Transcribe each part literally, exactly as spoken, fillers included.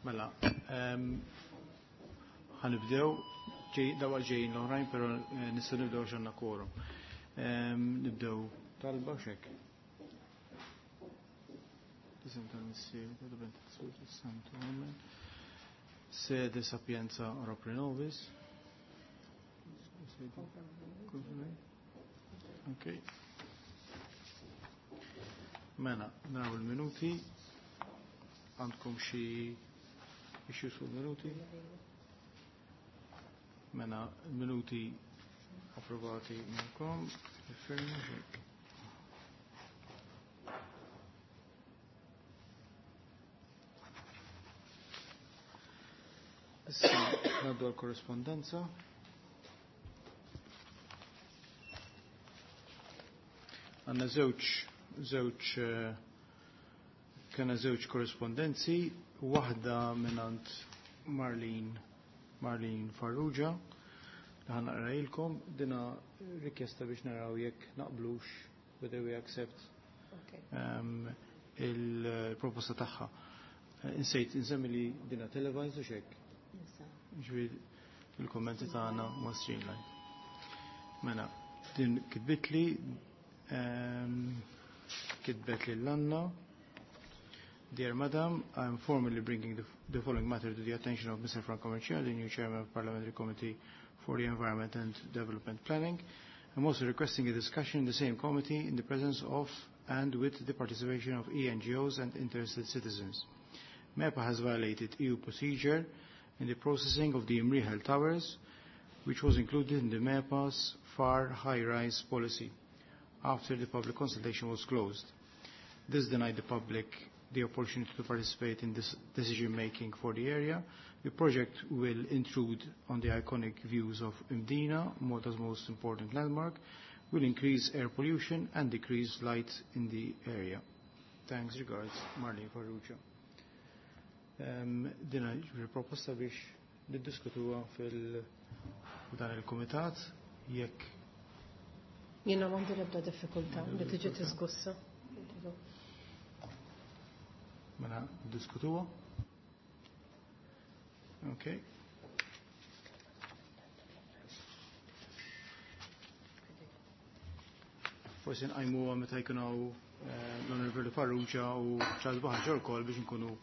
Mela, ehm, ħa nibdew, dawa ġejjin l-oħrajn, pero eh, nistgħu nibdew għandna quorum. Ehm, nibdew talba xek. Isem tal-Missier, tal-Iben, tal-Spiritu Santu, amen. Sede sapienza ora pro nobis. Ok. Mela, naraw il-minuti. Għandkom xi issues fuq minuti? Mela, minuti approvati minnkom. Firma xek. Issa, ngħaddu għal-korrespondenza. Għandna żewġ, żewġ, eh, kena żewġ korrespondenzi, waħda mingħand Marlene, Marlene Farrugia, li ħa naqrahilkom, dina rikjesta biex naraw jekk naqblux, whether we accept um, il-proposta tagħha. Eh, Insejt, insemmi li dina televised u xek. Ġifieri il-kommenti tagħna ma streamline. Mela, din kitbitli um, kitbet li l-Anna. Dear Madam, I am formally bringing the, the following matter to the attention of Mister Franco Mercieca, the new chairman of Parliamentary Committee for the Environment and Development Planning. I'm also requesting a discussion in the same committee in the presence of and with the participation of E N G Os and interested citizens. MEPA has violated E U procedure in the processing of the Imrieħel Towers, which was included in the MEPA's far high-rise policy after the public consultation was closed. This denied the public the opportunity to participate in this decision-making for the area. The project will intrude on the iconic views of Mdina, Malta's most important landmark, will increase air pollution and decrease light in the area. Thanks, regards, Marlene Farrugia. Um, dina ġifieri proposta biex niddiskutuha fil dan il-kumitat jekk Jiena m'għandi l-ebda diffikultà li tiġi diskussa. Mela diskutuha. Okay. Forsi nqajmuha meta jkun hawn eh, l-Onorevoli Farrugia u Charles Buhagiar ukoll biex nkunu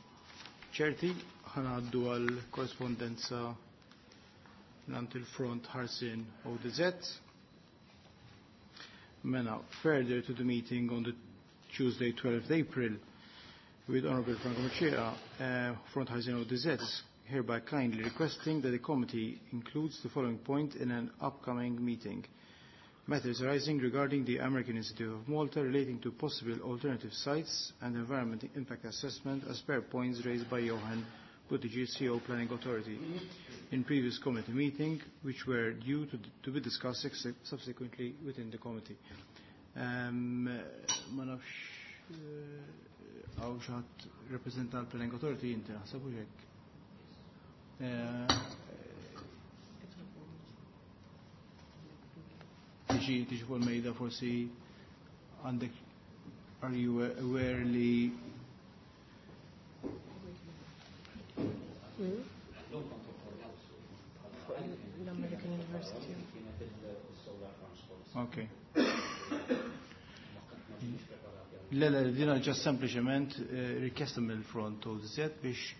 ċerti. Ħa ngħaddu għal korrespondenza mingħand il-Front Ħarsien O D Z. Mela, further to the meeting on the Tuesday twelfth April with Honorable Franco Mercieca, uh, Front Ħarsien O D Z hereby kindly requesting that the committee includes the following point in an upcoming meeting. Matters arising regarding the American Institute of Malta relating to possible alternative sites and environment impact assessment as per points raised by Johan Buttigieg, C E O Planning Authority, in previous committee meeting, which were due to, to be discussed subsequently within the committee. Um, ma nafx, eh, hawn xi ħadd rappresentant Planning Authority inti naħseb u hekk. Eh, tiġi tiġi fuq il-mejda forsi għandek, are you aware li L-American University. Ok. Le, le, dina ġa sempliċement, eh, rikjesta mill-Front O D Z biex,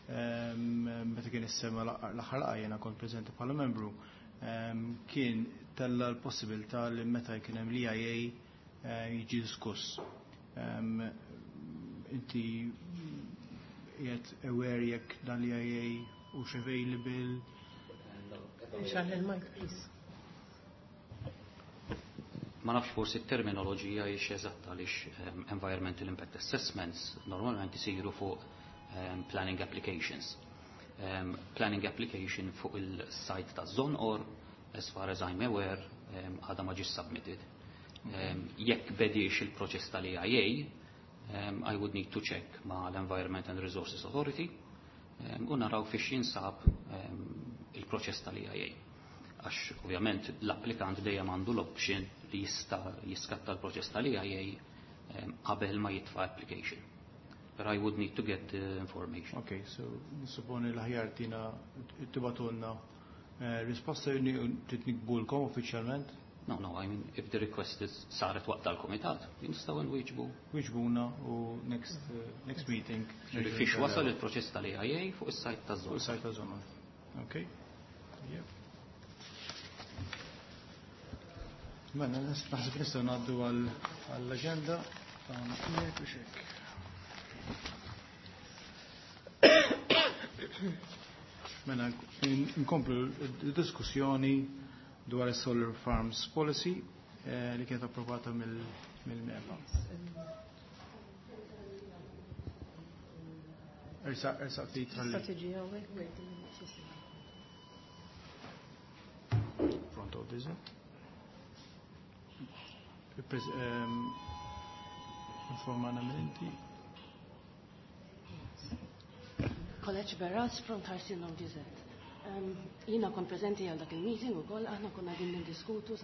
ehm, meta kien issema l-aħħar laqgħa jiena kont preżenti bħala membru, ehm, kien tella l-possibilità li meta jkun hemm l-E I A, eh, jiġi diskuss. Ehm, inti qiegħed aware jekk dan l-E I A hux available? Xaħ il-mic, please. Ma nafx forsi t-terminoloġija hix eżatta għaliex, ehm, environmental impact assessments normalment isiru fuq, ehm, planning applications. Um, planning application fuq il-site ta' Żonqor, as far as I'm aware, um, għadha ma ġiex submitted. Um, jekk bediex il-proċess tal-E I A, um, I would need to check ma l-Environment and Resources Authority, um, u naraw fiex jinsab, um, il-proċess tal-E I A. Għax ovvjament l-applikant dejjem għandu l-option li jista' jiskatta l-proċess tal-E I A, um, qabel ma jitfa' application. But I would need to get the information. Okay, so nisupponi l-aħjar tina tibagħtulna eh, risposta trid niktbulkom uffiċjalment? No, no, I mean, if the request is saret waqt tal-komitat, nistgħu nwieġbu. Wieġbuna u next, uh, next meeting. Fiex wasal il-proċess tal-E I A fuq is-site ta' Fuq żona. Is-site ta' żona. Okay. Yep. Mela, naħseb nistgħu ngħaddu għall-aġenda tagħna hekk u xek. Mela, nkomplu l-diskussjoni dwar is-Solar Farms Policy eh, li kienet approvata mill-MEPA. Ersa, ersa ftit ħalli. Strategija hawnhekk. Front of this. Ehm, informana minn inti. College Berras from Tarsin of Desert. Um, Jiena kont preżenti għal dak il-meeting u koll, aħna konna din niddiskutu uh,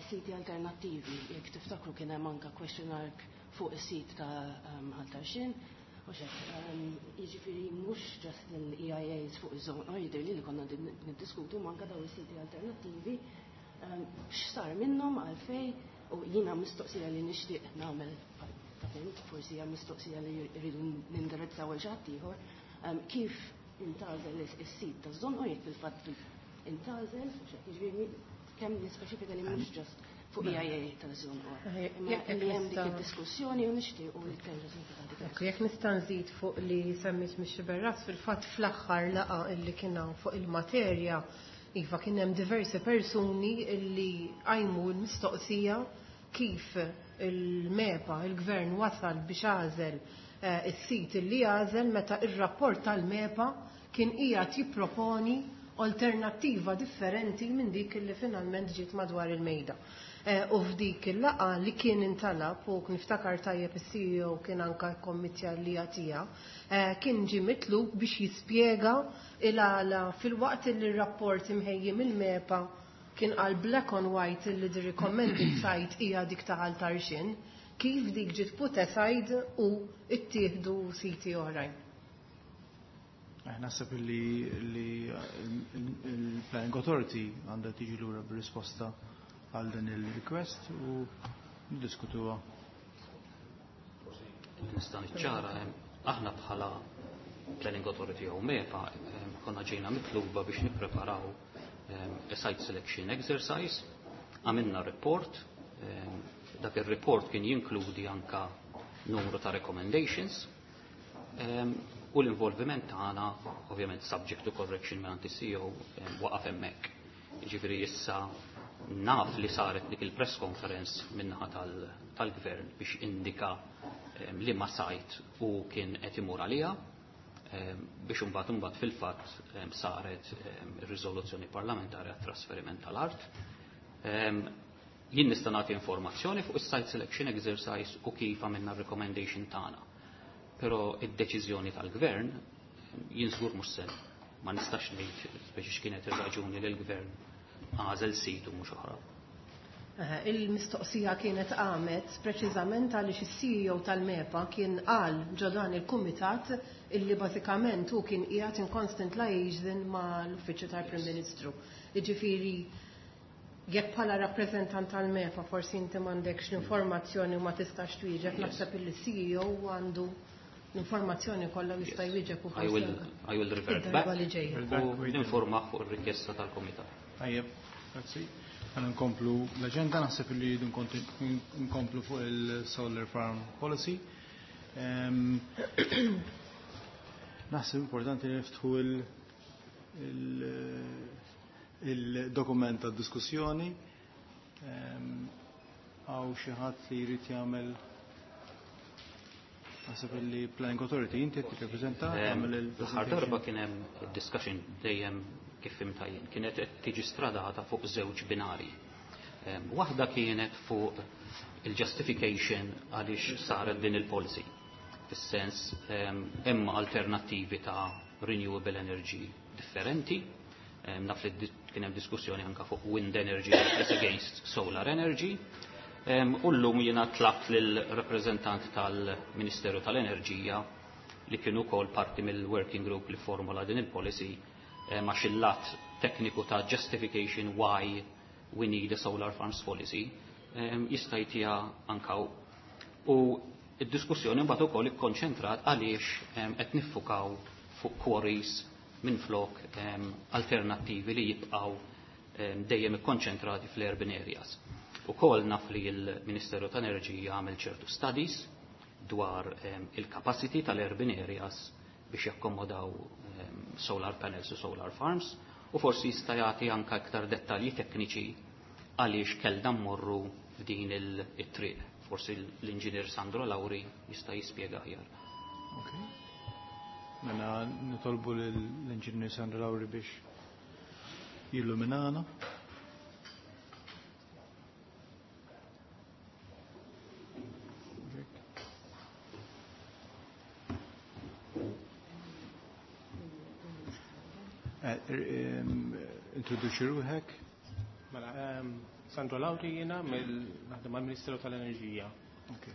siti alternattivi. Jekk tiftakru, kien hemm anka question mark fuq is-sit ta' um, Ħal Tarxien. U xek, um, jiġifieri mhux just l-E I As fuq iż-żona, jidher li li konna din niddiskutu manka daw is-siti alternattivi. Um, X'sar minnhom, għalfej, u jiena mistoqsija li nixtieq nagħmel, ta' fint, forsi hija mistoqsija li rridu nindirizzaw għal xi ħadd ieħor, um, kif intgħażel is-sit taż-Żonqor, jekk fil-fatt intgħażel, jiġifieri kemm nispeċifika li mhux just fuq E I A taż-Żonqor. Imma Jekk li hemm dik nista' id-diskussjoni u nixtiequ li terġa' tinfetaħ dik. Ekku, jekk nista' nżid fuq li semmit Mix Berras, fil-fatt fl-aħħar laqgħa illi kien hawn fuq il-materja, iva, kien hemm diversi persuni illi qajmu l-mistoqsija kif il-MEPA, il-gvern, wasal biex għażel eh, is-sit illi għażel meta ir-rapport tal-MEPA kien qiegħed jipproponi alternattiva differenti minn dik illi finalment ġiet madwar il-mejda. Eh, U f'dik il-laqgħa li kien intalab, u niftakar tajjeb is-C E O kien anka kommittja li jagħtiha, eh, kien ġie mitlub biex jispjega il-għala, filwaqt li r-rapport imħejji mill-MEPA kien qal black on white li the recommended site hija dik ta' Ħal Tarxien, kif dik ġiet put aside u ittieħdu siti oħrajn. Eh, Naħseb li li il-Planning Authority għandha tiġi lura bir-risposta għal din il-request u niddiskutuha. Nista' niċċara, em, aħna bħala Planning Authority u MEPA em, konna ġejna mitluba biex nippreparaw em, a site selection exercise, għamilna report, em, dak il-report kien jinkludi anka numru ta' recommendations, em, u l-involviment tagħna, ovvjament subject to correction minn C E O, em, waqaf hemmhekk. Jiġifieri issa naf li saret dik il-press conference minnaħa tal- tal-gvern biex indika em, li ma site u kien qed imur għaliha em, biex imbagħad imbagħad fil-fatt em, saret em, ir-riżoluzzjoni parlamentari għat-trasferiment tal-art. Em, Jien nista' nagħti informazzjoni fuq is-site selection exercise u kif għamilna r-recommendation tagħna. Però id-deċiżjoni tal-gvern jien żgur mhux se ma nistax ngħid speċi x'kienet ir-raġuni li l-gvern għażel sit u mhux oħra. Eh, Il-mistoqsija kienet qamet preċiżament għaliex is-C E O tal-MEPA kien qal ġo dan il-kumitat illi bażikament hu kien qiegħed in constant liaison mal-Uffiċċju tal-Prim Ministru. Jiġifieri jekk bħala rappreżentant tal-MEPA forsi inti m'għandekx l-informazzjoni u ma tistax twieġeb, naħseb illi C E O għandu l-informazzjoni kollha u jista' jwieġeb u I will, I will revert back id-darba li ġejja. U ninformah fuq ir-rikjesta tal-komitat. Tajjeb, grazzi. Għana nkomplu l-agenda, naħseb li rridu nkonti- nkomplu fuq il-Solar Farm Policy. Em, Naħseb importanti li niftħu il- il- il-dokument ta' diskussjoni. Em, Hawn xi ħadd li jrid jagħmel? Naħseb li Planning Authority, inti qed tirrepreżenta, tagħmel L-aħħar darba kien hemm discussion dejjem, kif fhimtha jien, kienet qed tiġi stradata fuq żewġ binari. Em, Waħda kienet fuq il-justification għaliex saret din il-policy. Fis-sens em, hemm alternattivi ta' renewable energy differenti. Em, Naf li di- kien hemm diskussjoni anka fuq wind energy as against solar energy. U llum jiena tlabt lill-rappreżentant tal-Ministeru tal-Enerġija li kienu wkoll parti mill-working group li formula din il-policy għax il-lat tekniku ta' justification why we need a solar farms policy jista' jtiha anka u id-diskussjoni mbagħad ukoll ikkonċentrat għaliex qed niffukaw fuq quarries minflok alternattivi li jibqgħu dejjem ikkonċentrati fl-urban areas. Ukoll naf li l-Ministeru tal-Enerġija għamel ċertu studies dwar il-capacity tal-urban areas biex jakkomodaw solar panels u solar farms u forsi jista' jagħti anke iktar dettalji tekniċi għaliex kellna mmorru f'din it-triq. Forsi l-inġinier Sandro Lauri jista' jispjega aħjar. Okay. Mela nitolbu l-inġinier Sandro Lauri biex jilluminana. Introduċi ruħek. Mela, Sandro Lauri jiena naħdem mal-Ministeru tal-Enerġija. Okay.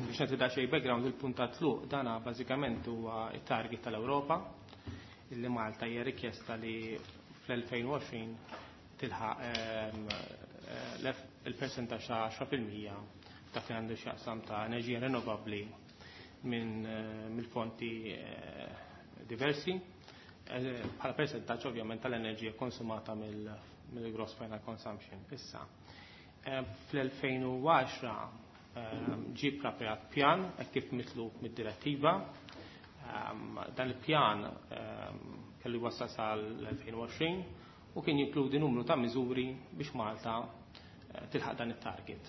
Biex nagħti daqsxejn background, il-punt ta' tluq dana bażikament huwa t-target tal-Ewropa illi Malta hija rikjesta li fl-elfejn u għoxrin tilħaq il-persentaġġ ta' għaxra fil-mija dak li għandu x'jaqsam ta' enerġija rinnovabbli minn mill-fonti diversi bħala persentaġġ ovvjament tal-enerġija konsumata mill-gross final consumption. Issa, fl-elfejn u għaxra ġie preparat pjan hekk kif mitlub mid-direttiva. Dan il-pjan kellu jwassal sal-elfejn u għoxrin u kien jinkludi numru ta' miżuri biex Malta tilħaq dan it-target.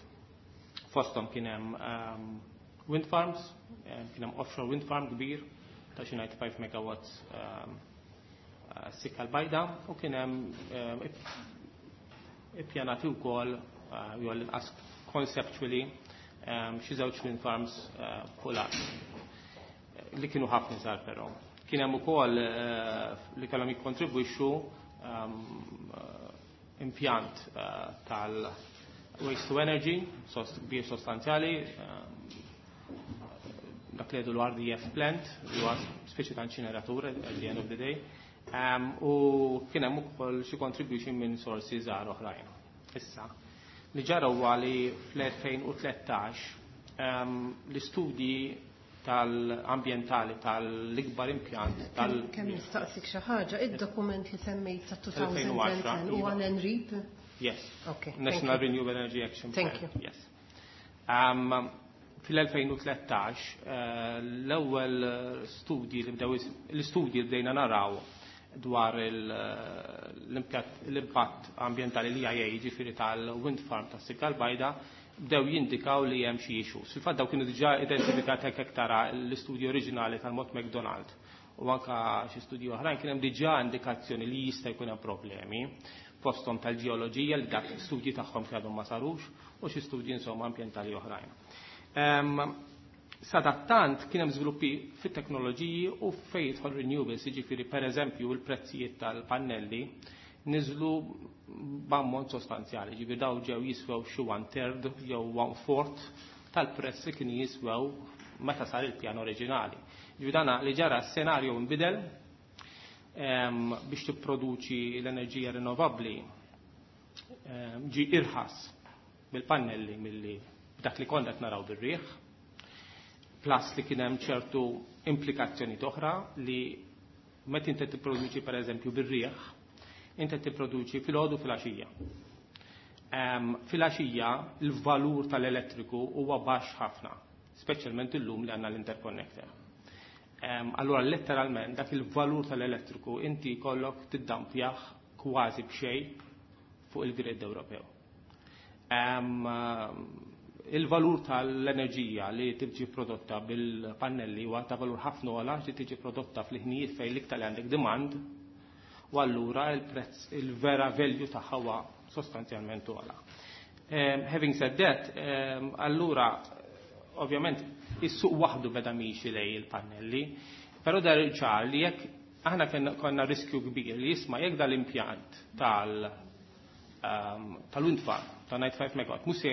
Fosthom kien hemm wind farms, kien hemm offshore wind farm kbir ta' xi ninety-five megawatts sikka l-bajda u kien hemm ippjanati wkoll jew l-inqas conceptually xi żewġ wind farms fuq l-art li kienu ħafna żgħar però. Kien hemm ukoll li kellhom jikkontribwixxu impjant tal-waste to energy kbir sostanzjali, dak li jgħidu l-R D F plant, li huwa speċi ta' inċineratur at the end of the day, u kien hemm ukoll xi contribution minn sorsi żgħar oħrajn. Issa, li ġara huwa li fl-elfejn u tlettax l-istudji tal-ambjentali tal-ikbar impjant tal- Kemm nistaqsik xi ħaġa, id-dokument li semmejt ta' two thousand and ten huwa N R E P? Yes. Okay, thank National you. Renewable Energy Action Thank Plan. you. Yes. Um, fil-elfejn u tlettax, eh, l-ewwel studji li bdew is-, l-istudji li bdejna naraw dwar il-, l-impatt, l-impatt ambjentali li I A, jiġifieri tal-wind farm tas-Sikka l-Bajda, bdew jindikaw li hemm xi issues. Fil-fatt daw kienu diġà identifikati hekk tara l-istudju oriġinali tal-Mott MacDonald u anka xi studji oħrajn kien hemm diġà indikazzjoni li jista' jkun hemm problemi fosthom tal-ġeoloġija li dak studji tagħhom kien għadhom ma sarux u xi studji insomma ambjentali oħrajn. Ehm, sadattant kien hemm żviluppi fit-teknoloġiji u fejn jidħol renewables, jiġifieri pereżempju l-prezzijiet tal-pannelli niżlu b'ammont sostanzjali, jiġifieri daw ġew jiswew xi one third jew one fourth tal-prezz li kienu jiswew meta sar il-pjan oriġinali. Jiġifieri dana li ġara s-senarju nbidel, ehm, biex tipproduċi l-enerġija rinnovabbli, ehm, ġi irħas bil-pannelli milli dak li konna qed naraw bir-riħ, plus li kien hemm ċertu implikazzjoni oħra li meta inti tipproduċi pereżempju bir-riħ, inti tipproduċi filgħodu filgħaxija. Ehm, filgħaxija l-valur tal-elettriku huwa baxx ħafna, speċjalment illum li għandna l-interconnector. Ehm, allura letteralment dak il-valur tal-elettriku inti jkollok tiddampjah kważi b'xejn fuq il-grid Ewropew. Ehm, il-valur tal-enerġija li tiġi prodotta bil-pannelli huwa ta' valur ħafna ogħla li tiġi prodotta fl-ħinijiet fejn l-iktar li għandek demand U allura il-prezz, il-vera value tagħha huwa sostanzjalment ogħla. Um, having said that, um, allura ovvjament is-suq waħdu beda miexi lejn il-pannelli, però dar ċar li jekk aħna konna riskju kbir li jisma' jekk dal-impjant tal um, tal-wind farm ta' ninety-five megawatt mhux se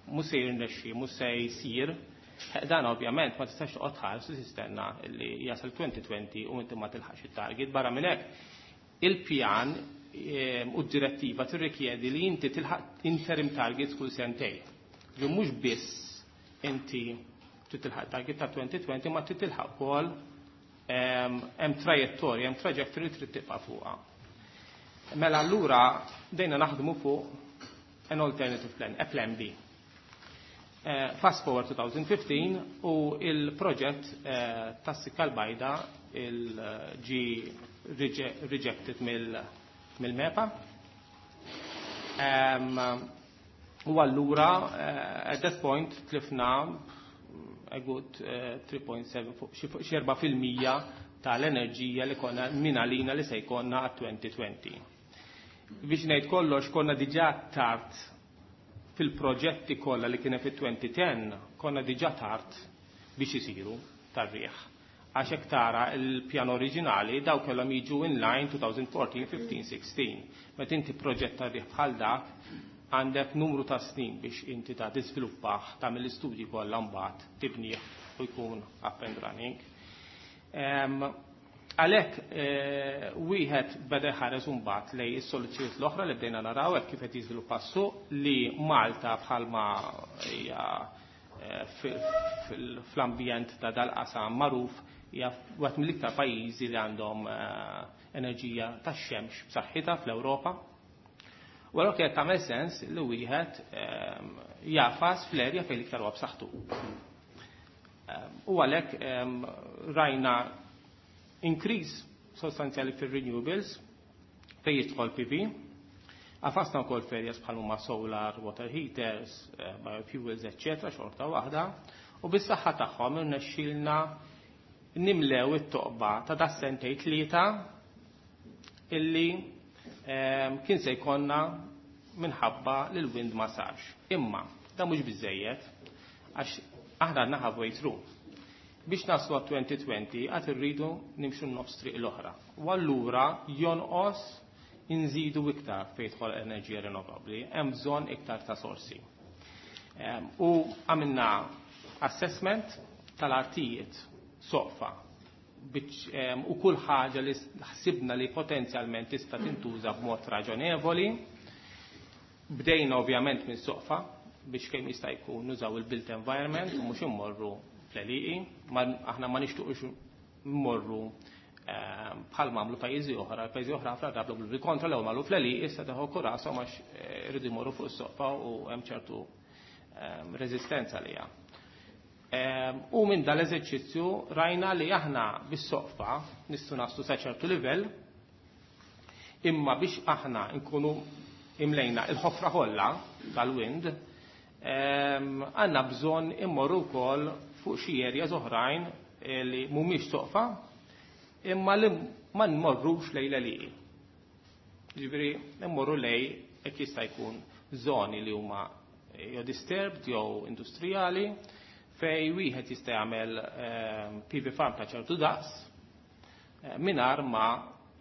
mhux se jirnexxi, mhux se jsir, dan ovvjament ma tistax toqgħod tħares u tistenna li jasal twenty twenty u inti ma tilħaqx it-target. Barra minn hekk, il-pjan u d-direttiva tirrikjedi li inti tilħaq interim targets kull sentejn. Ġu mhux biss inti trid tilħaq target ta' twenty twenty, ma trid tilħaq ukoll hemm trajettorja, hemm trajectory trid tibqa' fuqha. Mela allura bdejna naħdmu fuq an alternative plan, a plan B. Uh, fast forward twenty fifteen u il-proġett uh, tas-Sikka l-Bajda il-ġi rejected mill-MEPA. Um, u allura uh, at that point tlifna a good uh, three point seven, xi four fil-mija tal-enerġija li konna minalina li se jkollna għat twenty twenty. Biex ngħid kollox, konna diġà tard fil-proġetti kollha li kien fit-twenty ten, konna diġà tard biex isiru tar-riħ. Għax hekk tara il-pjan oriġinali, daw kellhom jiġu in line twenty fourteen, fifteen, sixteen. Meta inti proġett tar-riħ bħal dak, għandek numru ta' snin biex inti ta' tiżviluppah, tagħmel l-istudji kollha, mbagħad tibnih u jkun up and running. Għalhekk eh, wieħed beda jħares mbagħad lejn is-soluzzjonijiet l-oħra li bdejna naraw hekk kif qed jiżviluppa s-suq, li Malta bħalma hija eh, fl-ambjent ta' dal-qasam magħruf, hija wieħed mill-iktar pajjiżi li għandhom eh, enerġija tax-xemx b'saħħitha fl-Ewropa. U allura kienet tagħmel sens li wieħed jagħfas fl-erja fejn l-iktar huwa b'saħħtu. U għalhekk rajna increase sostanzjali fil-renewables fejn jidħol P V. Għafasna wkoll f'areas bħal huma solar, water heaters, eh, biofuels, eccetera, xorta waħda. U bis-saħħa tagħhom irnexxielna nimlew it-toqba ta' da sentej tlieta illi ehm, kien se jkollna minħabba li l-wind ma sarx. Imma da mhux biżejjed, għax aħna għandna halfway through. Biex naslu għat twenty twenty għad irridu nimxu nofs triq l-oħra. U allura jonqos inżidu iktar fejn tidħol enerġija rinnovabbli, hemm bżonn iktar ta' sorsi. U għamilna assessment tal-artijiet soqfa u kull ħaġa li ħsibna li potenzjalment tista' tintuża b'mod raġonevoli. Bdejna ovvjament minn soqfa biex kemm jista' jkun nużaw il-built environment u mhux immorru fl-għelieqi, aħna ma nixtuqux mmorru ehm, bħal m'għamlu pajjiżi oħra, pajjiżi oħra ħafna drabi bil-kontra, l marru fl-għelieqi, issa teħu kurasom għax eh, iridu jmorru fuq is-soqfa u hemm ċertu ehm, reżistenza li ehm, U minn dal-eżerċizzju rajna li aħna bis-soqfa nistgħu naslu sa ċertu livell, imma biex aħna nkunu imlejna il-ħofra kollha tal-wind, għandna bżonn immorru wkoll fuq xi areas oħrajn eh, li mhumiex soqfa imma li ma nmorrux lejn l. Ġifieri immorru lejn hekk jista' jkun żoni li huma jew disturbed jew industrijali fej wieħed jista' jagħmel P V farm ta' ċertu daqs eh, mingħajr ma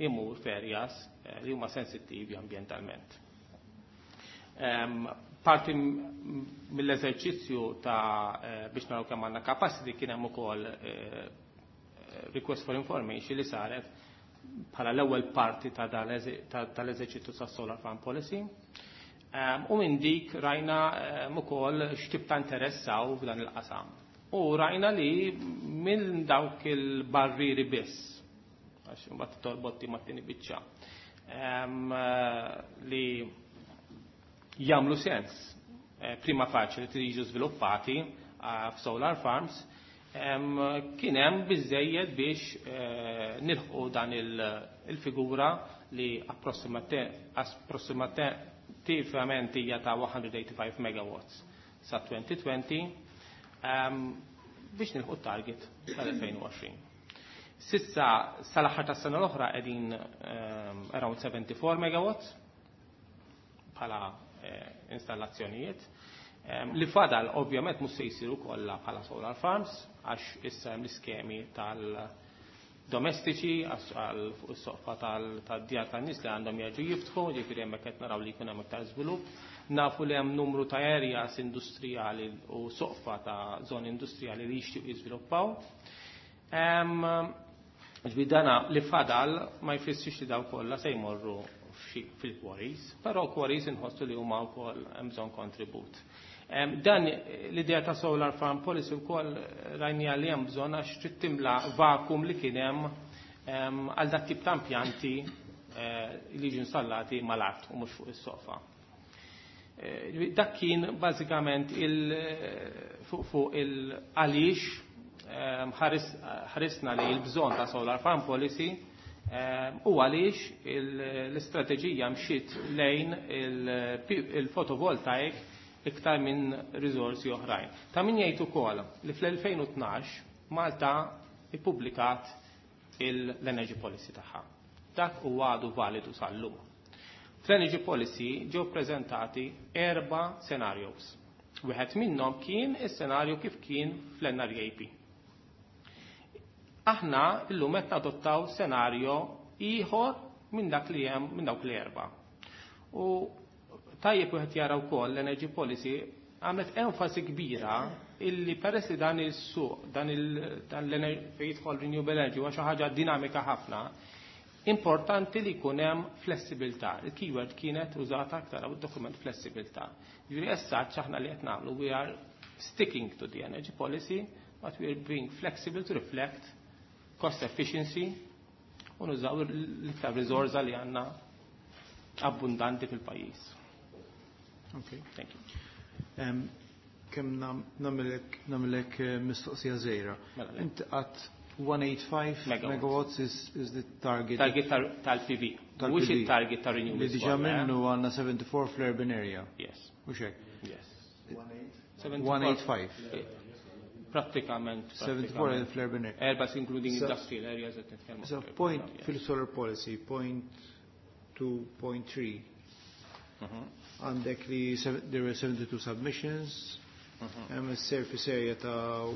imur f'areas eh, li huma sensittivi ambjentalment. Parti mill-eżerċizzju ta' eh, biex naraw kemm għandna capacity kien hemm ukoll eh, request for information li saret bħala l-ewwel parti ta' tal-eżerċizzju ta' Solar Farm Policy. U minn dik rajna ukoll x'tip ta' interess hawn f'dan il-qasam. U rajna li minn dawk il-barriri biss, għax imbagħad torbot mat-tieni biċċa, li jagħmlu sens eh, prima facie li jiġu żviluppati eh, f'solar farms, kien hemm biżejjed biex eh, nilħqu dan il-figura li approssimattivament hija ta' one hundred eighty-five megawatts sa twenty twenty biex nilħqu target tal-twenty twenty. S'issa sal-aħħar tas-sena l-oħra qegħdin ehm, around seventy-four megawatts bħala eh, installazzjonijiet. Ehm, li fadal ovvjament mhux se jsiru kollha bħala solar farms, għax issa hemm l-iskemi tal-domestiċi għal fuq is-soqfa tad-djar tan-nies li għandhom jerġgħu jiftħu, ġifieri hemmhekk qed naraw li jkun hemm iktar żvilupp. Nafu li hemm numru ta' areas industrijali u soqfa ta' żoni industrijali li jixtiequ jiżviluppaw. Ġifieri dana li fadal ma jfissirx li daw kollha se jmorru fil-quarries, però quarries inħossu li huma wkoll hemm bżonn kontribut. Dan l-idea ta' solar farm policy wkoll rajnija li hemm bżonn, għax trid timla vakum li kien hemm għal dak tip ta' impjanti eh, li jiġu installati mal-art u mhux fuq is-sofa. Eh, dak kien bażikament il fuq il għaliex ħarisna li l-bżonn ta' solar farm policy u għaliex l-istrateġija mxiet lejn il-photovoltaic iktar minn risorsi oħrajn. Ta' min jgħid ukoll li fl-elfejn u tnax Malta ippubblikat l-Energy Policy tagħha. Dak huwa għadu validu sal-lum. Fl-Energy Policy ġew prezentati erba' scenarios. Wieħed minnhom kien is-senarju kif kien fl-N R A P. Aħna illum qed nadottaw senarju ieħor minn dak li hemm, minn dawk l-erba'. U tajjeb wieħed jara wkoll l-Energy Policy għamlet enfasi kbira illi peress li dan il-suq, dan il fejn jidħol renewable energy huwa xi ħaġa dinamika ħafna, importanti li jkun hemm flessibilità. Il-keyword kienet użata aktar hawn dokument, flessibilità. Ġifieri issa aħna li qed nagħmlu, we are sticking to the energy policy, but we are being flexible to reflect cost efficiency u nużaw l-iktar riżorsa li għandna abbundanti fil-pajjiż. Okay. Thank you. Um, Kemm nagħmillek nagħmillek eh, mistoqsija żgħira. Mela, le. Inti qatt one eight five megawatts megawatts is, is the target. Target tal-P V. Tal-P V. Mhux il-target ta' renewables. Li diġà kollha, eh? minnu għandna seventy-four fl-urban area. Yes. Mhux hekk? Yes. one eight five. Prattikament. seventy-four Prattikament. fl-urban area. Erba including So- industrial areas qed nitkellmu. So point fil-solar policy, point two point three, Mhm. għandek li sev- there were seventy-two submissions, Mhm. hemm surface area ta'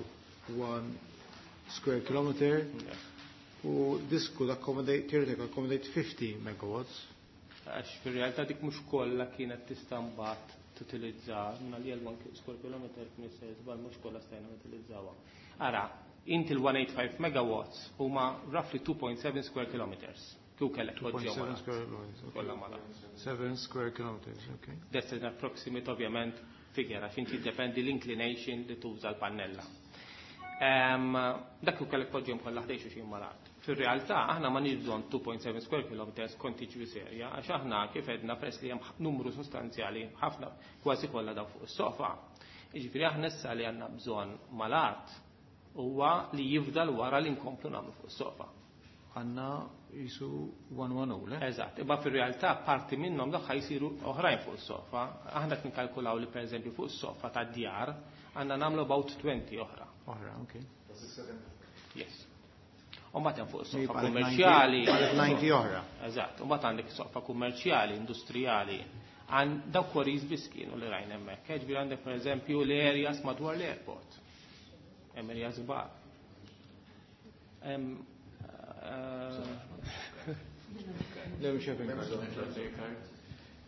one square kilometer, Yes. u this could accommodate, theoretically accommodate fifty megawatts. Għax fil-realtà dik mhux kollha kienet tista' mbagħad tutilizza, minna li għal one square kilometer kien se żball, mhux kollha stajna nutilizzawha. Ara, inti l-one eight five megawatts huma roughly two point seven square kilometers. Kieku kellek two point seven poġġihom mal-art. Square kilometers. Okay. Kollha mal-art. seven square kilometers, okay. That's an approximate ovvjament figure, għax inti depende l-inclination li tuża l-pannella. Em, Dak kieku kellek poġġihom kollha ħdejn xulxin mal-art. Fir-realtà aħna ma nix bżonn two point seven square kilometers contiguous area, għax aħna kif edna, peress li hemm numru sostanzjali ħafna, kważi kollha daw fuq is-sofa. Jiġifieri aħna issa li għandna bżonn mal-art huwa li jifdal wara li nkomplu nagħmlu fuq is-sofa. Għandna jisu one ten, le? Eżatt, imma fir-realtà parti minnhom dak jsiru oħrajn fuq is-sofa. Aħna qed nikkalkulaw li pereżempju fuq is-sofa tad-djar għandna nagħmlu about twenty oħra. Oħra, okay. Yes. U mbagħad hemm fuq is-sofa Jibqa' lek kummerċjali. ninety, ninety oħra. Eżatt, u mbagħad għandek sofa kummerċjali, industrijali. Għan dawk quarries biss kienu li rajna hemmhekk. Ġifieri għandek pereżempju l-areas madwar l-airport. Hemm areas kbar. Hemm eh, Le, mhux card.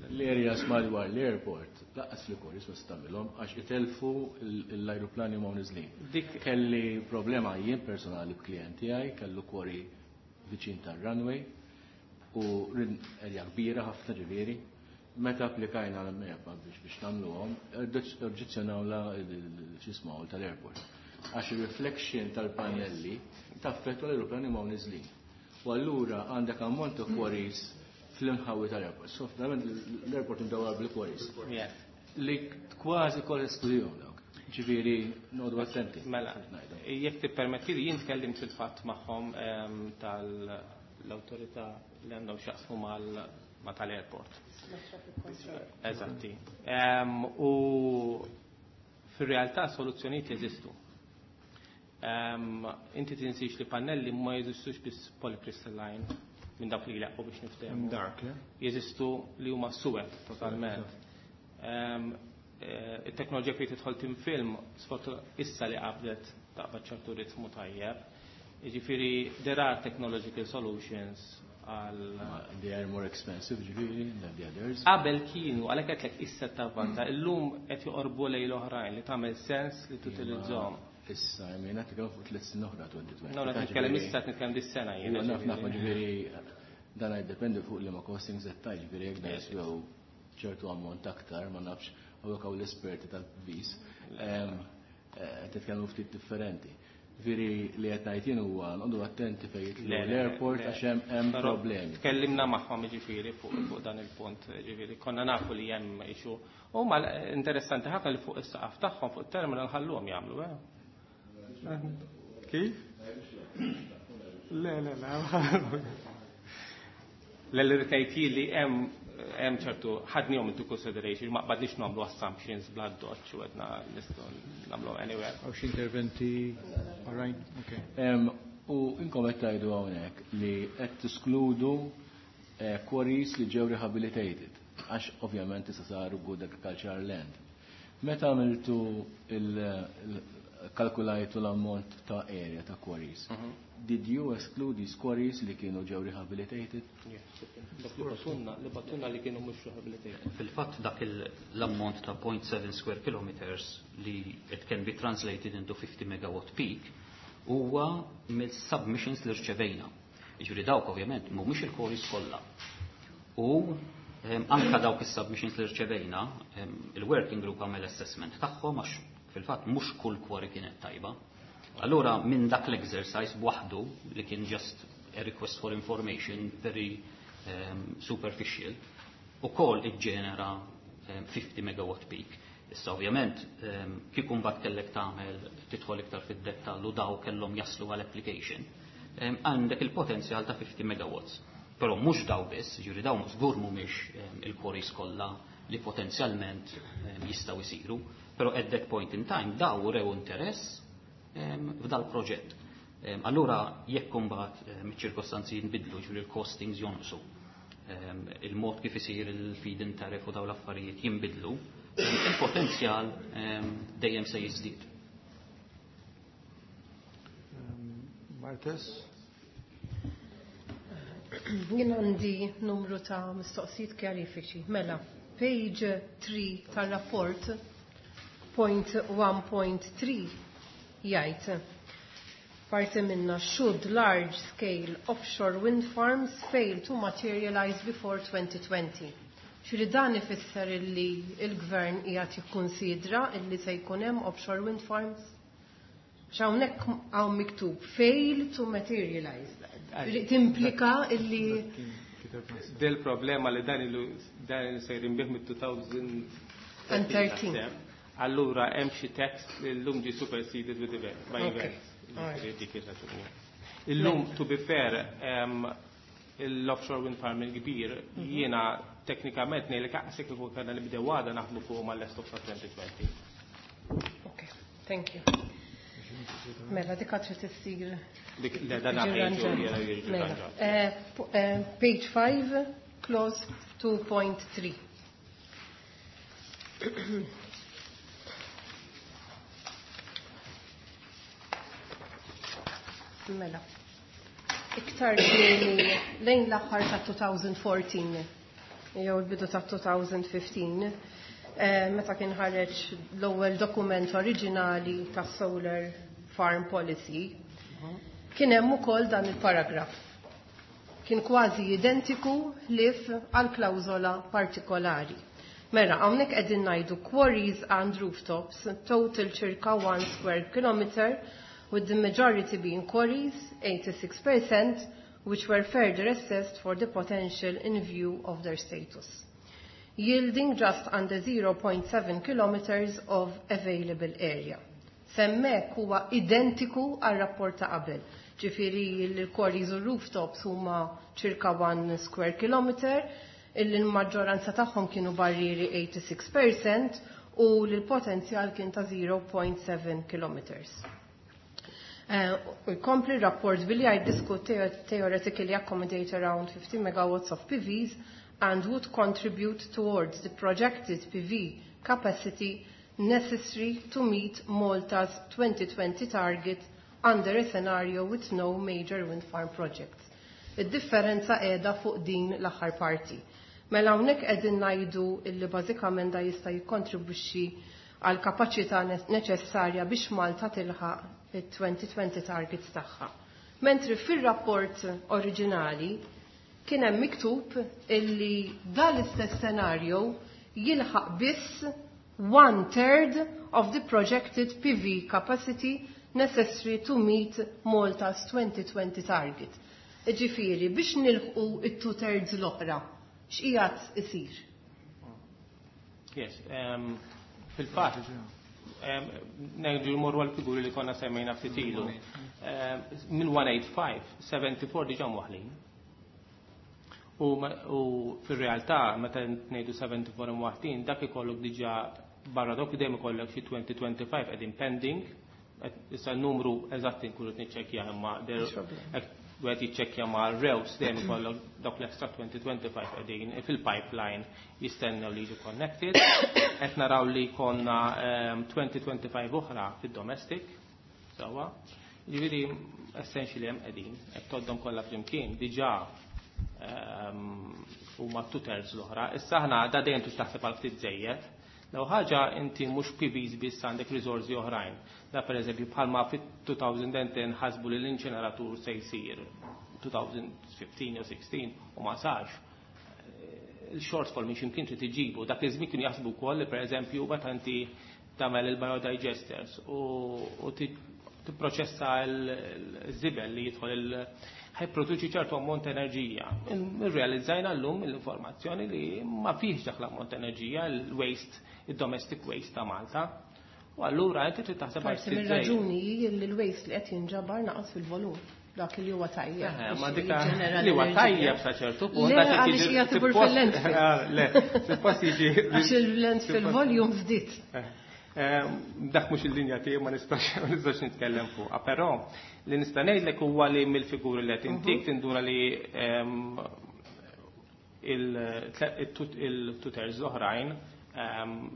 L-areas madwar l-airport, lanqas li quarries ma tagħmilhom għax itelfu l-ajruplani ma niżlin. Dik Kelli problema jien personali b'klijent tiegħi, kellu quarry viċin tar-runway u rin area kbira ħafna ġifieri. Meta applikajna l-MEPA biex biex nagħmluhom, oġġezzjonaw la x'ismaw tal-airport. Għax il-reflection tal-pannelli taffettwa l-ajruplani ma niżlin. U allura għandek ammont ta' quarries fl-inħawi tal-airport. So, verament l-airport imdawar bil-quarries. Yeah. Li kważi kollha esklużjoni dawk. Ġifieri, noqogħdu attenti. Mela, jekk tippermetti li jien tkellimt fil-fatt magħhom em, tal-awtorità li għandhom x'jaqsmu mal ma tal-airport. Eżatti. Em, U fir-realtà soluzzjonijiet jeżistu. Um, inti tinsix li pannelli ma jeżistux biss polycrystalline minn dawk li jleqqu biex niftehmu. Dark, le? Jeżistu li huma suwed totalment. Um, eh, it-teknoloġija fejn tidħol thin film issa li qabdet taqbad ċertu ritmu tajjeb. Jiġifieri there are technological solutions għal They are more expensive, ġifieri, than the others. Qabel kienu, għalhekk qedlek issa tavvanza, illum qed joqorbu lejn l-oħrajn li tagħmel sens li tutilizzahom. Issa, jemina nitkellem fuq tliet snin oħra twenty twenty. No, qed nitkellem issa, qed nitkellem dis-sena jien. Naf, naf, ġifieri dan jiddependi fuq li ma costings qed tgħid, ġifieri jekk dan jiswew ċertu ammont aktar, ma nafx hawnhekk hawn l-esperti tal-vis. Titkellmu ftit differenti. Ġifieri li qed ngħid jien huwa noqogħdu attenti fejn jidħlu l-airport għax hemm problemi. Tkellimna magħhom, ġifieri, fuq dan il-punt, ġifieri konna nafu li hemm issue. Huma interessanti ħafna li fuq is-saqaf tagħhom fuq it-terminal ħalluhom jagħmlu, eh. Kif? Le, le, le. L-irritajt li hemm hemm ċertu ħadnihom into consideration, ma qbadniex nagħmlu assumptions bla doċ u għedna nistgħu nagħmlu anywhere. Hawn xi interventi oħrajn? Okay. U inkom qed tgħidu hawnhekk li qed tiskludu eh, quarries li ġew rehabilitated, għax ovvjament issa saru good agricultural land. Meta għamiltu il-kalkulajtu l-ammont ta' area ta' quarries, mhm. did you exclude these quarries li kienu ġew rehabilitated? Li bagħtulna li kienu mhux rehabilitated. Fil-fatt dak l-ammont ta' zero point seven square kilometers li it can be translated into fifty megawatt peak huwa mill-submissions li rċevejna. Jiġifieri dawk ovvjament mhumiex il-quarries kollha. U anka dawk is-submissions li rċevejna, il-working group għamel assessment tagħhom għax fil-fatt mhux kull quarry kienet tajba. Allura minn dak l-exercise waħdu li kien just a request for information very um, superficial ukoll iġġenera um, fifty megawatt peak. Issa ovvjament um, kieku mbagħad kellek tagħmel tidħol iktar fid-dettall u daw kellhom jaslu għal application, um, għandek il-potenzjal ta' fifty megawatts. Però mhux daw biss, ġifieri daw żgur mhumiex um, il-quarries kollha li potenzjalment um, jistgħu jsiru, però at that point in time daw rew interess f'dal proġett. Allura jekk imbagħad iċ-ċirkostanzi jinbidlu, ġifieri il-costings jonqsu, il-mod kif isir il-feed-in tariff u daw l-affarijiet jinbidlu, il-potenzjal dejjem se jiżdied. Martes? Jien għandi numru ta' mistoqsijiet kjarifiċi. Mela, page three tal-rapport, point one point three jgħid parti minna: should large scale offshore wind farms fail to materialize before twenty twenty. Ġifieri dan ifisser illi il-gvern qiegħed jikkunsidra illi se jkun hemm offshore wind farms? X'hawnhekk hawn miktub fail to materialize. Timplika illi Del problema li dan ilu dan sejrin bih mit-elfejn u tlettax. Allura hemm xi text li llum ġie superseded with event, by events. Dik ir-raġuni. Illum, to be fair, l-offshore wind farm il-kbir, mhm. jiena teknikament ngħidlek aqsek kieku kellna nibdew għada naħdmu fuq mal-lest of twenty twenty. Okay, thank you. Mela, dik trid issir. Dik le dan Mela. Eh, eh, page five, clause two point three. Mela. Iktar kmieni lejn l-aħħar ta' elfejn u erbatax jew il-bidu ta' elfejn u ħmistax, eh, meta kien ħareġ l-ewwel dokument oriġinali ta' Solar Farm Policy, kien hemm ukoll dan il-paragraf. Kien kważi identiku ħlief għal klawżola partikolari. Mela, hawnhekk qegħdin ngħidu quarries and rooftops total circa one square kilometer, with the majority being quarries, eighty-six percent, which were further assessed for the potential in view of their status, yielding just under zero point seven kilometers of available area. S'hemmhekk huwa identiku għal rapport ta' qabel. Ġifieri l-quarries u rooftops huma circa one square kilometer, il-maġġoranza tagħhom kienu barrieri eighty-six percent u l-potenzjal kien ta' zero point seven kilometers. Eh, u jkompli rapport billi għajd this could theoretically accommodate around fifty megawatts of P Vs and would contribute towards the projected P V capacity necessary to meet Malta's twenty twenty target under a scenario with no major wind farm projects. Id-differenza qiegħda fuq din l-aħħar parti. Mela hawnhekk qegħdin ngħidu illi bażikament da jista' jikkontribwixxi għal kapaċità neċessarja biex Malta tilħaq il-twenty twenty targets tagħha. Mentri fir-rapport oriġinali kien hemm miktub illi dan l-istess scenario jilħaq biss one third of the projected P V capacity necessary to meet Malta's twenty twenty target. Ġifieri, biex nilħqu it-two thirds l-oħra, x'qiegħed isir? Yes, um, fil-fatt, um, nerġgħu mmorru għal-figuri li konna semmejna ftit ilu. Um, Minn one eighty-five, seventy-four diġà mwaħlin. U, u fil-realtà, meta ngħidu seventy-four imwaħlin, dak ikollok diġà barra dok dejjem ikollok xi twenty twenty-five qegħdin pending, issa n-numru eżatti nkunu niċċekkja, imma wieħed jiċċekkja ma' rews dejjem ikollok dawk l-extra twenty twenty-five qegħdin fil-pipeline jistennew li jiġu connected. Qed naraw li jkollna twenty twenty-five oħra fid-domestic, sewwa. Ġifieri essentially hemm qegħdin, qed toddhom kollha flimkien diġà huma two thirds l-oħra. Issa aħna da dejjem trid taħseb għal ftit żejjed. Law ħaġa inti mhux P Vs biss, għandek riżorsi oħrajn. Da per eżempju bħalma fit-elfejn u għaxra ħasbu li l-inċineratur se jsir elfejn u ħmistax jew sittax u ma sarx. Il-shortfall minn ximkien trid iġibu. Dak iż-żmien kienu jaħsbu wkoll li pereżempju meta inti tagħmel il-biodigesters u tipproċessa l-żibel li jidħol il ħa jipproduċi ċertu ammont enerġija. Irrealizzajna llum l-informazzjoni li ma fihx dak l-ammont enerġija, il-waste, il-domestic waste ta' Malta. U allura inti trid taħseb għal Parti mir-raġuni li l-waste li qed jinġabar naqas fil-volum, dak li huwa tajjeb. Ma dika li huwa tajjeb sa ċertu punt. Le, għaliex qiegħed ibur fil-landfill. Le, suppost jiġi. Għax il-landfill volume żdied. Dak mhux il-linja tiegħi, ma nistax ma nistax nitkellem fuqha, però li nista' ngħidlek huwa li mill-figuri li qed intik tindura li il-two thirds l-oħrajn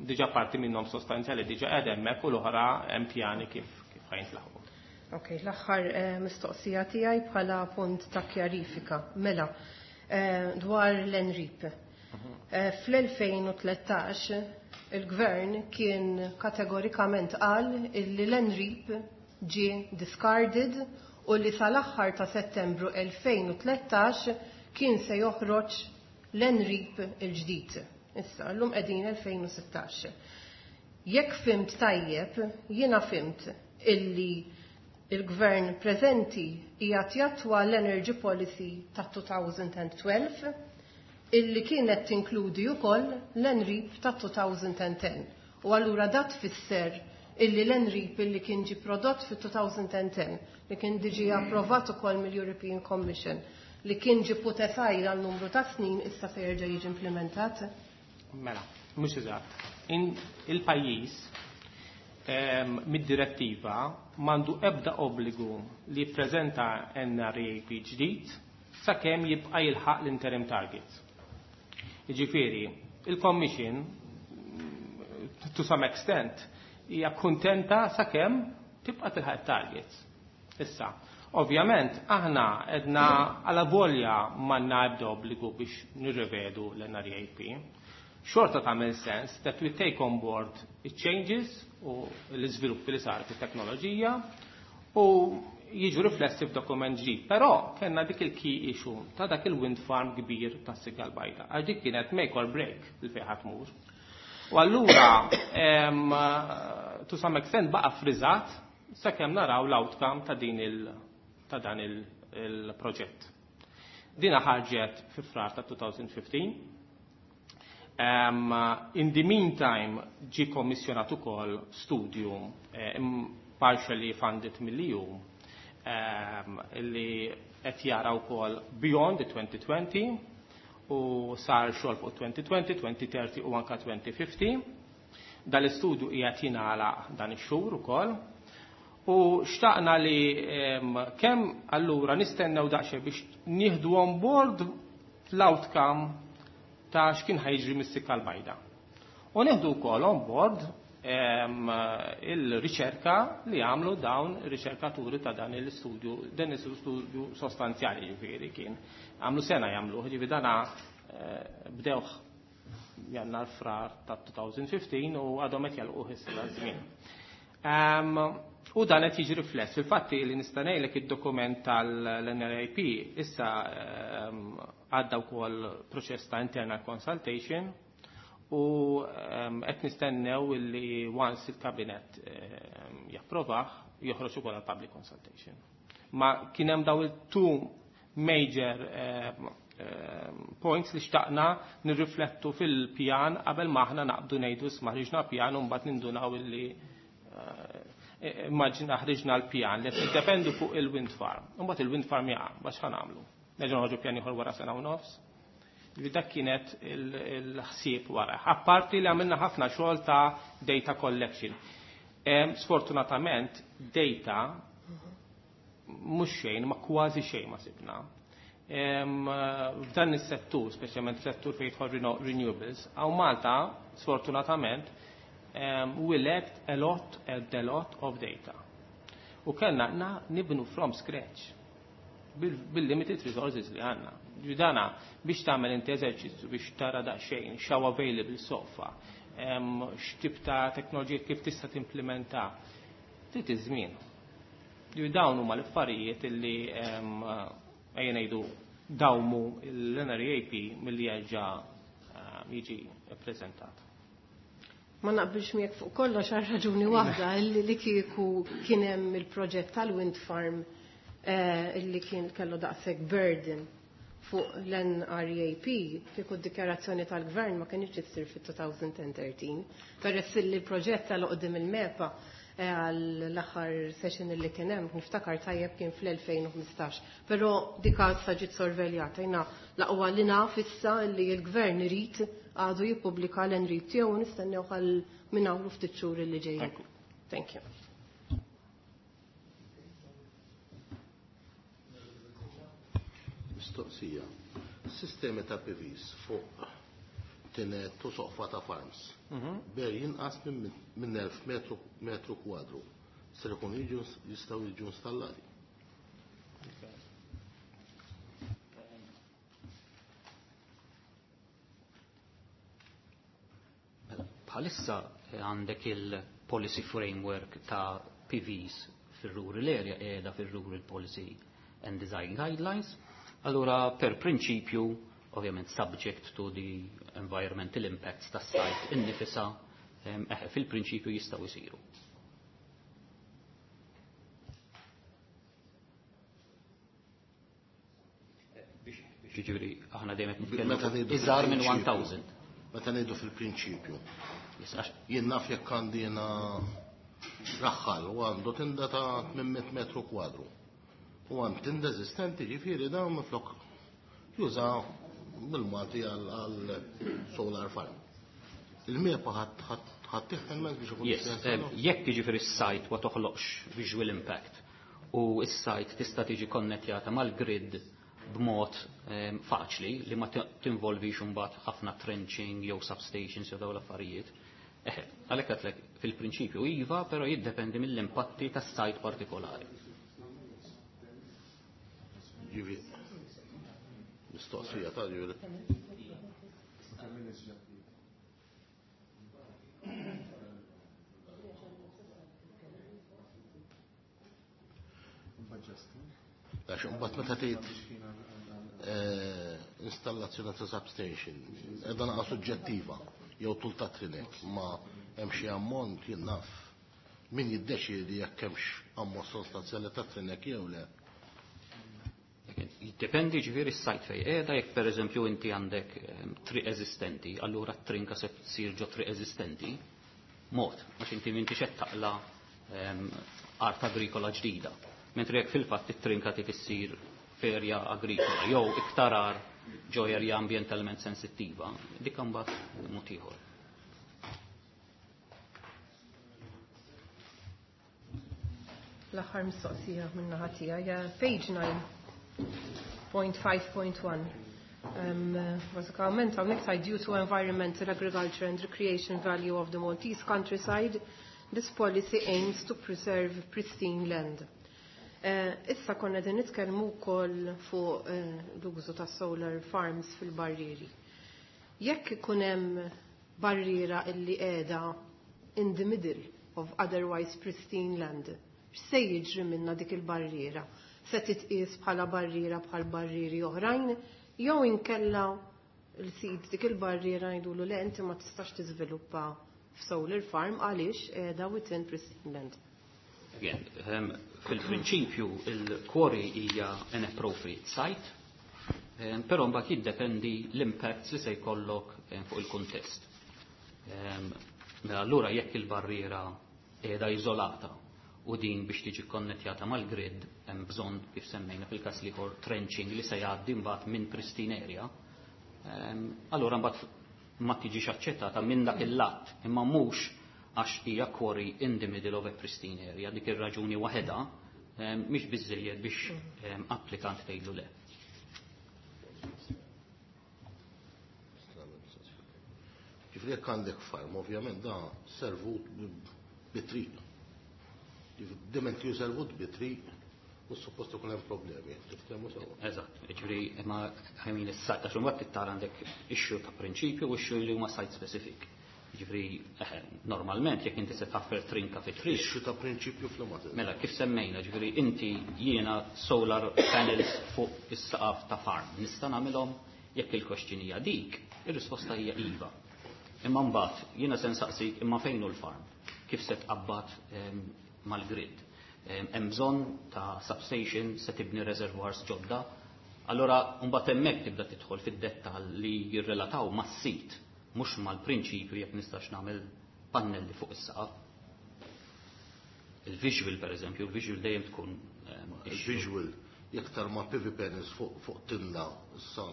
diġà parti minnhom sostanzjali diġà qed hemmhekk u l-oħra hemm pjani kif kif ħa jintlaħqu. Ok, l-aħħar mistoqsija tiegħi bħala punt ta' kjarifika. Mela, dwar l-NREAP. Fl-elfejn u tlettax il-gvern kien kategorikament qal illi l-NREAP ġie discarded u li sal-aħħar ta' Settembru elfejn u tlettax kien se joħroġ l-NREAP il-ġdid. Issa, llum qegħdin elfejn u sittax. Jekk fhimt tajjeb, jiena fhimt illi il-gvern preżenti qiegħed jattwa l-Energy Policy ta' elfejn u tnax illi kienet tinkludi wkoll l-NREAP ta' elfejn u għaxra. U allura dat tfisser illi l-NREAP illi kien ġi prodott fit-elfejn u għaxra, li kien diġi approvat ukoll mill-European Commission, li kien ġi put aside għal numru ta' snin, issa se jerġa' jiġi implementat? Mela, mhux eżatt. Il-pajjiż mid-direttiva m'għandu ebda obbligu li jippreżenta N R E A P ġdid sakemm jibqa' jilħaq l-interim targets. Jiġifieri, il-Commission to some extent hija kuntenta sakemm tibqa' tilħaq targets. Issa, ovvjament aħna edna għala volja m'għandna ebda obbligu biex nirrivedu l-N R E A P. Xorta tagħmel sens that we take on board changes u l-iżviluppi li sar fit-teknoloġija u jiġu riflessi f'dokument ġdid. Però kellna dik il-key issue ta' dak il-wind farm kbir ta' Sigal Bajda. Għax dik kienet make or break il fejn ħa tmur. U allura to some extent baqa' friżat sakemm naraw l-outcome ta' din il ta' dan il-proġett. Dina ħarġet fi Frar ta' elfejn u ħmistax. Um, in the meantime, ġi kommissjonat ukoll studju eh, partially funded mill-E U um, li qed jara wkoll beyond the twenty twenty u sar xogħol fuq twenty twenty, twenty thirty u anka twenty fifty. Dal-istudju qiegħed jingħalaq dan ix-xhur ukoll. U xtaqna li kemm allura nistennew daqsxejn biex nieħdu on board l-outcome ta' x'kien ħa jiġri mis-Sikka l-Bajda. U nieħdu wkoll on board il-riċerka li għamlu dawn ir-riċerkaturi ta' dan l-istudju, dan l-istudju sostanzjali ġifieri kien. Għamlu sena jagħmlu, ġifieri dana bdewh Jannar Frar ta' elfejn u ħmistax u għadhom qed jalquh issa żmien. U dan qed jiġi rifless. Fil-fatti li nista' ngħidlek id-dokument tal-N R A P issa għadda wkoll proċess ta' internal consultation u qed nistennew li once il-kabinet japprovah joħroġ ukoll għal public consultation. Ma kien hemm daw il-two major points li xtaqna nirriflettu fil-pjan qabel ma aħna naqbdu ngħidu isma' ħriġna pjan u mbagħad nindunaw illi immaġina ħriġna l-pjan li jiddependu fuq il-wind farm. Mbagħad il-wind farm jaqa' biex ħa nagħmlu? Nerġgħu noħorġu pjan ieħor wara sena u nofs. Dak kienet il-ħsieb wara. Apparti li għamilna ħafna xogħol ta' data collection. Sfortunatament, data mhux xejn, ma kważi xejn ma sibna. F'dan is-settur, speċjalment settur fejn jidħol renewables, hawn Malta, sfortunatament, we lacked a lot and a lot of data. U kellna nibnu from scratch bil-limited resources li għandna. Ġudana biex tagħmel inti eżerċizzju biex tara daqsxejn x'hawn available sofa, x'tip ta' teknoloġija kif tista' timplementa, trid iż-żmien. Dawn huma l-affarijiet illi ejja ngħidu dawmu l-N R A P milli jerġa' jiġi ppreżentat. Ma naqbilx miegħek fuq kollox għal raġuni waħda, illi li kieku kien hemm il-proġett tal-wind farm illi kien kellu daqshekk burden fuq l-N R A P, kieku d-dikjarazzjoni tal-gvern ma kienx issir fit-elfejn u tlettax. Peress li l-proġett tal-qudiem il-MEPA għall-aħħar session li kien hemm, niftakar tajjeb, kien fl-elfejn u ħmistax. Però dika issa ġiet sorveljata, jiena l-aqwa li naf issa li l-gvern irid għadu jippubblika l-N R A P tiegħu u nistennew għal minn hawn ftit xhur li ġejjin. Thank you. Mistoqsija. Sistemi ta' P Vs fuq tinet u soqfa ta' farms. Ber jinqas minn elf metru, metru kwadru. Ser ikun jiġu jistgħu jiġu installati? Mela, bħalissa għandek il-policy framework ta' P Vs fil-rural area qiegħda fil-Rural Policy and Design Guidelines. Allura, per prinċipju, ovvjament subject to the environmental impacts tas site innifisa, eh, fil-prinċipju jistgħu jsiru. Ġifieri, aħna dejjem qed nitkellmu Meta ngħidu iżgħar minn fil-prinċipju. elf. Meta ngħidu fil-prinċipju. Yes, għax- Jien naf jekk għandi jiena raħħal u għandu tinda ta' tmien mitt metru kwadru. U għand tinda eżistenti, ġifieri dawn minflok juża bil-Malti għal għal solar farm. Il-MEPA ħa tieħ il-mezz biex ikun Yes, jista' eh, jekk jiġifieri s-site ma toħloqx visual impact u s-site tista' tiġi konnettjata mal-grid b'mod eh, faċli li ma tinvolvix imbagħad ħafna trenching jew substations jew dawn l-affarijiet. Eh, għalhekk għedtlek fil-prinċipju iva, però jiddependi mill-impatti tas-site partikolari. Ġifieri, mistoqsija ta' ġifieri. Għax imbagħad meta tgħid eh, installazzjoni ta' substation, qiegħda naqa' suġġettiva jew tul ta' trinek, ma hemm xi ammont, jien naf min jiddeċiedi jekk hemmx ammont sostanzjali ta' trinek jew le? Jiddependi ġifieri s-site fej qiegħda. Jekk pereżempju inti għandek ehm, triq eżistenti, allura t-trinka se tsir ġo triq eżistenti, mod, għax inti m'intix qed taqla ehm, art agrikola ġdida. Mentri jekk fil-fatt it-trinka trid issir f'erja agrikola jew iktar ar ġo erja ambjentalment sensittiva, dik imbagħad mod ieħor. L-aħħar mistoqsija min-naħa tiegħi, page nine point five point one. Um, bażikament hawnhekk tgħid due to environmental, agriculture and recreation value of the Maltese countryside, this policy aims to preserve pristine land. Uh, issa konna din nitkellmu wkoll fuq uh, l-użu ta' solar farms fil-barrieri. Jekk ikun hemm barriera illi qiegħda in the middle of otherwise pristine land, x'se jiġri minna dik il-barriera? Se titqies bħala barriera bħal barrieri oħrajn, jew inkella l-sid dik il-barriera jgħidulu le inti ma tistax tiżviluppa f'solar farm għaliex qiegħda within pristine land. Again, um, fil-prinċipju il-quarry hija an appropriate site, um, però mbagħad jiddependi l-impact li se jkollok um, fuq il-kuntest. Um, mela allura jekk il-barriera qiegħda iżolata u din biex tiġi konnettjata mal-grid hemm bżonn kif semmejna fil-każ l-ieħor trenching li se jgħaddi mbagħad minn pristine area, um, allura mbagħad ma tiġix aċċettata minn dak il-lat, imma mhux għax hija quarry in the middle of a pristine area, dik ir-raġuni waħedha mhix biżejjed biex applikant tgħidlu le. Ġifieri jekk għandek farm, ovvjament da servut bi triq. Diment ju servut bi triq, u suppost ikun hemm problemi, tiftehmu sewa. Eżatt, ġifieri imma ħajmin is-sajt għax imbagħad tara għandek issue ta' prinċipju u issue li huma site specific. Ġifieri, eħe, normalment jekk inti se taffer trinka fi triq. Issue ta' prinċipju fl-materja. Mela, kif semmejna, ġifieri inti jiena solar panels fuq is-saqaf ta' farm. Nista' nagħmilhom jekk il-kwestjoni hija dik, ir-risposta hija iva. Imma mbagħad jiena se nsaqsik imma fejn hu l-farm? Kif se tqabbad, ehm, mal-grid? Ehm, hemm bżonn ta' substation se tibni reservoirs ġodda. Allora mbagħad hemmhekk tibda tidħol fid-dettall li jirrelataw mas-sit, mhux mal-prinċipju jekk nistax nagħmel pannelli fuq is-saqaf. Il-visual, per eżempju, il-visual dejjem tkun, ehm, Il-visual jekk tarma P V panels fuq, fuq tinda, issa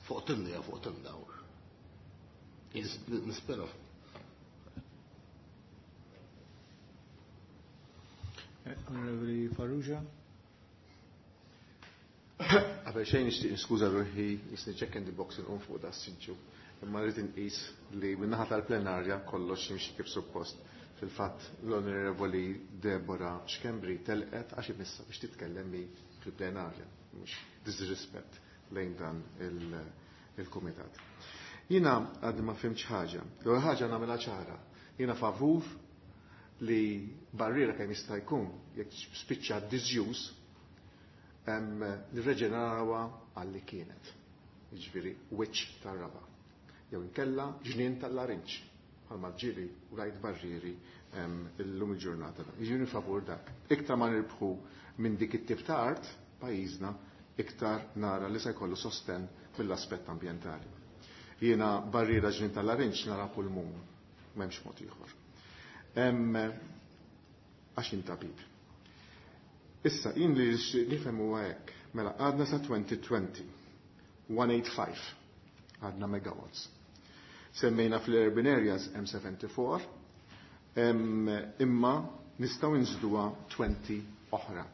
fuq tinda ja fuq tinda. Yes. Nispera. Onorevoli Farrugia. Qabel xejn nixtieq niskuża ruħi, jisni check in the box inqum fuq da s-siġġu. Imma rrid inqis li min-naħa tal-plenarja kollox jimxi kif suppost. Fil-fatt l-Onorevoli Deborah Schembri telqet għax imissa biex titkellem mi fil-plenarja, mhux disrispett lejn dan il-, il-kumitat. Jiena għadni ma fhimtx ħaġa. L-ewwel ħaġa nagħmilha ċara. Jiena favur li barriera kemm jista' jkun jekk spiċċa disuse, em, nirreġenerawha għalli kienet. Jiġifieri wiċċ tar-raba. Jew inkella ġnien tal-larinġ bħalma ġieli u rajt barrieri, em, illum il-ġurnata. Jiġifieri favur dak. Iktar ma nirbħu minn dik it-tip ta' art pajjiżna, iktar nara li se jkollu sosten mill-aspett ambjentali. Jiena barriera ġnien tal-larinġ nara pulmun, m'hemmx mod ieħor. Em, għax intabib. Issa, jien li nifhem huwa hekk, mela għadna sa twenty twenty, one eight five, għadna megawatts. Semmejna fl-urban areas M seventy-four, em, imma nistgħu nżiduha twenty oħra,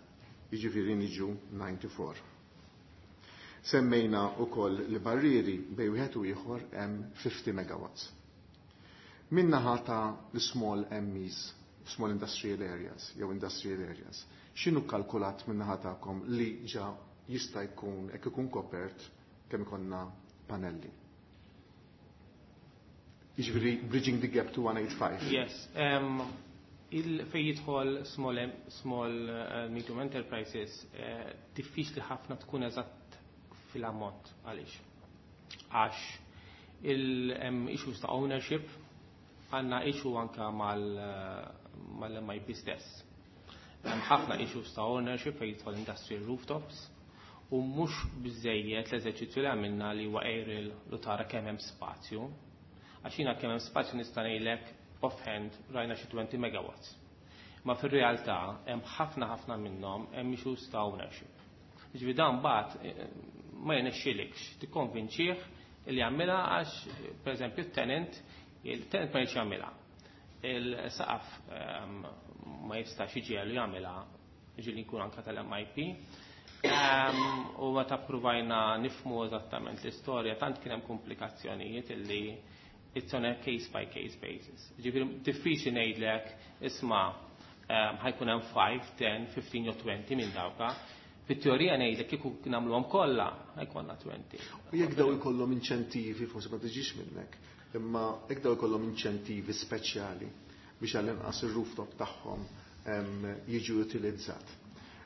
jiġifieri niġu ninety-four. Semmejna wkoll li barrieri bejn wieħed u ieħor hemm fifty megawatts. Min-naħa ta' l-small M Es, small industrial areas, jew industrial areas, x'inhu kalkulat min-naħa tagħkom li ġa jista' jkun hekk ikun kopert kemm ikollna panelli? Jiġifieri bridging the gap to one eight five. Yes. Um, il fej jidħol small, small, uh, medium enterprises, uh, diffiċli ħafna tkun eżatt fil-ammont. Għaliex? Għax il-hemm issues ta' ownership, għandna issue anka mal-, mal-M I P stess. Hemm ħafna issues ta' ownership fejn jidħol industrial rooftops u mhux biżejjed l-eżerċizzju li għamilna li huwa aerial li tara kemm hemm spazju. Għax jiena kemm hemm spazju nista' ngħidlek offhand rajna xi twenty megawatts. Ma fir-realtà hemm ħafna ħafna minnhom hemm issues ta' ownership. Jiġifieri dan mbagħad, eh, ma jirnexxilikx tikkonvinċih li jagħmilha għax pereżempju t-tenant, il-tenant ma jridx jagħmilha. Il-saqaf ehm, ma jistax iġiegħlu jagħmilha, ġieli jkun anka tal-M I P. Ehm, u meta ppruvajna nifhmu eżattament l-istorja, tant kien hemm komplikazzjonijiet illi it's on a case by case basis. Ġifieri diffiċli ngħidlek, isma', ehm, ħa jkun hemm ħamsa, għaxra, ħmistax jew għoxrin minn dawka. Fit-teorija ngħidlek kieku nagħmluhom kollha ħa jkollna għoxrin. U jekk daw ikollhom inċentivi, forsi ma tiġix minnek, imma jekk daw ikollhom inċentivi speċjali biex għall-inqas ir-rooftop tagħhom em, jiġu utilizzat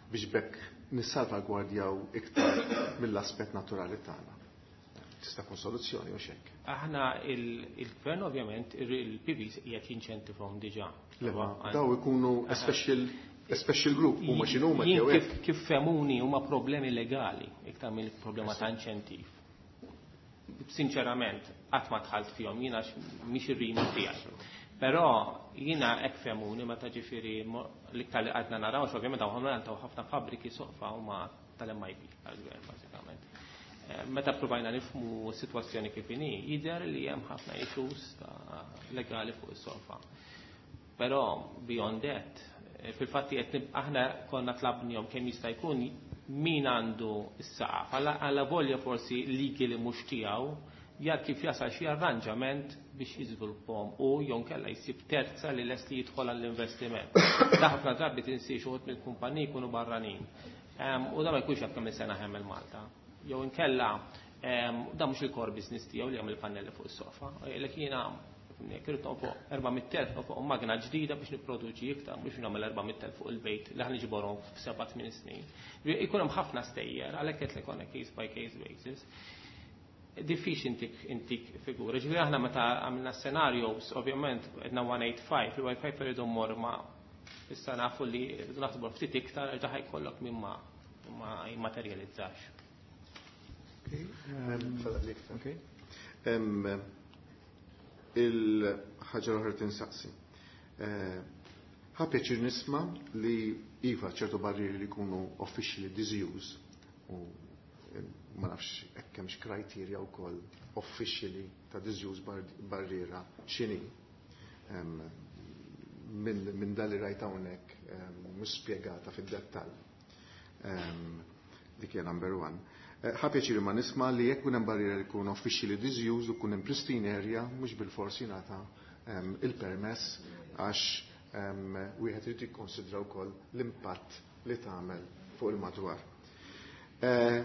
biex b'hekk nissalvagwardjaw iktar mill-aspett naturali tagħna. Tista' tkun soluzzjoni u xek. Aħna il- il-gvern ovvjament il-P Vs qiegħed jinċentivhom diġà. Le, ma daw ikunu a special, a special group, huma x'inhuma Jien jew kif, hekk. Kif fehmuni, huma problemi legali iktar mill problema ta' inċentiv. Sinċerament, qatt ma dħalt fihom jiena għax mhix ir-remit tiegħi. Però jiena hekk fehmuni meta ġifieri mo- l-iktar li għadna naraw, għax ovvjament hawn għandhom ħafna fabbriki soqfa huma tal-M I P tal-gvern bażikament. Eh, Meta provajna nifhmu s-sitwazzjoni kif inhi, jidher li hemm ħafna issues ta' legali fuq is-sofa. Però beyond that, eh, fil-fatti qed nib- aħna konna tlabnihom kemm jista' jkun min għandu s-saqaf. Alla alla volja forsi ligi li mhux tiegħu jar kif jasal xi arranġament biex jiżviluppahom u jew inkella jsib terza li lest li jidħol għall-investiment. Da ħafna drabi tinsiex uħud mill-kumpaniji jkunu barranin. Em, U da ma jkunx jaf kemm sena hemm il-Malta. Jew inkella em, da mhux il-core business tiegħu li jagħmel pannelli fuq is-sofa. Jgħidlek jiena irrid fuq erba' mitt elf fuq magna ġdida biex nipproduċi iktar, mhux nagħmel erba' mitt elf fuq il-bejt li ħa niġborhom f'seba' tmien snin. Ikun hemm ħafna stejjer, għalhekk qed on a case by case basis. Diffiċli intik intik figura. Ġifieri aħna meta għamilna scenarios, ovvjament għedna mija u tmien u sebgħin, li mija u tmien u sebgħin irridu mmor ma issa nafu li rridu naħsbu ftit iktar għax ħa jkollok min ma ma jimmaterjalizzax. Okay. Em, Il-ħaġa l-oħra tinsaqsi. Eh, Ħa pjaċir nisma' li iva ċertu barrieri li jkunu officially disused u eh, ma nafx hekk hemmx criteria wkoll officially ta' disused bar barriera x'inhi. Em, Minn min dal li rajt hawnhekk em, mhux spjegata fid-dettall. Em, Dik hija number one. Eh, Ħa pjaċir ma nisma' li jekk hemm barriera li jkun officially disused u kun hemm pristine area, mhux bil-forsi jingħata em, il-permess, għax em, wieħed irid jikkonsidra wkoll l-impatt li tagħmel fuq il-madwar. Eh,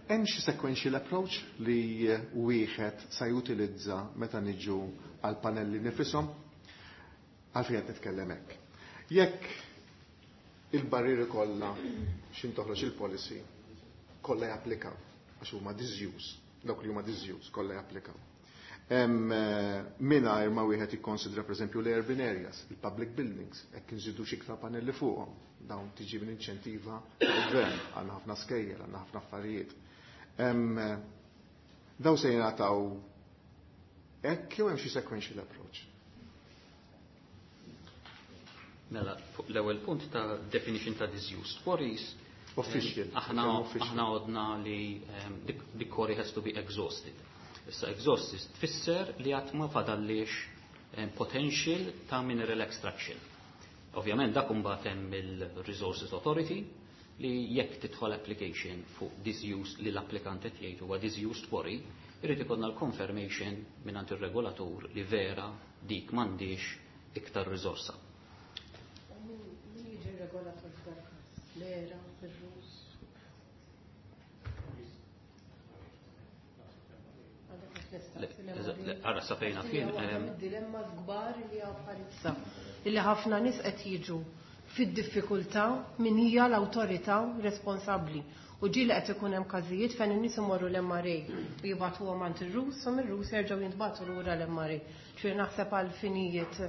Hemm xi sequential approach li wieħed sa jutilizza meta niġu għal panelli nifisom? Għalfejn qed nitkellem hekk? Jekk il-barrieri kollha xin toħroġ il-policy kollha japplikaw għax huma disused, dawk li huma disused kollha japplikaw. Em, eh, Mingħajr ma wieħed jikkonsidra pereżempju l-urban areas, il-public buildings, hekk inżidu xi iktar panelli fuqhom, dawn tiġi minn inċentiva tal-gvern, għandna ħafna skejjel, għandna ħafna affarijiet. Em, eh, Daw se jingħataw hekk jew hemm xi sequential approach? Mela, fuq l-ewwel punt ta' definition ta' disused quarries. Official. Aħna Kemm official. Aħna għodna li um, the, the quarry has to be exhausted. Issa exhausted tfisser li għad ma fadallix um, potential ta' mineral extraction. Ovvjament dak imbagħad hemm il-Resources Authority li jekk tidħol application fuq disused li l-applikant qed jgħid huwa disused quarry, irid ikollna l-confirmation mingħand ir-regolatur li vera dik m'għandix iktar riżorsa. Min min jiġi regolatur f'dal każ? L-E R A, ir-R U S? Għadek qed nistaqsi Le- l-M R A. le- Ara sa fejna kien Waħda em, mid-dilemma kbar li hawn bħalissa. Illi ħafna nies qed jiġu fid-diffikultà min hija l-awtorità responsabbli. U ġieli qed ikun hemm każijiet fejn in-nies imorru l-M R A u jibagħtuhom għand ir-R U S u mir-R U S jerġgħu jintbagħtu lura l-M R A. Ġifieri naħseb għal finijiet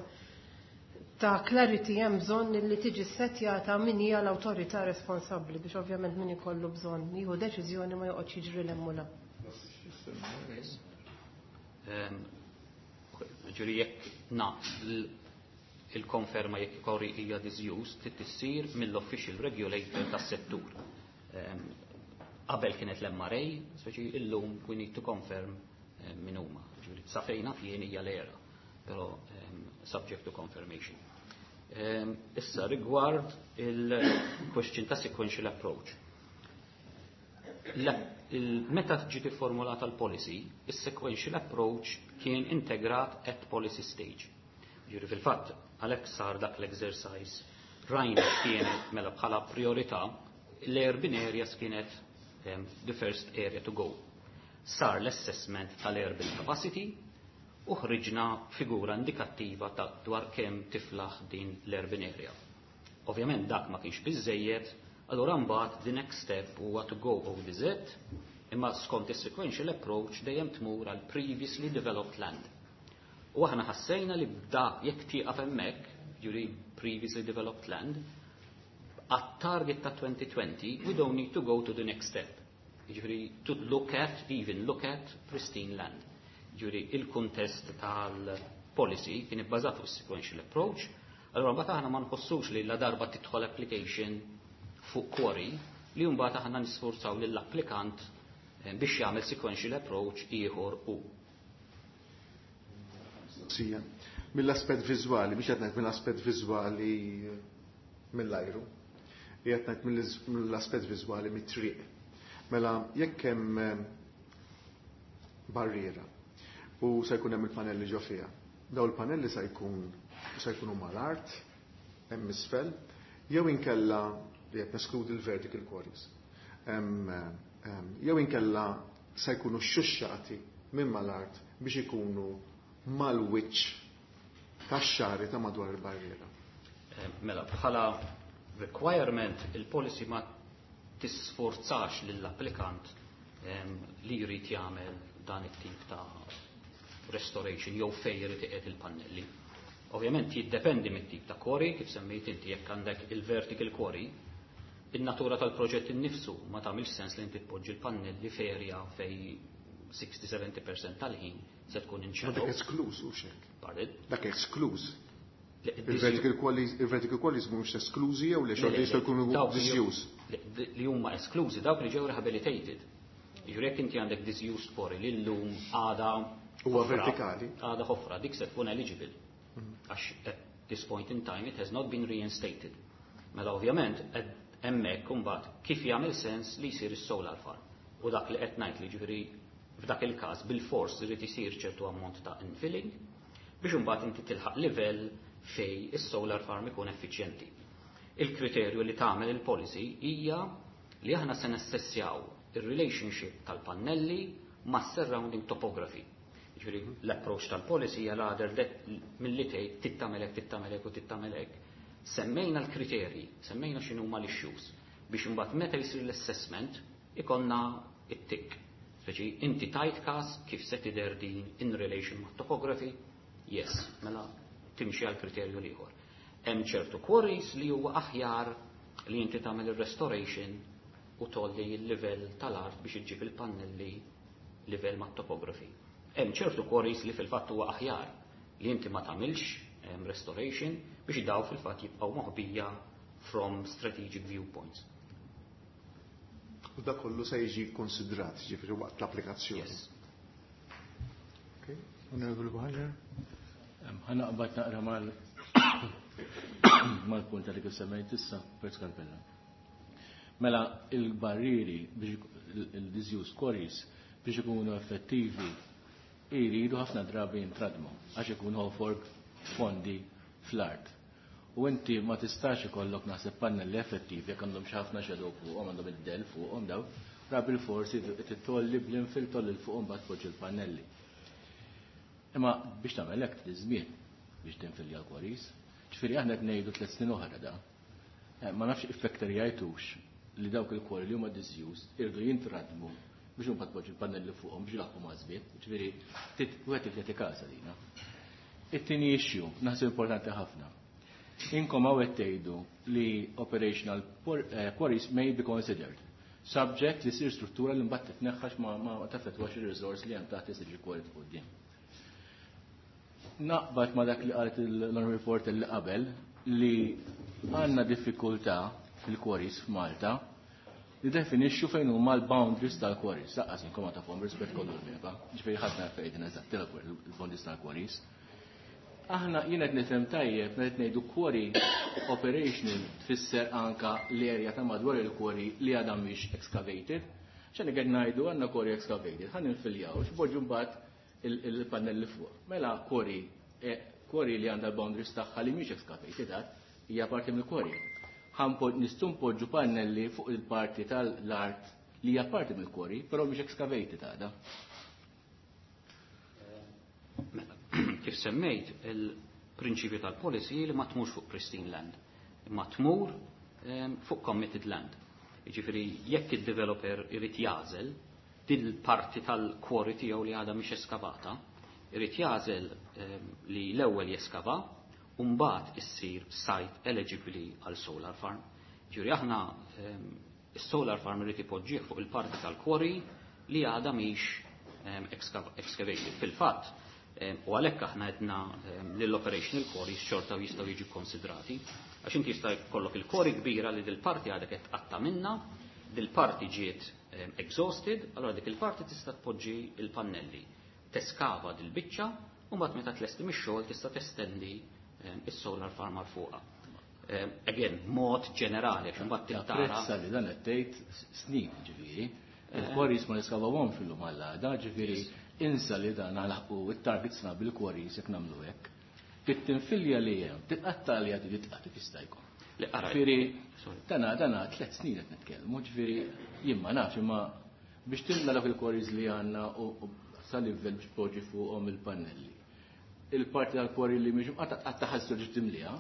ta' clarity hemm bżonn li tiġi settjata min hija l-awtorità responsabbli biex ovvjament min ikollu bżonn jieħu deċiżjoni ma joqgħodx jiġri 'l hemm u 'l hawn. Em, Ġifieri jekk na l- il-konferma jekk quarry hija disused trid tissir mill-official regulator tas-settur. Em, Qabel kienet l-M R A, speċi illum we need to confirm em, min huma. Ġifieri sa fejna fien hija l-E R A, però em, subject to confirmation. Um, issa rigward il-question ta' sequential approach. Meta ġiet formulata l-policy, il-sequential approach kien integrat at policy stage. Ġifieri fil-fatt, għalhekk sar dak l-exercise, rajna kienet mela bħala priorità, l-urban areas kienet um, the first area to go. Sar l-assessment tal-urban capacity u ħriġna figura indikattiva ta' dwar kemm tiflaħ din l-urban area. Ovvjament dak ma kienx biżejjed, allura mbagħad the next step huwa to go O D Z, imma skont is-sequential approach dejjem tmur għal previously developed land. U aħna ħassejna li bda jekk tieqaf hemmhekk, ġifieri previously developed land, għat-target ta' twenty twenty, we don't need to go to the next step. Ġifieri, to look at, even look at pristine land. Ġifieri, il-kuntest tal-policy kien ibbażat fuq sequential approach, allora mbagħad aħna ma nħossux li la darba tidħol application fuq quarry li mbagħad aħna nisforzaw lill-applikant eh, biex jagħmel sequential approach ieħor u. Sija. Mill-aspett viżwali, biex qed ngħid mill-aspett viżwali mill-ajru, qed ngħid mill-aspett viżwali mit-triq. Mela jekk hemm eh, barriera u se jkun hemm il-panelli ġo fiha. Daw il-panelli se jkun se jkunu mal-art, hemm isfel, jew inkella li qed neskludi l-vertical quarries. Jew inkella se jkunu xuxxati minn mal-art biex ikunu mal-wiċċ tax-xagħri ta' madwar il-barriera. Mela, bħala requirement il-policy ma tisforzax lill-applikant li jrid jagħmel dan it-tip ta' restoration jew fejn jrid iqiegħed il-pannelli. Ovvjament jiddependi mit-tip ta' quarry, kif semmejt inti, jekk għandek il-vertical quarry, in-natura tal-proġett innifsu ma tagħmilx sens li inti tpoġġi l-pannelli f'area fej sixty seventy percent tal-ħin se tkun in shadow. Dak eskluż u xek. Pardon? Dak eskluż. Il-vertical quarries, il-vertical quarries mhumiex esklużi jew li xorta jistgħu jkunu disused? Li huma esklużi dawk li ġew rehabilitated. Jiġifieri jekk inti għandek disused quarry li llum għada Huwa vertikali. Għada ħofra, dik se tkun eligible. Għax at this point in time it has not been reinstated. Mela ovvjament hemmhekk imbagħad kif jagħmel sens li jsir is-solar farm. U dak li qed ngħid li ġifieri f'dak il-każ bil-fors irid isir ċertu ammont ta' infilling biex imbagħad inti tilħaq livell fej is-solar farm ikun effiċjenti. Il-kriterju li tagħmel il-policy hija li aħna se nassessjaw il-relationship tal-pannelli ma' surrounding topography. Ġifieri l-approach tal-policy hija rather milli tgħid tittamelek, tittamelek u tittamelek. Semmejna l-kriterji, semmejna x'inhuma l-issues biex imbagħad meta jsir l-assessment ikonna it-tick. Speċi inti tajt każ kif se tidher din in relation ma' topography? Yes, mela timxi għal kriterju l-ieħor. Hemm ċertu quarries li huwa aħjar li inti tagħmel ir-restoration u tolli l-livell tal-art biex iġġib il-pannelli livell ma' topography. Hemm ċertu quarries li fil-fatt huwa aħjar li inti ma tagħmilx restoration biex daw fil-fatt jibqgħu moħbija from strategic viewpoints. U da kollu se jiġi konsidrat, ġifieri waqt l-applikazzjoni. Yes. Okay. Honorable Buhagiar. Ħa naqbad naqra mal mal-punt li kif semmejt issa, Pert Scarpella. Mela il-barriri biex il-disused quarries biex ikunu effettivi jridu ħafna drabi jintradmu għax ikunu ħofor fondi fl-art. U inti ma tistax ikollok naħseb pannelli effettivi jekk għandhom xi ħafna shadow fuqhom, għandhom id-del fuqhom daw, rabi l-forsi titolli bl-infill tolli 'l fuqhom mbagħad tpoġġi l-pannelli. Imma biex tagħmel hekk trid żmien biex tinfilja l-quarries. Ġifieri aħna qed ngħidu tliet snin oħra da. Eh, ma nafx iffektarjajtux li dawk il-quarry li huma disused irdu jintradmu biex imbagħad tpoġġi l-pannelli fuqhom biex ilaħħqu ma' żmien. Ġifieri wieħed irid kasa dina. It-tieni issue naħseb importanti ħafna. Inkom hawn tgħidu li operational eh, quarries may be considered subject li sir struttura li mbagħad titneħħax ma ma taffettwax ir-resource li hemm taħt isir quarry quddiem. Naqbad ma dak li qalet l-Honorable Report li qabel li għandna diffikultà fil-quarries f'Malta li definixxu fejn huma l-boundaries tal-quarries. Lanqas inkom ma tafhom, rispett kollu l-MEPA. Ġifieri ħadd ma fejn eżatt il-boundaries tal-quarries. Aħna jien qed nifhem tajjeb meta ngħidu quarry operational tfisser anka l-area ta' madwar il-quarry li għadha mhix excavated. X'għandna qed ngħidu għandna quarry excavated, ħa ninfiljaw, x'poġġu mbagħad il-pannelli fuq. Mela quarry eh, quarry li għandha l-boundaries tagħha li mhix excavated għad hija parti mill-quarry. Nistgħu npoġġu pannelli fuq il-parti tal-art li hija parti mill-quarry, però mhix excavated għadha. Mela, kif semmejt, il-prinċipju tal-policy li ma tmurx fuq pristine land, imma tmur ehm, fuq committed land. Jiġifieri jekk id-developer irid jagħżel dil-parti tal-quarry tiegħu li għadha mhix eskavata, irid jagħżel ehm, li l-ewwel jeskava u mbagħad issir site eligibbli għal solar farm. Ġifieri aħna ehm, is-solar farm irid ipoġġih fuq il-parti tal-quarry li għadha mhix excavated. Fil-fatt, u għalhekk aħna għedna lill-operational quarries xorta jistgħu jiġu konsidrati. Għax inti jista' jkollok il-quarry kbira li dil-parti għadek qed tqatta' minna, dil-parti ġiet exhausted, allora dik il-parti tista' tpoġġi il-pannelli. Teskava dil-biċċa u mbagħad meta tlesti mix-xogħol tista' testendi is-solar farm għal fuqha. Again, mod ġenerali, għax imbagħad tittara. Apprezza li dan qed tgħid snin ġifieri. Il-quarries ma niskavawhom fil-lum għall-għada, ġifieri insa li dan nilħqu it-targets bil-quarries jekk nagħmlu hekk. Bit-tinfilja li hemm, titqatta li għadi titqatta jista' jkun. Ġifieri, dana dana tliet snin qed nitkellmu, ġifieri jien ma nafx imma biex timla dak il-quarries li għandna u sa livell biex poġġi fuqhom il-pannelli. Il-parti tal-quarry li mhix qatta qatta ħassu ġiet timliha.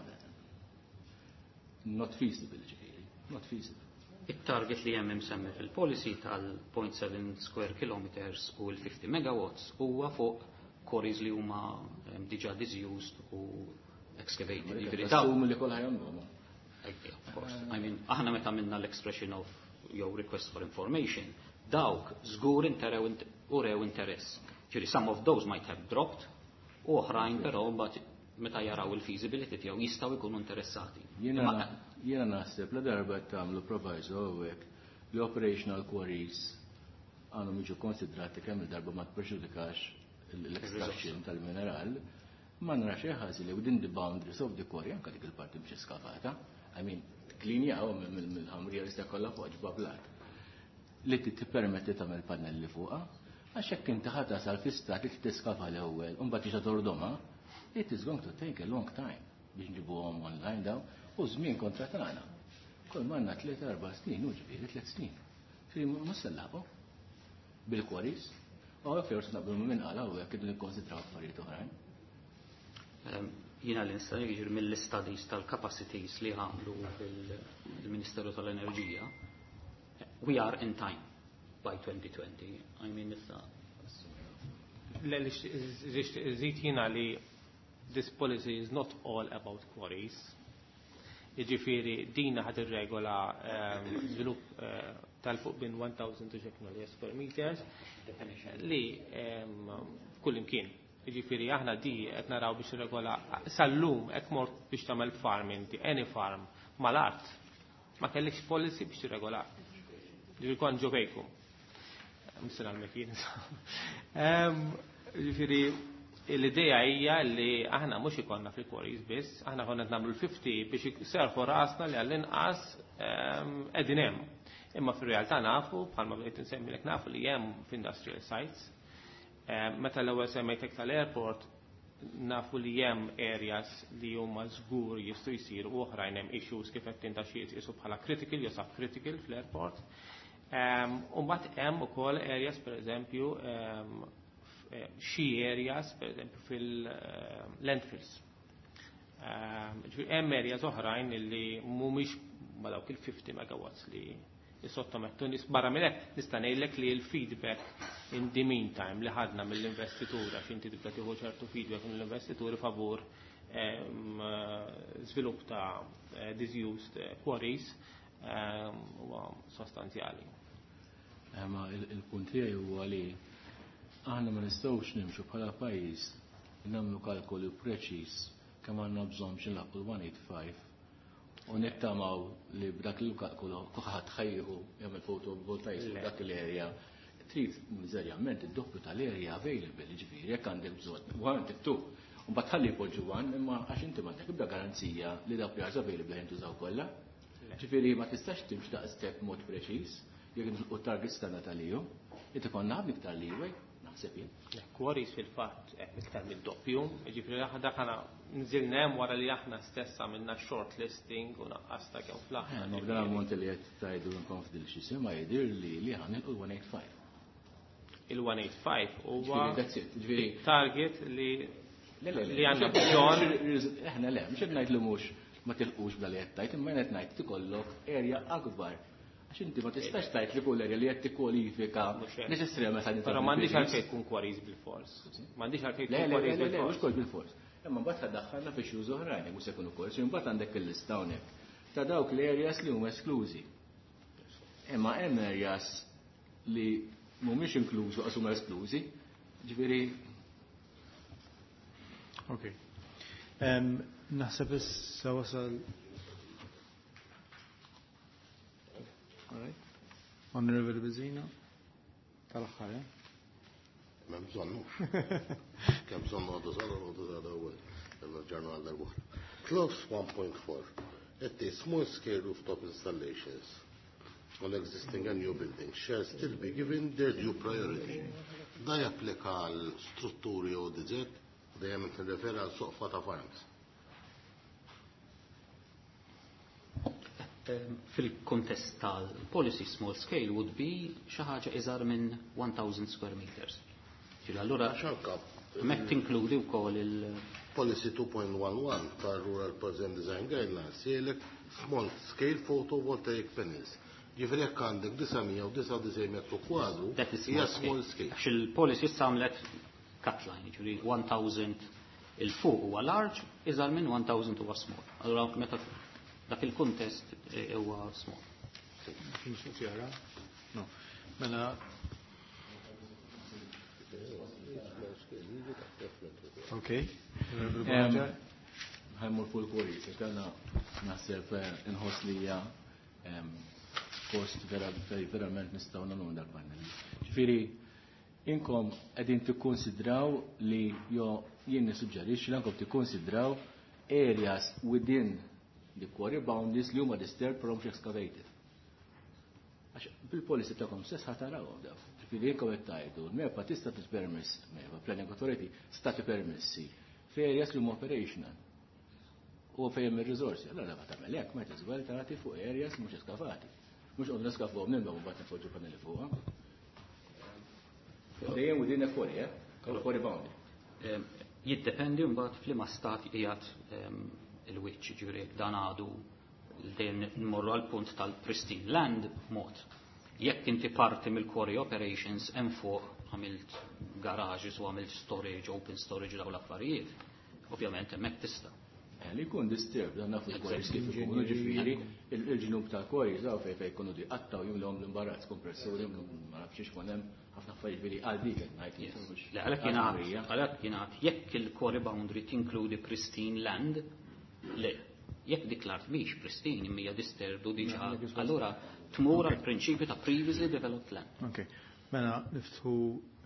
Not feasible ġifieri, not feasible. Il-target li hemm imsemmi fil-policy tal-zero point seven square kilometers u l-fifty megawatts huwa fuq quarries li huma diġà disused u excavated. Ġifieri dawn li kollha jagħmluhom. Of course. I mean, aħna meta minna l-expression of jew request for information, dawk żgur urew interess. Ġifieri some of those might have dropped, u oħrajn però mbagħad meta jaraw il-feasibility tiegħu jistgħu jkunu interessati. Jiena naħseb la darba tagħmlu proviso hawnhekk li operational quarries għandhom jiġu konsidrati kemm il-darba ma tpreġudikax l-extraction tal-mineral, ma nara xejn ħażin li within the boundaries of the quarry anke dik il-parti mhix eskavata, I mean, klinjaw mill-ħamrija li kollha fuq ġbablat. Li tippermetti tagħmel pannelli fuqha, għax hekk inti ħa tasal fi stat li tiskava l-ewwel u mbagħad tiġa tordoma, it is going to take a long time biex nġibuhom online daw u żmien kontra tagħna. Kull manna tliet erba' snin, u ġifieri tliet snin. Ġifieri mhux se nlaħqu bil-quarries. U għek forsi naqblu minn qala u jekk idu nikkonsidraw affarijiet oħrajn. Jiena li nista' jiġri mill-studies tal-capacities li għamlu fil-Ministeru tal-Enerġija, we are in time by twenty twenty. I mean, issa. Żid jiena li this policy is not all about quarries. Jiġifieri dina ħad irregola żvilupp ehm, tal-fuq bin elf square meters li ehm, kull imkien. Jiġifieri aħna di qed naraw biex regola sal-lum hekk mort biex tagħmel farm inti, any farm mal-art, ma kellekx policy biex tirregola. Ġifieri kont ġo fejkum. Msina l-mekin. Ehm, ġifieri l-idea hija li aħna mhux ikollna fil-quarries biss, aħna konna nagħmlu l-fifty biex serħu rasna li għall-inqas ehm, qegħdin hemm. Imma fir-realtà nafu, bħalma bdejt insemmilek, nafu li hemm f'industrial sites. Ehm, meta l-ewwel semmejtek tal-airport, nafu li hemm areas li huma żgur jistgħu jsiru u oħrajn hemm issues kif qed tinta xi jitqisu bħala critical jew subcritical fl-airport. Ehm, u mbagħad hemm ukoll areas, pereżempju Eh, xi areas, per eżempju fil-landfills. Ehm, hemm areas oħrajn li mhumiex ma dawk il-fifty megawatts li jissottomettu nies. Barra minn hekk nista' ngħidlek li l-feedback in the meantime li ħadna mill-investitura, għax inti tibda tieħu ċertu feedback mill-investituri favur ehm, żvilupp ta' eh, disused quarries ehm, huwa sostanzjali. Ma il-punt tiegħi huwa li aħna ma nistgħux nimxu bħala pajjiż nagħmlu kalkoli preċiż kemm għandna bżonn biex nilħqu l-one eighty-five u nittamaw li b'dak il-kalkolu kulħadd ħa jieħu jagħmel photovoltaics dak l-area. Trid miżerjament id-doppju tal-area available, ġifieri jekk għandek bżonn one two U mbagħad tħalli jpoġġu one, imma għax inti m'għandek ibda garanzija li dawk li għaż available jintużaw kollha. Ġifieri ma tistax timx daqshekk mod preċiż jekk nilqu targets tagħna tal-E U. Inti konna ħafna iktar leeway, naħseb jien. Quarries fil-fatt hemm iktar mid-doppju, jiġifieri aħna dak aħna nżilna hemm wara li aħna stess għamilna short listing u naqqasna kemm fl-aħħar. Ma b'dan ammont li qed tgħidu nkonfidil xi ma jidhir li li ħa nilqu one eight five. Il-one eight five huwa Ġifieri that's it. Ġifieri target li Le, le, le, li għandna mhux- bżonn. Eħna le, mhux qed ngħid li mhux ma tilqux bla li qed tgħid, imma qed ngħid tikollok area akbar. Għax inti ma tistax tgħid li kull area li qed tikkwalifika Mhux hekk. neċessarjament ħad Però m'għandix għalfejn tkun quarries bil-fors. M'għandix għalfejn Le, tkun le, quarries le, le, mhux bil-fors. kol bil-fors. Imma mbagħad ħaddaħħalna fi issues oħrajn, mhux se jkunu quarries, imbagħad għandek il-lista hawnhekk ta' dawk l-areas li huma esklużi. Imma hemm areas li mhumiex inklużi għax huma esklużi. Ġifieri Ok. Em, Naħseb issa wasal. All right. Honorable Bezzina. Tal-aħħar, eh? M'hemm bżonnu. Kemm bżonnu għadu zada, għadu zada u ġarnu għal darbuħra. Clause one point four. It is small scale rooftop installations on existing and new buildings shall still be given their due priority. Da japplika għal strutturi O D Z, dejjem tirreferi għal soqfa ta' farms. Ehm, Fil-kontest tal-policy, small scale would be xi ħaġa iżgħar minn one thousand square meters. Ġifieri allura Għax anka hemmhekk tinkludi wkoll il- Policy two point one one tal Rural Present Design Guidelines jgħidlek small scale photovoltaic panels. Ġifieri jekk għandek disa' mija u disgħa u disgħin metru kwadru, That is hija small small scale. scale. Għax il-policy issa għamlet cut line, ġifieri one thousand 'il fuq huwa large, iżgħar minn one thousand huwa small. Allura meta dak il-kuntest eh, huwa small. Kien xi? No. Mela. Ok. Honorable Buhagiar. Ħa mmur fuq il-quarries, għax dana naħseb eh, inħoss li hija em, post vera fej verament nistgħu nagħmlu dal-panel. Ġifieri inkom qegħdin tikkonsidraw li jo jien nissuġġerixxi li ankom tikkonsidraw areas within the quarry boundaries li huma disturbed pero mhux excavated. Għax bil-policy tagħkom stess ħa tarawhom daw. Ġifieri inkom qed tgħidu, l-MEPA tista' tippermess, MEPA Planning Authority sta tippermessi fi areas li huma operational. U fejn hemm ir-riżorsi. Allora ma tagħmel hekk, might as well tagħti fuq areas mhux eskavati. Mhux qogħdu neskavhom nimba u mbagħad nifoġġu paneli fuqha. Dejjem within a quarry, eh? Quarry boundary. Ehm, Jiddependi mbagħad f'liema stat qiegħed ehm, il-wiċċ, ġifieri jekk dan għadu dejjem nmorru għal punt tal-pristine land mod. Jekk inti parti mill-quarry operations hemm fuq għamilt garages u għamilt storage, open storage, daw l-affarijiet, ovvjament hemmhekk tista'. Eh, li jkun disturbed, dan nafu l-quarries kif ikunu, ġifieri, il-ġnub tal-quarries, daw fej fej jkunu di qattaw jimlhom l-imbarazz, kompressuri, ma nafx x'ikun hemm ħafna affarijiet, ġifieri għal dik qed ngħid. Mhux- Le, għalhekk jingħad, għalhekk jingħad jekk il-quarry boundary tinkludi pristine land, le. Jekk dik l-art mhix pristine imma hija disturbed u diġà, allura tmur għal prinċipju ta' previously developed land. Ok. Mela, niftħu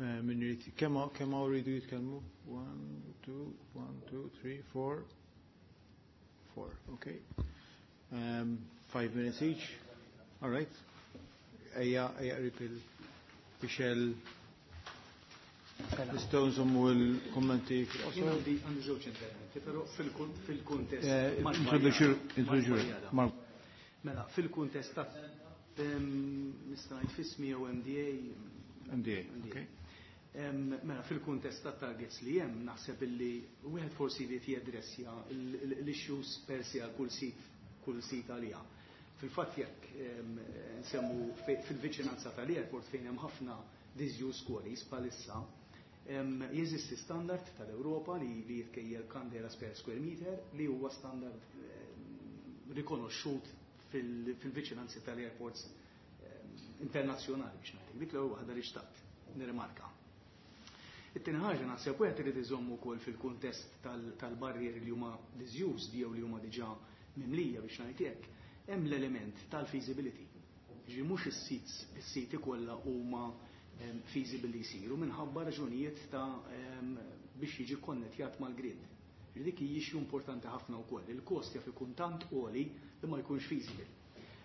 eh, min irid. Kemm kemm hawn rridu jitkellmu? One, two, one, two, three, four. Four, okay. Um, five minutes each. All right. Ejja, ejja qrib il-Michel. Nistgħu nżommu l-kommenti Jien fil-qosor. għandi għandi żewġ interventi, però fil-kun- fil-kuntest. Eh, Mark Introduċi Bajada. introduċi Mark Bajada. Mark. Mela, fil-kuntest ta' em, nista' ngħid f'ismi jew M D A. M D A, okay. Em, Mela, fil-kuntest ta' targets li hemm, naħseb illi wieħed forsi jrid jadressja l-issues per se għal kull sit kull sit għaliha. Fil-fatt jekk em, nsemmu fe- fil-viċinanza tal-airport fejn hemm ħafna disused quarries bħalissa, em, jeżisti standard tal-Ewropa li, li jitkejjel candelas per square meter, li huwa standard em, rikonoxxut fil- fil-viċinanzi tal-airports em, internazzjonali biex ngħidlek. Dik l-ewwel waħda li xtaqt nirrimarka. It-tieni ħaġa, naħseb wieħed irid iżomm ukoll fil-kuntest tal- tal-barrieri li huma disused jew li huma diġà mimlija biex ngħid hekk, hemm l-element tal-feasibility. Ġi mhux is-sits is-siti kollha huma em, feasible li jsiru minħabba raġunijiet ta' em, biex jiġi konnettjat mal-grid. Dik hi issue importanti ħafna wkoll. Il-kost jaf ikun tant għoli li ma jkunx feasible.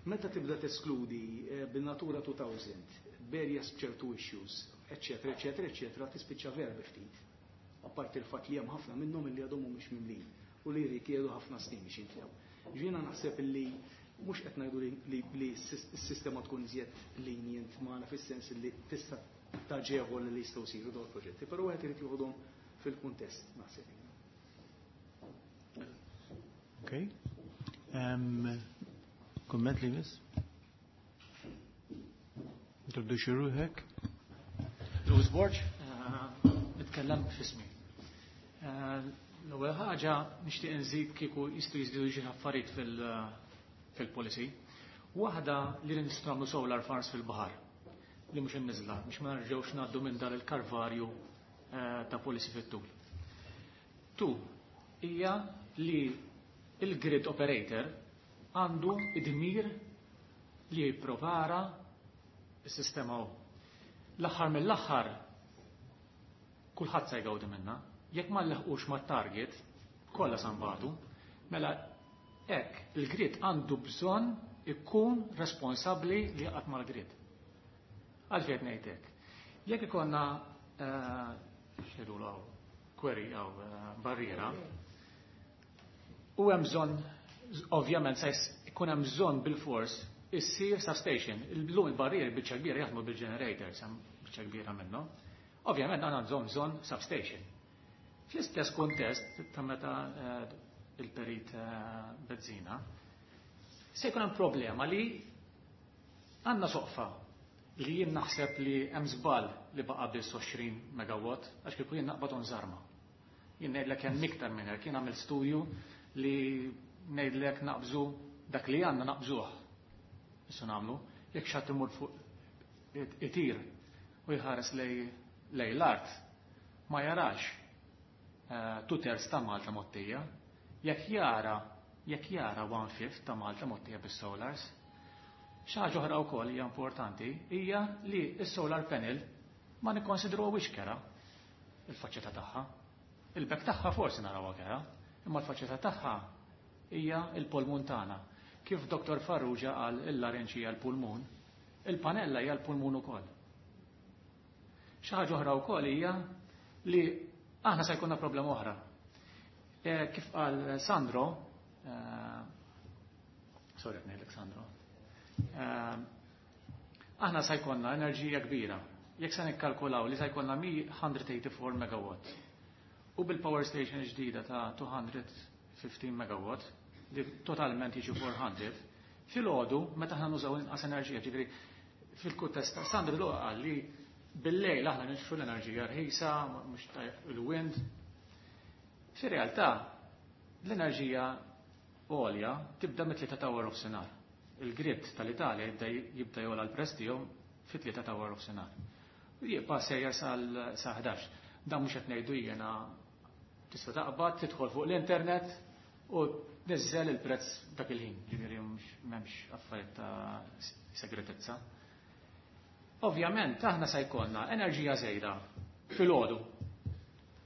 Meta tibda teskludi eh, bin-Natura two thousand, b'areas b'ċertu issues, eccetera, eccetera, eccetera, tispiċċa vera ftit. Apparti il-fatt li hemm ħafna minnhom li għadhom mhumiex mimlin u li jirrikjedu ħafna snin biex jimtlew. Jiena naħseb li mhux qed ngħidu li, li s-sistema tkun iżjed lenient magħna fis-sens li tista' taġevol li jistgħu jsiru dawn il-proġetti, però wieħed irid joħodhom fil-kuntest, naħseb. Okay. Um, Komment li miss? Introduċi ruħek. Louis Borg, eh, nitkellem f'ismi. Eh, l-ewwel ħaġa nixtieq nżid kieku jistgħu jiżdiedu xi affarijiet fil-policy. Waħda li nistgħu nagħmlu solar farms fil-baħar li mhux inniżla biex ma nerġgħux ngħaddu minn dan il-kalvarju eh, ta' policy fit-tul. Tu, hija li il-grid operator għandu id-dmir li jipprovara s-sistema u. L-aħħar mill-aħħar kulħadd se jgawdi minna. Jekk ma nleħqux mat-target, kollha sa nbatu, mela hekk il-grid għandu bżonn ikun responsabbli li jaqgħod mal-grid. Għalfejn ngħid hekk? Jekk ikollna eh, x'jgħidulu hawn, quarry jew eh, barriera, u hemm bżonn, ovvjament se jkun hemm bżonn bil-fors issir substation. Illum il-barrieri biċċa kbira jaħdmu bil-generators, hemm biċċa kbira minnhom. Ovvjament għandna bżonn bżonn substation. Fl-istess kontest ta' meta eh, il-perit eh, Bezzina, se jkun hemm problema li għandna soqfa li jien naħseb li hemm żball li baqa' biss għoxrin megawatt, għax kieku jien naqbad żarma. Jien ngħidlek hemm iktar minn hekk, jien għamil studju li ngħidlek naqbżu dak li għandna naqbżuh. Issa nagħmlu, jekk xi ħadd imur fuq itir u jħares lej lej l-art, ma jarax eh, two thirds ta' Malta mgħottija, jekk jara jekk jara one fifth ta' Malta mgħottija bis-solars. Xi ħaġa oħra wkoll hija importanti hija li s-solar panel ma nikkonsidruhiex kerha il-faċċata tagħha. Il-back tagħha forsi narawha kerha, imma l-faċċata tagħha hija il-pulmun tagħna. Kif Dottor Farrugia qal il-larinġ hija l-pulmun, il-panella hija l-pulmun ukoll. Xi ħaġa oħra wkoll hija li aħna se jkollna problema oħra. E, kif qal Sandro, eh, sorry ngħidlek Sandro, eh, aħna se jkollna enerġija kbira. Jekk se nikkalkulaw li se jkollna mija u tmienja u tmenin megawatt u bil-power station ġdida ta' mitejn u ħmistax megawatt li totalment jiġu tliet mija, fil-għodu meta aħna nużaw inqas enerġija, ġifieri fil-kuntest ta' Sandro l qal li bil-lejl aħna nixtru l-enerġija rħisa, mhux il-wind. Fir-realtà l-enerġija għolja tibda mit-tlieta ta' wara nofsinhar. Il-grid tal-Italja jibda jibda jogħla l-prezz tiegħu fit-tlieta ta' wara nofsinhar. Jibqa' sejjer sal ħdax. Dan mhux qed ngħidu jiena, tista' taqbad, tidħol fuq l-internet u niżżel il-prezz dak il-ħin, ġifieri m'hemmx affarijiet ta' segretezza. Ovvjament aħna se jkollna enerġija żejda fil-għodu.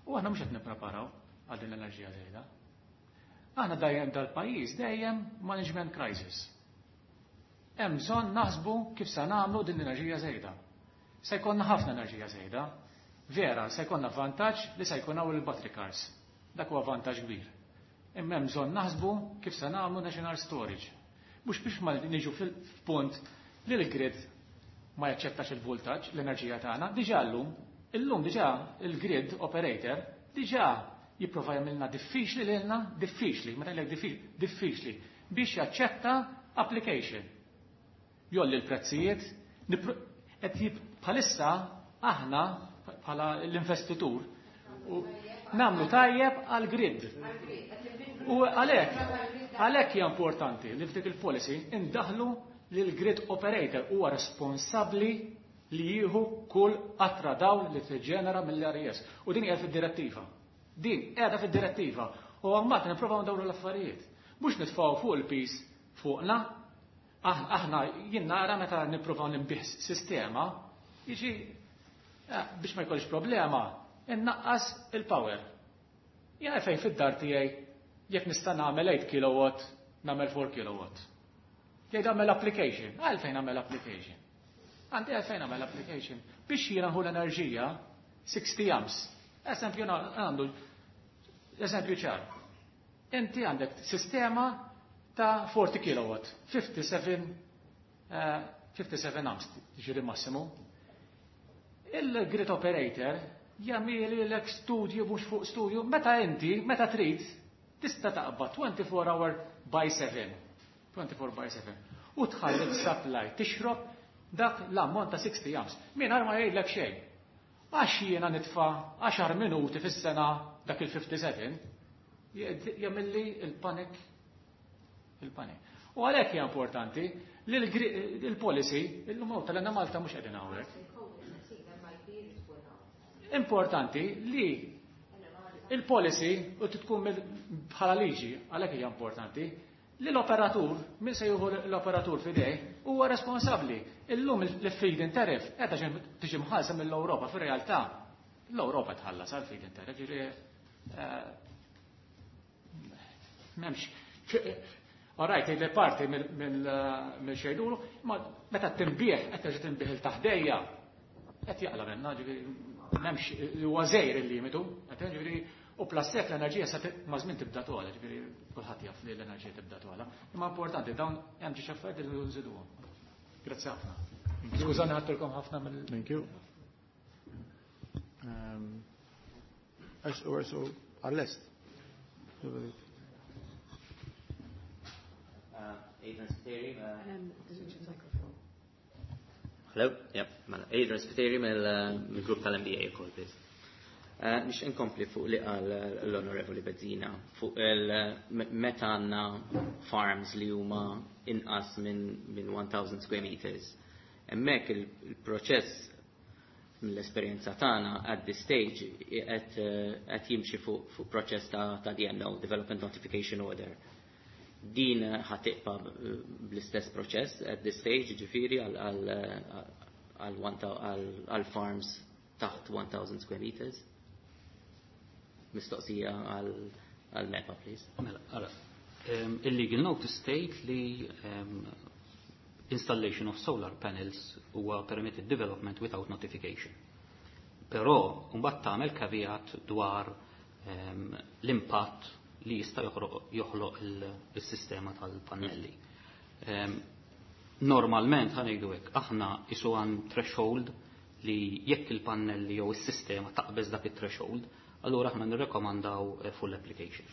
U aħna mhux qed nippreparaw għal din l-enerġija żejda. Aħna dejjem dal-pajjiż dejjem management crisis. Hemm bżonn naħsbu kif se nagħmlu din l-enerġija żejda. Se jkollna ħafna enerġija żejda. Vera, se jkollna vantaġġ li se jkun hawn il-battery cars. Dak huwa vantaġġ kbir. Imma hemm bżonn naħsbu kif se nagħmlu national storage. Mhux biex ma niġu fil-punt li l-grid ma jaċċettax il-voltaġġ, l-enerġija tagħna, diġà llum, illum diġà il-grid operator diġà jipprova jagħmilna diffiċli lilna, diffiċli, meta ngħidlek diffiċli, diffiċli biex jaċċetta application. Jgħolli l-prezzijiet, qed bħalissa aħna bħala l-investitur nagħmlu tajjeb għal grid. U għalhekk, għalhekk hija importanti li f'dik il-policy indaħlu li l-grid operator huwa responsabbli li jieħu kull qatra dawl li tiġġenera mill-R E S. U din hija fid-direttiva. Din qiegħda fid-direttiva. U għammat nipprovaw ndawru l-affarijiet. Mhux nitfgħu fuq il-piż fuqna, aħna jien nara meta nippruvaw nbigħ sistema, jiġi eh, biex ma jkollix problema, innaqqas il-power. Jien fejn fid-dar tiegħi jekk nista' nagħmel eight kilowatt, nagħmel four kilowatt. Jgħid għamel application, għalfejn għamel application. Għandi għalfejn għamel application. Biex jiena nħu l-enerġija sixty amps. Eżempju għandu, eżempju ċar. Inti għandek sistema ta' forty kilowatt, fifty-seven, uh, fifty-seven amps, ġiri massimu. Il-grid operator jagħmel lek studju mhux fuq studju, meta inti, meta trid, tista' taqbad twenty-four hour by seven. twenty-four by seven. U tħalli l-supply tixrob dak l-ammont ta' sixty amps. Mingħajr ma jgħidlek xejn. Għax jiena nitfa' għaxar minuti fis-sena dak il-fifty-seven, jagħmilli il-panik. Il-panik. U għalhekk hija importanti li l-policy, illum hawn tal-Għenna Malta mhux qegħdin hawnhekk. Importanti li il-policy u tkun bħala liġi, għalhekk hija importanti, li l-operatur, min se jieħu l-operatur f'idej, huwa responsabbli. Illum il-feed-in tariff qiegħda tiġi mħallsa mill-Ewropa, fir-realtà l-Ewropa tħallas għal feed-in tariff, ġifieri m'hemmx. All right, li parti mill-xejdulu, ma meta tinbih, qed terġa' tinbih il-taħdejja, qed jaqla minna, ġifieri m'hemmx huwa żejr il-limitu, qed ġifieri u plus hekk l-enerġija sa ma' żmien tibda togħla, ġifieri kulħadd jaf li l-enerġija tibda togħla. Imma importanti dawn hemm xi affarijiet li nżiduhom. Grazzi ħafna. Skużani ħadtilkom ħafna mill Thank you. Um, S O għall-est. Adrian Spiteri. Hello, yep, mela, Adrian Spiteri mill-grupp tal-M D A ukoll, please. Nix inkompli fuq li qal l-Onorevoli Bezzina fuq il-meta għandna farms li huma inqas minn, minn one thousand square meters. Hemmhekk il-proċess mill-esperjenza tagħna at this stage qed, qed jimxi fuq, fuq proċess ta', ta' D N O, Development Notification Order. Din ħatiqpa bl-istess proċess at this stage, ġifieri għal, għal, għal, għal, għal farms taħt one thousand square meters. Mistoqsija għal, għal MEPA, please. Mela, ara, um, il-legal notice state li, um, installation of solar panels huwa permitted development without notification. Però mbagħad tagħmel caveat dwar, um, l-impatt li jista' joħroq, joħloq il-sistema tal-pannelli. Um, normalment ħa ngħidu hekk, aħna isu għan threshold li jekk il-pannelli jew is-sistema taqbeż dak it-threshold, allura aħna nirrekomandaw, eh, full application.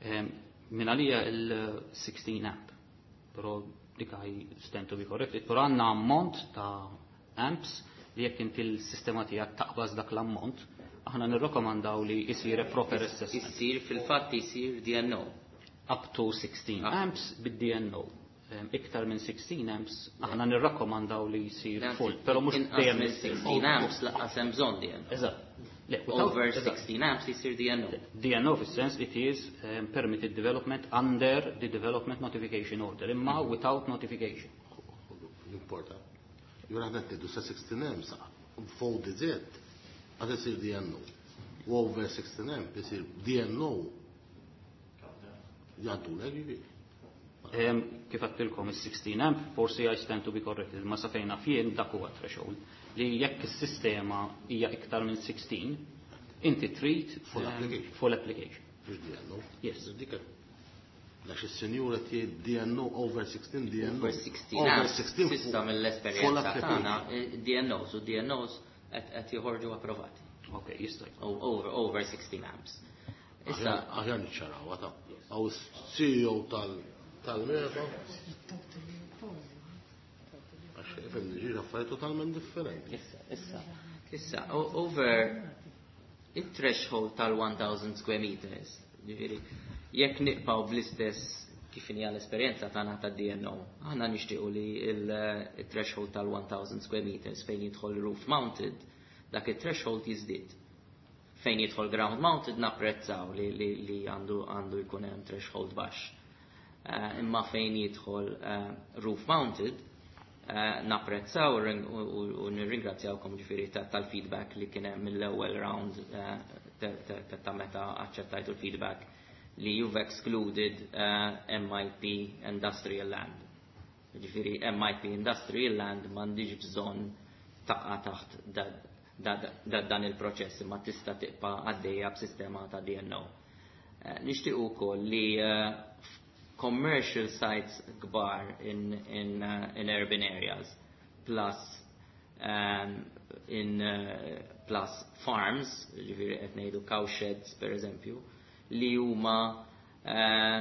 Um, min għalija il-sixteen amp, però dik I stand to be corrected, però għandna ammont ta' amps li jekk inti l-sistema tiegħek taqbaż dak l-ammont, aħna nirrekomandaw li jsir a proper assessment. Isir fil-fatt isir D N O. Up to sixteen Ah. amps bid-D N O. Em, iktar minn sixteen amps, aħna nirrakkomandaw li jsir Nancy, full, però mhux inqas dejjem minn isir sixteen full. amps lanqas hemm bżonn D N O. Eżatt. Le, without Over eżatt. sixteen amps isir D N O. D N O fis-sens it is, um, permitted development under the development notification order, imma without notification. Importa. Jura aħna qed ngħidu sa sixteen amps fuq D Z għad isir D N O. U over sixteen amps isir D N O. Jgħaddu l ġifieri. Em, kif għattilkom is-sixteen amp, forsi I stand to be corrected, ma sa fejna fien dak huwa threshold li jekk is-sistema hija iktar minn sixteen, inti trid Full em, application. full application. Mhux D N O. Yes. Dik għax is-senjura tiegħi D N O over sixteen D N O. Over sixteen Over amps, sixteen sissa full mill-esperjenza application. tagħna, eh, D N Os u D N Os qed, qed joħorġu approvati. Ok, jista' jkun. O-, over, over sixteen amps. Issa Aħjar niċċaraw, għata. Għaw C E O tal-, tal-MEPA. Għax, ifhem, ġiġ affarijiet totalment differenti. Issa, issa, issa, o-, over it-threshold tal-one thousand square meters, ġifieri, jekk nibqgħu bl-istess kif inhi l-esperjenza tagħna ta' D N O, aħna nixtiequ li il-, il-threshold tal-one thousand square meters fejn jidħol roof mounted, dak it-threshold jiżdied. Fejn jidħol ground mounted napprezzaw li, li, li għandu, għandu jkun hemm threshold baxx. Eh, imma fejn jidħol, eh, roof mounted, Eh, napprezzaw u nirringrazzjawkom ġifieri tal-feedback li kien hemm mill-ewwel round eh, ta' meta aċċettajtu l-feedback li you've excluded eh, M I P industrial land. Ġifieri M I P industrial land m'għandix bżonn taqa' taħt dan il-proċess, imma tista' tibqa' għaddejja b'sistema ta' D N O. Nixtieq ukoll li commercial sites kbar in, in, uh, in urban areas plus um, in uh, plus farms, ġifieri qed ngħidu cowsheds per eżempju, li huma uh,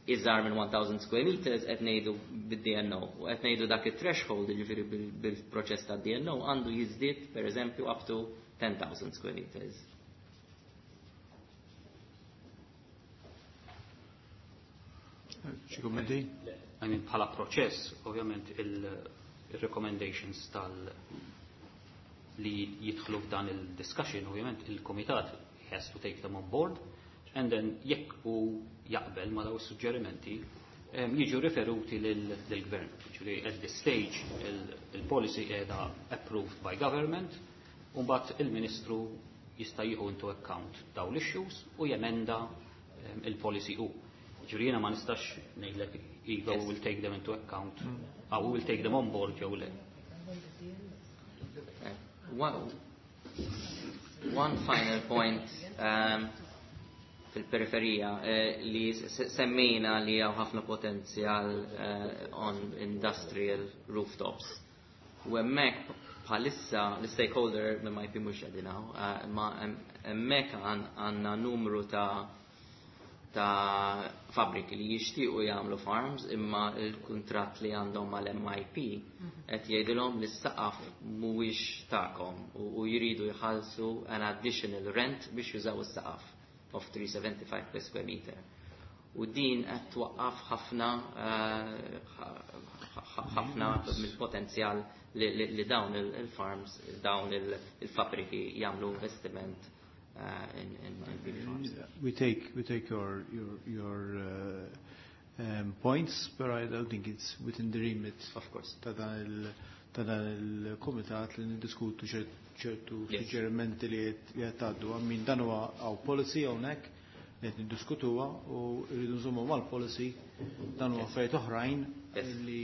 iżgħar minn elf square meters, qed ngħidu bid-D N O u qed ngħidu dak it-threshold, ġifieri bil-proċess ta' D N O għandu jiżdied per eżempju up to ten thousand square meters. Xi kummenti? I mean, bħala proċess, ovvjament il-recommendations tal li jidħlu f'dan il-discussion, ovvjament il-komitat has to take them on board, and then jekk u jaqbel ma daw is-suġġerimenti, jiġu riferuti lill-gvern. Ġifieri at this stage il-policy qiegħda approved by government, u mbagħad il-Ministru jista' jieħu into account daw l-issues u jemenda il-policy u. Ġifieri jiena ma nistax ngħidlek iva, we will take them into account, mm. we will take them on board jew le. One, one final point um, fil-periferija eh, li semmejna li hawn ħafna potenzjal eh, on industrial rooftops. U hemmhekk bħalissa l-stakeholder minn ma jpi mhux qegħdin, eh, ma hemmhekk għandna numru ta' ta' fabriki li jixtiequ jagħmlu farms, imma il-kuntratt li għandhom mal-M I P qed jgħidilhom li s-saqaf mhuwiex tagħkom u jridu jħallsu an additional rent biex jużaw is-saqaf of three seventy-five per square meter. U din qed twaqqaf ħafna eh, ħafna mill-potenzjal li dawn il-farms, dawn il-fabriki jagħmlu investiment uh, in, in, in P V farms. We take, we take your, your, your uh, um, points, but I don't think it's within the remit Of course. ta' dan il- ta' dan il-komitat li niddiskutu ċertu suġġerimenti li qed tgħaddu. Min dan huwa hawn policy hawnhekk li qed niddiskutuha u rridu nżommu mal-policy. Dan huwa affarijiet oħrajn li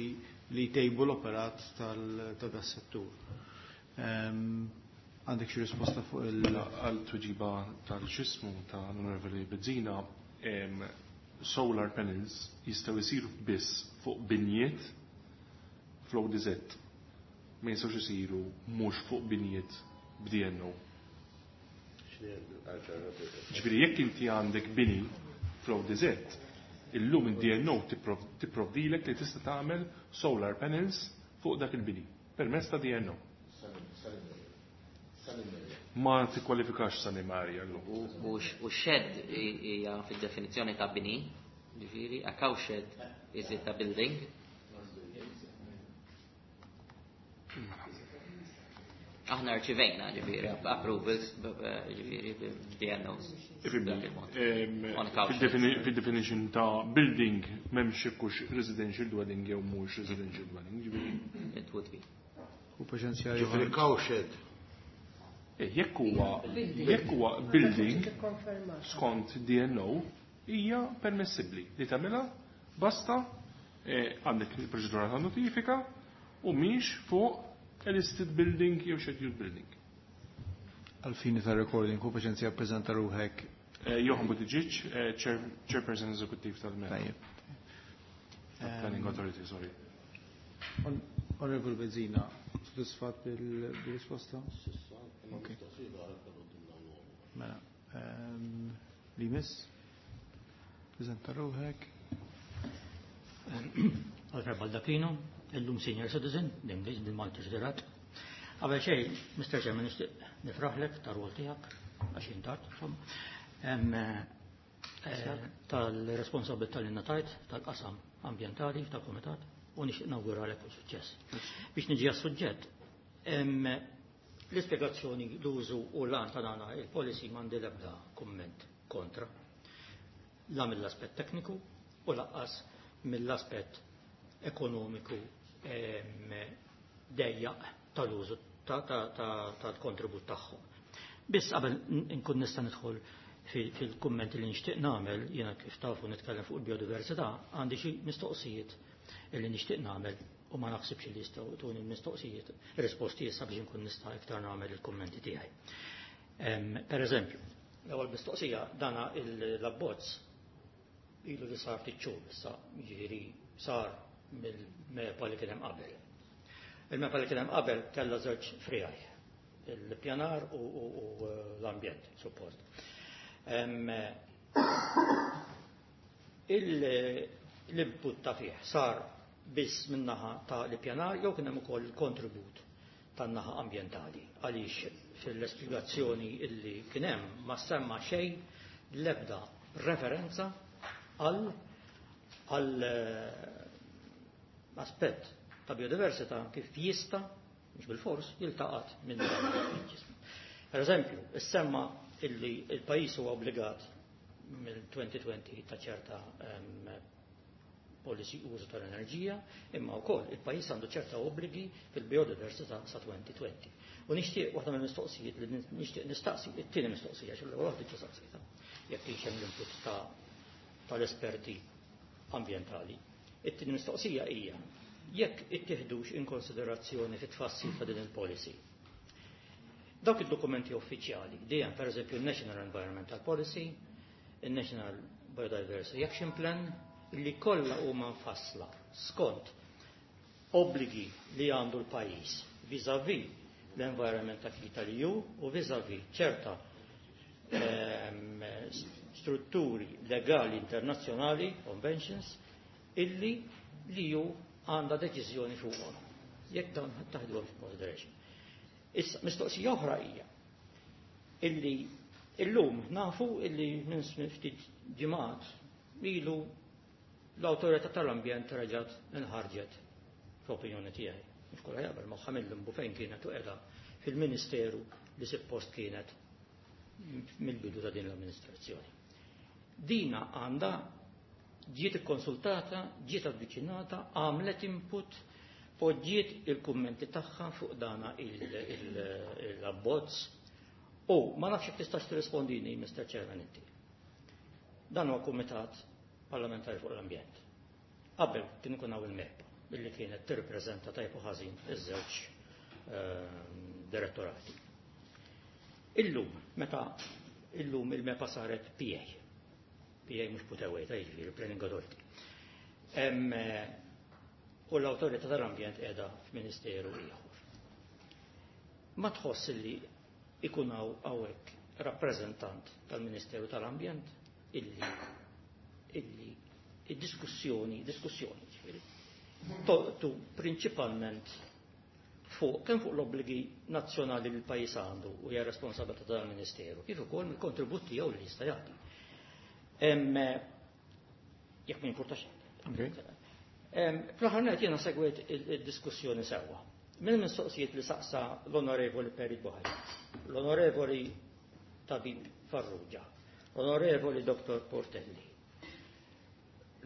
li jtejbu l-operat ta' das-settur. Um, Għandek xi risposta fuq il- Għal tweġiba tal-xismu ta' l-Onorevoli Bezzina, solar panels jistgħu jsiru biss fuq binjiet fl-O D Z. Ma jistgħux isiru mhux fuq binjiet b'D N O. Ġifieri jekk inti għandek bini fl-O D Z, illum id-D N O tipprovdilek li tista' tagħmel solar panels fuq dak il-bini permezz ta' D N O. Ma tikkwalifikax sunny area llum. U shed hija fid-definizzjoni ta' bini, ġifieri, a cow shed, is it a building? Aħna rċivejna ġifieri approvals, ġifieri D N Os. Fil-definition ta' building m'hemmx hux residential dwelling jew mhux residential dwelling, ġifieri. It would be. U paċenzja. Ġifieri cowshed. Eh, jekk huwa jekk huwa building skont D N O hija permessibbli li tagħmilha, basta eh, għandek il-proċedura ta' notifika u mhix fuq a listed building jew scheduled building. Għal-fini ta' recording, ħu paċenzja ppreżenta ruħek. Eh, Johan Buttigieg, Chairperson Executive tal-MEPA. Tajjeb. Planning Authority, sorry. Honorable Bezzina, soddisfat bil-risposta? Ok. Mela, ehm, li miss? Preżenta ruħek. Alfred Baldacchino, illum senior citizen, dim bil-Malti ġderat. Qabel xejn, Mister Chairman, nixtieq nifraħlek tar-rwol tiegħek, għax intart, insomma, eh, tal-responsabilità li ngħatajt tal-qasam ambjentali tal-komitat u nixtieq nawguralek kull suċċess. Biex niġi għas-suġġett, l-ispjegazzjoni, l-użu u l-għan ta' dana il-policy m'għandi l-ebda kumment kontra. La mill-aspett tekniku u lanqas mill-aspett ekonomiku. dejjaq tal-użu tal-kontribut tagħhom. Biss qabel nkun nista' nidħol fil-kummenti li nixtieq nagħmel, jiena kif tafu nitkellem fuq il-biodiversità, għandi xi mistoqsijiet li nixtieq nagħmel u ma naħsibx li jistgħu tuni l-mistoqsijiet risposti issa biex inkun nista' iktar nagħmel il-kummenti tiegħi. Per eżempju, l-ewwel mistoqsija dana l-abbozz ilu li sar ftit xhur issa, jiġifieri sar mill-MEPA li kien hemm qabel. Il-MEPA li kien hemm qabel kellha żewġ friegħi, il-pjanar u l-ambjent, suppost. L-input ta' fih sar biss min-naħa ta' l-pjanar jew kien hemm ukoll il-kontribut tan-naħa ambjentali, għaliex fil-espjegazzjoni illi kien hemm ma semma xejn l-ebda referenza għal għal aspett ta' biodiversità kif jista', mhux bil-fors, jiltaqat minn dan il-ġism. Per eżempju, issemma illi il-pajjiż huwa obbligat mill-twenty twenty ta' ċerta policy użu tal-enerġija, imma wkoll il-pajjiż għandu ċerta obbligi fil-biodiversità sa twenty twenty. U nixtieq waħda mill-mistoqsijiet li nixtieq nistaqsi, it-tieni mistoqsija, x'l-ewwel waħda diġà saqsejtha, jekk kienx hemm l-input tal-esperti ambjentali. It-tieni mistoqsija hija jekk ittieħdux in konsiderazzjoni fit-tfassil ta' din il-policy dawk id-dokumenti uffiċjali, dejjem per eżempju il-National Environmental Policy, il-National Biodiversity Action Plan, li kollha huma mfassla skont obbligi li għandu l-pajjiż vis-à-vis l-environment acquis tal-E U u vis-à-vis ċerta ehm, strutturi legali internazzjonali, conventions, illi l-E U għandha deċiżjoni fuqhom. Jekk dawn taħduhom consideration. Issa, mistoqsija oħra hija illi illum nafu illi minn ftit ġimgħat ilu l-awtorità tal-ambjent reġgħet inħarġet, f'opinjoni tiegħi. Mhux kollha jaqbel magħha, mill-limbu fejn kienet u qiegħda fil-Ministeru li suppost kienet mill-bidu ta' din l-amministrazzjoni. Dina għandha ġiet ikkonsultata, ġiet avviċinata, għamlet input, poġġiet il-kummenti tagħha fuq dana l-abbozz u ma nafx jekk tistax tirrispondini, Mister Chairman, inti. Dan huwa kumitat parlamentari fuq l-ambjent. Qabel kien ikun hawn il-MEPA billi kienet tirrippreżenta tajb u ħażin iż-żewġ ehm, direttorati. Illum, meta illum il-MEPA saret P A, P A mhux put away, ta' jiġifieri Planning Authority. U l-awtorità tal-ambjent qiegħda f'Ministeru ieħor. Ma tħoss li ikun hawn hawnhekk rappreżentant tal-Ministeru tal-Ambjent illi illi id-diskussjoni, diskussjoni ġifieri, tu prinċipalment fuq kemm fuq l-obbligi nazzjonali li l-pajjiż għandu u hija responsabilità tal-Ministeru, kif ukoll mill-kontribut tiegħu li jista' jagħti. Jekk ma jimpurtax. Fl-aħħar nett jiena segwejt id-diskussjoni sewwa. Minn mistoqsijiet li saqsa l-Onorevoli Perit Buhagiar, l-Onorevoli Tabib Farrugia, l-Onorevoli Dottor Portelli,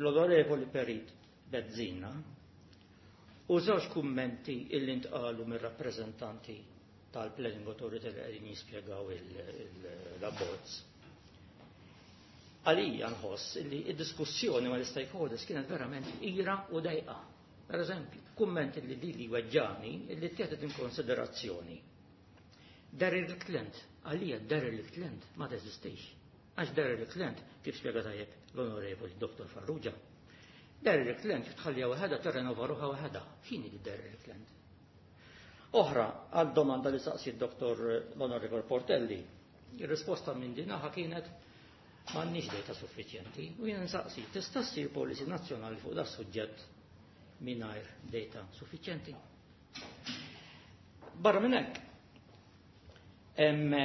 l-Onorevoli Perit Bezzina, u żewġ kummenti illi ntqalu mir-rappreżentanti tal-Planning Authority li qegħdin jispjegaw l-abbozz. Għalija nħoss li id-diskussjoni mal stakeholders kienet verament ira u dejqa. Per eżempju, kumment li li li weġġani li ttieħdet in konsiderazzjoni. Derelict land, għalija derelict land ma teżistix. Għax derelict land, kif spjega tajjeb l-Onorevoli Dottor Farrugia, derelict land tħallija waħedha tirrenova ruħha waħedha. X'inhi di derelict land? Oħra, għal domanda li saqsi d-Dottor l-Onorevoli Portelli, il-risposta minn dinaħa kienet m'għandniex data suffiċjenti u jien nsaqsi, tista' ssir policy nazzjonali fuq da suġġett mingħajr data suffiċjenti? Barra minn hekk, hemm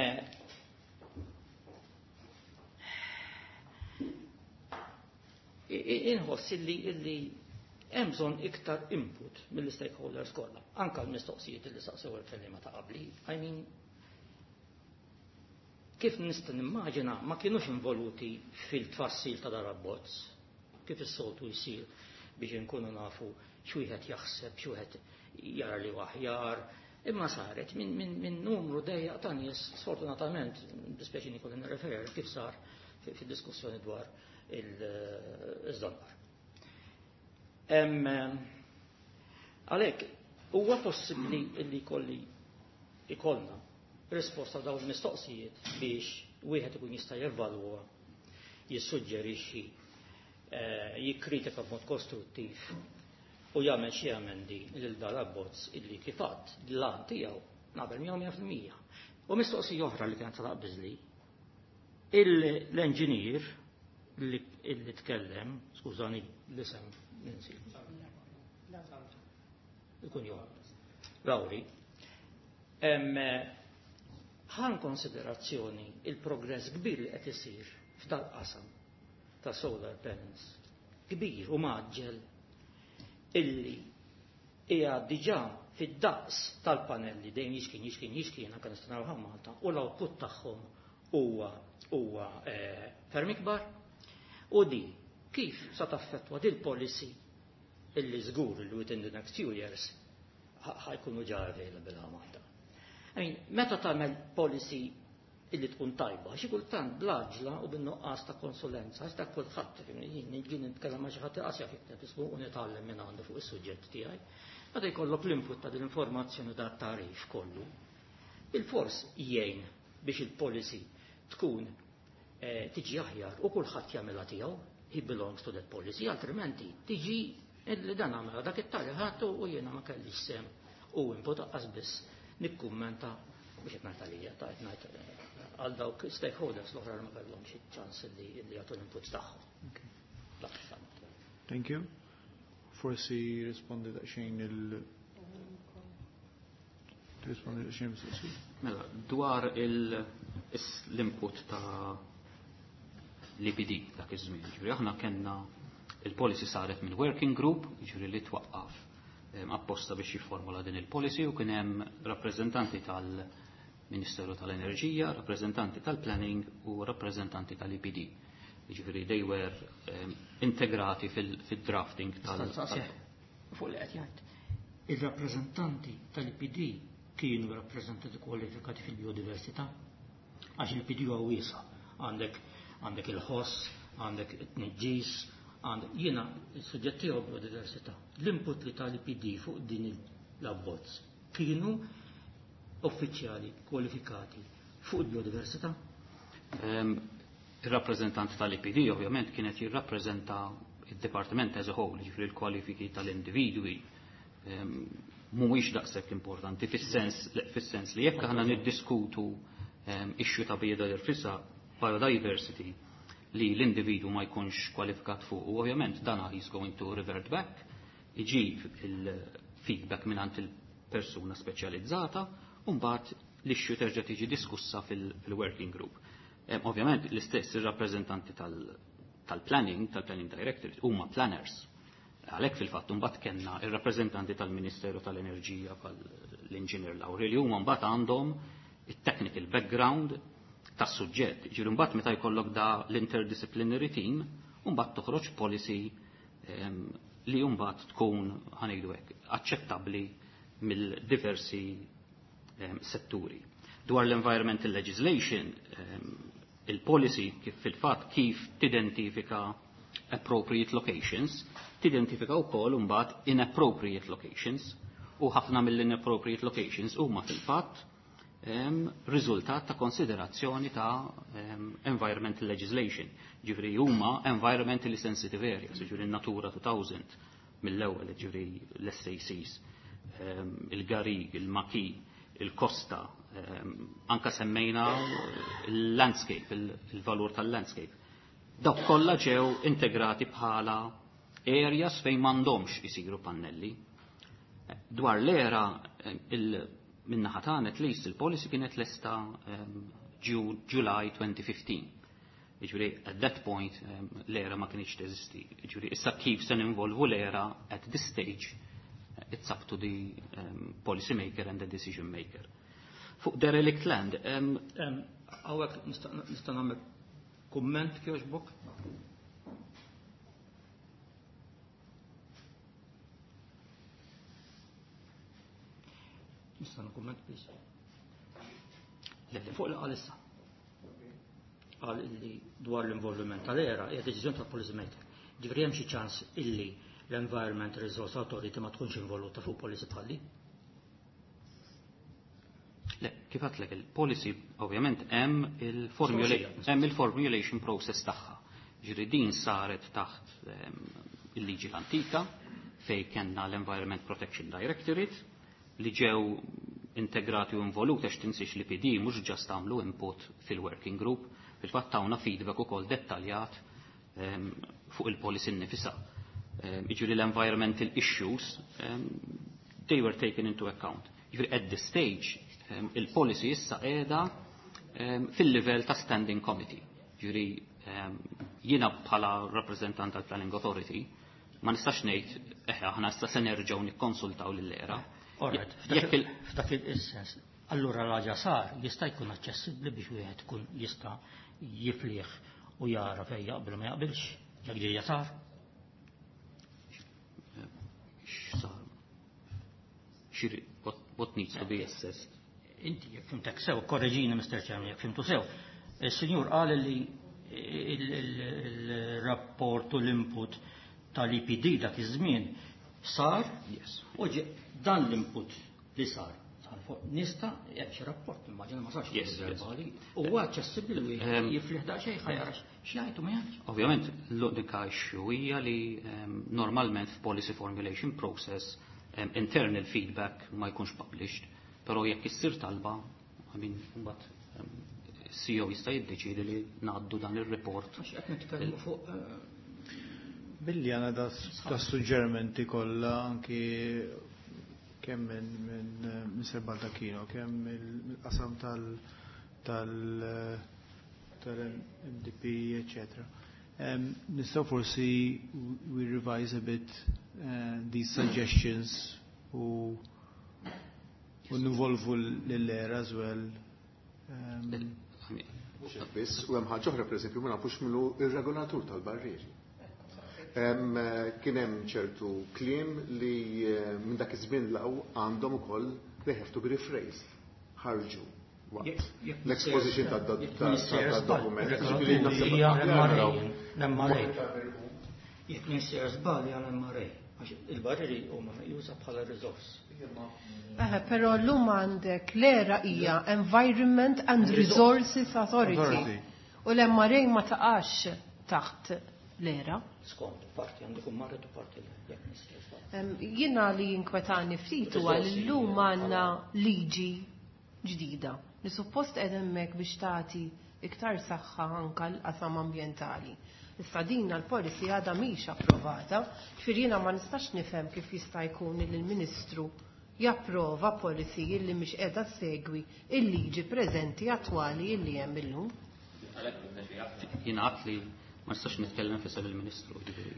inħoss illi illi hemm bżonn iktar input mill-stakeholders kollha, anke l-mistoqsijiet li saqsew il-kelliema ta' qabli. I mean, kif nista' nimmaġina ma kienux involuti fil-tfassil ta' dar abbozz, kif is-soltu jsir. biex inkunu nafu x'wieħed jaħseb, x'wieħed jara li aħjar, imma saret minn min, min numru dejjaq ta' nies, sfortunatament, dispjaċini kolli nirreferi kif sar fid-diskussjoni dwar iż-żonqor. Għalhekk huwa possibbli li jkolli ikollna risposta dawn il-mistoqsijiet biex wieħed ikun jista' jevalwa, jissuġġerixxi, jikkritika b'mod kostruttiv u jagħmel xi amendi lil dan l-abbozz illi kif għadd l-għan tiegħu naqbel miegħu mija fil-mija. U mistoqsija oħra li kienet taqbiżli, l-enġinier li tkellem, skużani l-isem ninsi. Ikun jom. Lauri, ħan konsiderazzjoni il-progress kbir li qed isir f'dal-qasam ta' solar panels, kbir u maġġel, illi hija diġà fid-daqs tal-panelli dejjem jixkien jixkien jixkien anke nistgħu naraw Malta, u l-output tagħhom huwa huwa ferm ikbar. U di kif sa taffettwa dil policy illi żgur li within the next few years ħajkunu ġa available għal Malta. I mean, meta tagħmel policy illi tkun tajba, xi kultant bl-għaġla u bin-nuqqas ta' konsulenza, għax dak kulħadd, jien nitkellem ma' xi ħadd iqas jaf jikteb ismu u nitgħallem minn għandu fuq is-suġġett tiegħi. Meta jkollok l-input ta' din l-informazzjoni da' tarif kollu, il-fors jgħin biex il-policy tkun tiġi aħjar u kulħadd jagħmilha tiegħu, he belongs to that policy, altrimenti tiġi illi dan għamela dak it-tali ħadd u jiena ma kellix sem u input aqqas biss nikkummenta biex qed ngħid għalija, ta' qed ngħid għal dawk stakeholders l-oħra ma kellhomx iċ-ċans li jagħtu l-input tagħhom. Thank you. Forsi rispondi daqsxejn il rispondi daqsxejn mistoqsija. Mela, dwar l-input ta' l-I P D dak iż-żmien, ġifieri aħna kellna il-policy saret minn working group, ġifieri li twaqqaf apposta biex jifformula din il-policy, u kien hemm rappreżentanti tal-Ministeru tal-Enerġija, rappreżentanti tal-Planning u rappreżentanti tal-I P D. Ġifieri they were integrati fil-drafting tal- Fuq li qed jgħid. Ir-rappreżentanti tal-I P D kienu rappreżentanti kwalifikati fil-biodiversità, għax il-I P D huwa wiesa', għandek għandek il-ħoss, għandek it-tniġġis, għandek jiena s-suġġett tiegħu biodiversità. L-input li tal-I P D fuq din l-abbozz kienu uffiċjali kwalifikati fuq il-biodiversità? Il-rappreżentant tal-I P D ovvjament kienet jirrappreżenta il-Departiment as a whole, ġifieri l-kwalifiki tal-individwi mhuwiex daqshekk importanti fis-sens fis-sens li jekk aħna niddiskutu issue ta' biodiversità, biodiversity li l-individu ma jkunx kwalifikat fuq, u ovvjament dan he's going to revert back, iġib il-feedback mingħand il-persuna speċjalizzata, u mbagħad l-issue terġa' tiġi diskussa fil-working group. Ovvjament l-istess ir-rappreżentanti tal-planning, tal-planning directorate, huma planners. Għalhekk fil-fatt mbagħad kellna ir-rappreżentanti tal-Ministeru tal-Enerġija bħal l-Engineer Lauri li huma mbagħad għandhom it-technical background tas-suġġett. Ġifieri mbagħad meta jkollok da l-interdisciplinary team, mbagħad toħroġ policy li mbagħad tkun ħanejdu hekk aċċettabbli mill-diversi setturi. Dwar l-environmental legislation, il-policy kif fil-fatt kif tidentifika appropriate locations, tidentifika wkoll imbagħad inappropriate locations, u ħafna mill-inappropriate locations huma fil-fatt riżultat ta' konsiderazzjoni ta' environmental legislation. Ġifieri huma environmentally sensitive areas, ġifieri Natura two thousand mill-ewwel, ġifieri l-S A Cs, il-Garig, il-Maki, il-Kosta, anka semmejna il-landscape, il-valur tal-landscape. Dawk kollha ġew integrati bħala areas fejn m'għandhomx isiru pannelli. Dwar l-era, minnaħa tagħna at least il-policy kienet lesta July twenty fifteen. Jiġifieri at that point l-era ma kienx teżisti. Jiġifieri issa kif se ninvolvu l-era at this stage, it's up to the um, policy maker and the decision maker. Fuq derelict land. Hawnhekk nista' nagħmel kumment kjoġbok? Nista' nkumment please. Le, le, fuq li qal issa. Qal illi dwar l-involviment tal-ERA hija deċiżjoni tal-policy maker. Ġifieri hemm xi ċans illi l-Environment Resource Authority ma tkunx involuta fuq policy bħal din. Le, kif għedtlek il-policy ovvjament hemm il-formulation hemm il-formulation process tagħha. Ġifieri din saret taħt ehm, il-liġi l-antika fej kellna l-Environment Protection Directorate li ġew integrati u involuti għax tinsiex li P D mhux just għamlu input fil-working group, fil-fatt tawna feedback ukoll dettaljat, ehm, fuq il-policy nnifisha. Ehm, jiġifieri l-environmental issues, ehm, they were taken into account. Jiġifieri at this stage, ehm, il-policy issa qiegħda, ehm, fil-livell ta' standing committee. Jiġifieri, ehm, jiena bħala rappreżentant tal-Planning Authority ma nistax ngħid eħe aħna issa se nerġgħu nikkonsultaw lill-ERA. All right, Jekk il- f'dak il-sens, allura l-ħaġa sar jista' jkun aċċessibbli biex wieħed ikun jista' jiflih u jara fejn jaqbel ma jaqbilx, jekk ġejja sar. X'sar? Xiri, what, what needs to be assessed? Inti jekk fimtek sew, korreġini Mister Chairman, jekk fimtu sew. Il-Sinjur qal li il-rapport u l-input tal-E P D dak iż-żmien sar, Yes. u ġe dan l-input li sar, sar fuq nista' jekk xi rapport, immaġina ma sarx Yes, yes. verbali, u huwa aċċessibbli li wieħed Ehm, jiflih daqsxejn ħajara x'jgħid u ma jgħidx. Ovvjament l-unika issue hija li, ehm, normalment f'policy formulation process, ehm, internal feedback ma jkunx published, però jekk issir talba, I mean, mbagħad, ehm, C E O jista' jiddeċiedi li ngħaddu dan ir-report. Għax qed nitkellmu fuq, eh, Billi għandna da, da suġġerimenti kollha anki kemm minn, minn, minn Sir Baldacchino, kemm mill-qasam tal-, tal, tal-M D P, eccetera. Um, nistgħu forsi we revise a bit, uh, these suggestions u, u ninvolvu l-ERA as well. Um, Mhux hekk biss, u hemm ħaġa oħra pereżempju ma nafux minnu ir-regolatur tal-barrieri. Em, kien hemm ċertu kliem li, eh, minn dak iż-żmien law għandhom ukoll they have to be rephrased. Ħarġu waqt Jekk, jekk l-exposition jekk tad-, tad-, jekk mister tad-dokument. Żball, Ġifieri naħseb hija aħjar M R A, naraw. l-M R A. Jekk mister żball hija l-M R A, għax il-barrieri huma meqjusa bħala riżors. Eħe, però llum għandek l-ERA hija Environment and Resources Authority. Authority. U l-M R A ma taqax taħt l-ERA. Skont, parti għandu kun marret u parti le, jekk mister żball. Em, jiena li jinkwetani ftit huwa li llum għandna liġi ġdida li suppost qed hemmhekk biex tagħti iktar saħħa anke l-qasam ambjentali. Issa din l-policy għadha mhix approvata, ġifieri jiena ma nistax nifhem kif jista' jkun li l-Ministru japprova policy li mhix qiegħda ssegwi il-liġi preżenti attwali li hemm illum. Jiena għedt li ma nistax nitkellem f'isem il-Ministru, ġifieri.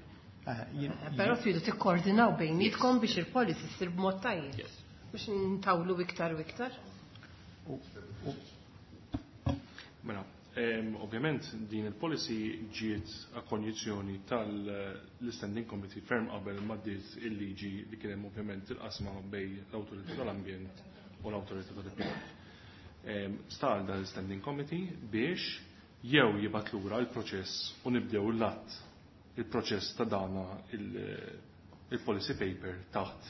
Eh, jien- Però tridu tikkoordinaw bejnietkom biex il-policy ssir b'mod tajjeb. Yes. Biex ntawlu iktar u iktar. Mela, ehm, ovvjament din il-policy ġiet a konjizzjoni tal-Standing Committee ferm qabel ma ddiet il-liġi li kien hemm ovvjament il-qasma bejn l-Awtorità tal-Ambjent u l-Awtorità tal-Ippjanar. Ehm, star dan l-Standing Committee biex jew jibgħat lura l-proċess u nibdew l-att il-proċess ta' dana il-, il-policy paper taħt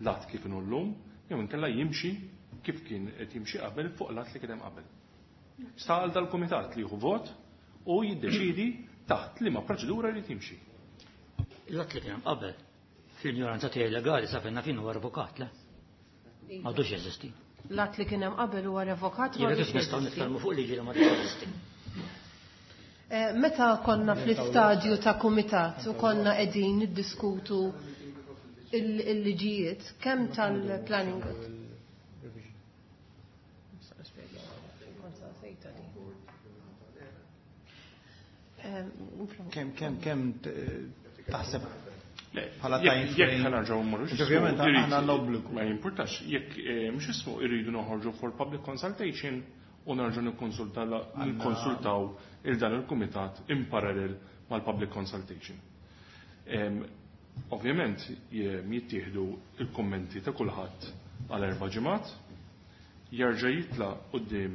l-att kif inhu llum, jew inkella jimxi kif kien qed jimxi qabel fuq l-att li kien hemm qabel. Sta għal dal-kumitat li jieħu vot u jiddeċidi taħt liema proċedura jrid jimxi. L-att li kien hemm qabel fl-ignoranza tiegħi legali sa fejn naf huwa revokat, le? M'għadux jeżisti. L-att li kien hemm qabel huwa revokat, Jiena m'għadux kif nistgħu jeżisti. nitkellmu fuq liġi li ma teżisti. Eh, meta konna fl-istadju ta' kumitat u konna qegħdin niddiskutu il-, il-liġijiet, kemm tal-planning? Kemm, kemm, kemm taħseb Le, bħala jekk- time jekk frame? ħa nerġgħu mmorru Għax ovvjament x'ismu, aħna irrid- l-obbligu. Ma jimpurtax, jekk, eh, mhux ismu irridu noħorġu for public consultation u nerġgħu nikkonsulta la-, Għandna nikkonsultaw il dan il-kumitat in parallel mal-public consultation. Em, ovvjament, je-, jittieħdu il-kommenti ta' kulħadd għal erba' ġimgħat, Jerġa' jitla' quddiem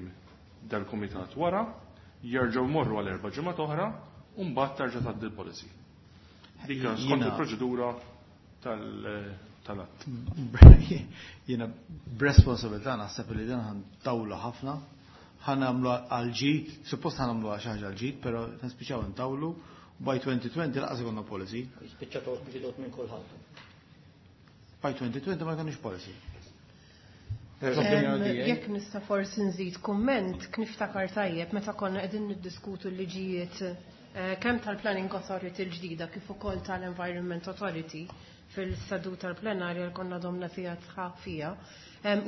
dal-kumitat wara, jerġgħu jmorru għal erba' ġimgħat oħra u mbagħad terġa' tgħaddi l-policy. Dik skont il-proċedura tal-att. Jiena b'responsabilità naħseb li dan ħa ntawlu ħafna, ħa nagħmlu għal-ġid, suppost ħa nagħmlu xi ħaġa għal-ġid, però nispiċċaw intawlu by twenty twenty lanqas ikollna policy. Spiċċaw bġidot minn kulħadd. By twenty twenty ma jkollniex policy. Jekk nista' forsi nżid kumment, niftakar tajjeb meta konna qegħdin niddiskutu l-liġijiet eh, kemm tal-Planning Authority l-ġdida kif ukoll tal-Environment Authority fil-seduta tal-plenarja li konna domna fija sħab fija.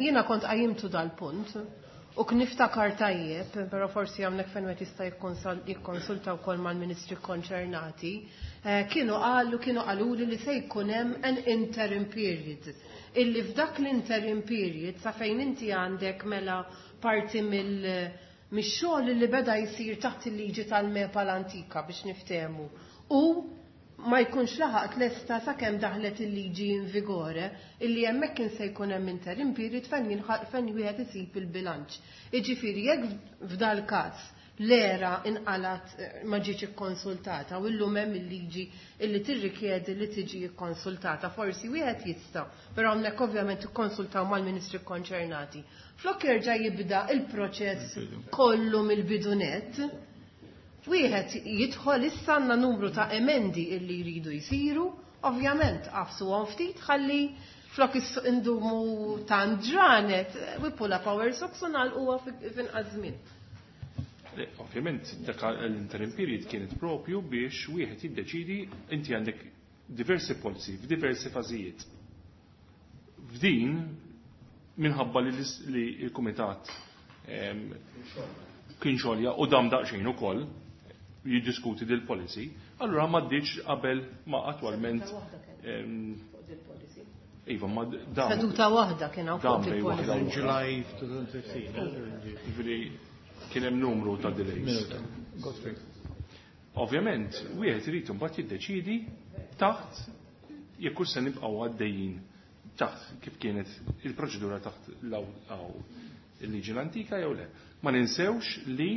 Jiena kont qajjimtu dal-punt u niftakar tajjeb, però forsi hawnhekk fejn wieħed jista' jikkonsulta wkoll mal-ministri konċernati, eh, kienu qalu kienu qaluli li se jkun hemm an interim period. Illi f'dak l-interim period sa fejn inti għandek mela parti mill mix-xogħol li beda jsir taħt il-liġi tal-MEPA l-antika, biex niftehmu. U ma jkunx laħaq tlesta sakemm daħlet il-liġi in vigore, illi hemmhekk kien se jkun hemm interim period fejn fejn wieħed isib il-bilanċ. Jiġifieri jekk f'dal każ l-ERA inqalat eh, ma ġietx ikkonsultata u llum hemm il-liġi illi tirrikjedi li tiġi ikkonsultata, forsi wieħed jista', però hawnhekk ovvjament ikkonsultaw mal-ministri konċernati. Flok jerġa' jibda il-proċess kollu mill-bidu nett, wieħed jidħol issa għandna numru ta' emendi illi jridu jsiru, ovvjament għafsu ftit ħalli flok indumu ta' ġranet, we pull up our socks u nagħlquha f'inqas żmien. Ovvjament, dak l-interim period kienet propju biex wieħed jiddeċidi. Inti għandek diversi policy f'diversi fażijiet. F'din, minħabba li l-kumitat kien xolja u dam daqsxejn ukoll jiddiskuti dil policy, allura ma ddiċ qabel ma attwalment. Iva, ma dam. Seduta waħda kien hawn fuq il-policy. July twenty fifteen. Ġifieri kien hemm numru ta' delays. Godfrey. Ovvjament, wieħed irid imbagħad jiddeċidi taħt jekk se nibqgħu għaddejjin taħt kif kienet il-proċedura taħt il-liġi l-antika jew le. Ma ninsewx li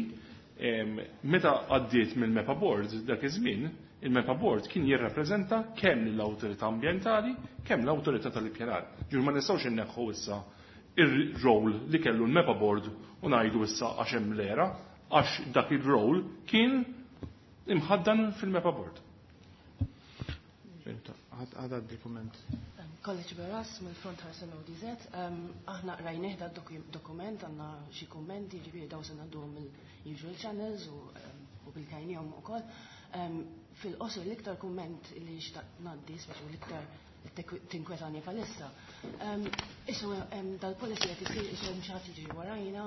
meta għaddiet mill-MEPA Board dak iż-żmien, il-MEPA Board kien jirrappreżenta kemm l-awtorità ambjentali, kemm l-awtorità tal-ippjanar. Ġur ma nistgħux inneħħu issa ir-role li kellu l-MEPA Board u ngħidu issa għax hemm l-ERA, għax dak ir-role kien imħaddan fil-MEPA Board. Għada dokument. College Beras mill-Front Ħarsien O D Z. Aħna rajnieh da dokument, għandna xi kummenti, ġifieri daw se ngħadduhom mill-usual channels u bil-kajnijom ukoll. Fil-qosor, l-iktar kumment li xtaqt ngħaddi, speċi l-iktar tinkwetani palissa. Isu dal-policy qed isir isu mhux ħadd jiġri warajna.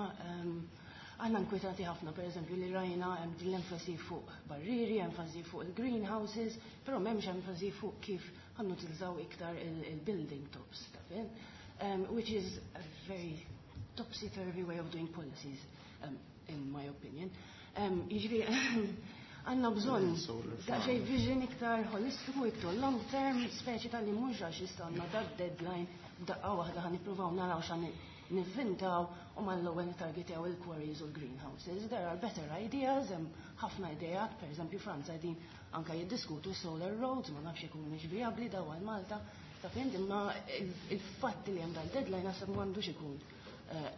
Għanna nkwetati ħafna, per eżempju, li rajna hemm din l-enfasi fuq barriri, enfasi fuq il-greenhouses, però m'hemmx enfasi fuq kif ħa nutilizzaw iktar il-building tops, taf int? Um, which is a very topsy-turvy way of doing policies, um, in my opinion. Um, Jiġifieri, għandna bżonn daqsxejn vision iktar holistiku, iktar long term, speċi tal-li mhux għax istanna dat deadline daqqa waħda ħa nippruvaw naraw x'ħa nivvintaw u mal-ewwel targetjaw il-quarries u l-greenhouses. There are better ideas, hemm ħafna ideat, per eżempju Franza din anka jiddiskutu solar roads, ma nafx jekk mhumiex vijabbli daw għal Malta. Ta' fint, imma il-fatt li hemm dal-deadline naħseb m'għandux ikun eh,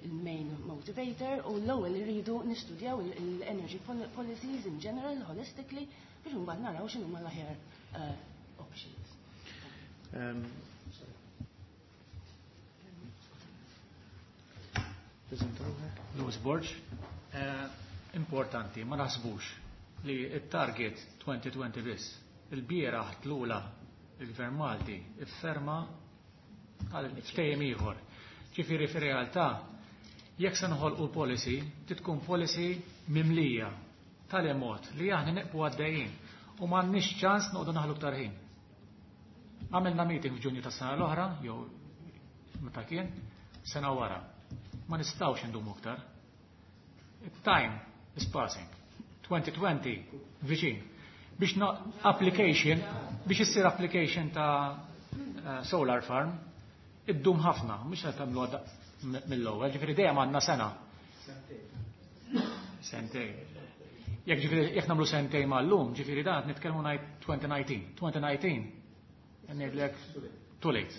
il-main motivator u l-ewwel irridu nistudjaw il-energy policies in general, holistically, biex mbagħad naraw x'inhuma l-aħjar eh, options. Um, Louis Borg, eh, importanti, ma naħsbux li il-target twenty twenty biss. Il-bieraħ tlula il-Gvern Malti ifferma għal ftehim ieħor. Ġifieri fir-realtà, jekk se noħolqu policy, tkun policy mimlija tal-emot li aħna neqpu għaddejjin u m'għandniex ċans noqogħdu naħlu iktar ħin. Għamilna meeting f'Ġunju tas-sena l-oħra, jew meta kien, sena wara. Ma nistgħux indumu iktar. Time is passing. twenty twenty viċin. Biex no application, biex issir application ta' uh, solar farm, iddum ħafna, mhux qed tagħmlu mill-ewwel, ġifieri dejjem għandna sena. Sentejn. Jekk ġifieri jekk nagħmlu sentejn mal-lum, ġifieri dan qed nitkellmu ngħid twenty nineteen. twenty nineteen ngħidlek too late.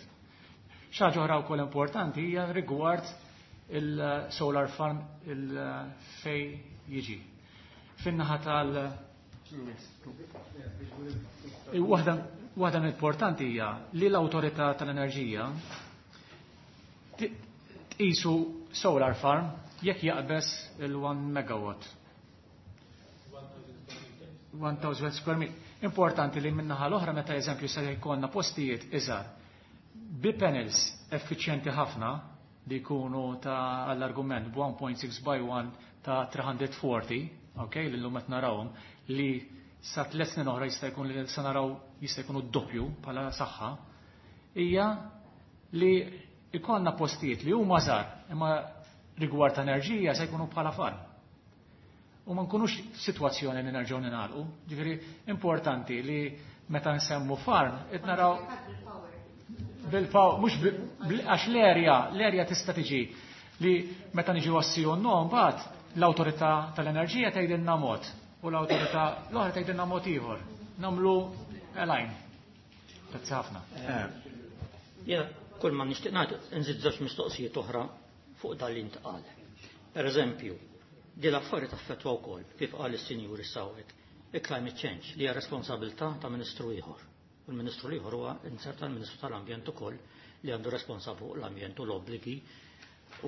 Xi ħaġa oħra wkoll importanti hija rigward il-solar farm il-fej jiġi. Fin-naħa tal- Waħda waħda importanti hija li l-awtorità tal-enerġija tqisu solar farm jekk jaqbeż il-one megawatt. one thousand square meter. Importanti li min-naħa l-oħra, meta eżempju se jkollna postijiet iżgħar bi panels effiċjenti ħafna li jkunu ta' għall-argument one point six by one ta' three hundred forty, ok, li l-lum qed narawhom, li sa tliet snin oħra jista' jkun li se naraw jista' jkunu doppju bħala saħħa, hija li ikollna postijiet li huma żgħar imma rigward ta' enerġija se jkunu bħala farm. U ma nkunux f'sitwazzjoni li nerġgħu ningħalqu. Ġifieri importanti li meta nsemmu farm qed naraw bil-power, mhux għax l-erja, l-erja tista' tiġi li meta niġu għas-sì u no, mbagħad l-awtorità tal-enerġija tgħidilna mod u l-awtorità l-oħra tgħidilna mod ieħor. Nagħmlu align. Grazzi ħafna. Jiena kull ma nixtieq ngħid, nżid żewġ mistoqsijiet oħra fuq dan li ntqal. Per eżempju, di l-affari taffettwa wkoll, kif qal is-sinjur is-sawek, il-climate change li hija responsabilità ta' ministru ieħor. U l-ministru ieħor huwa inserta l-Ministru tal-Ambjent ukoll, li għandu responsabbli fuq l-ambjent u l-obbligi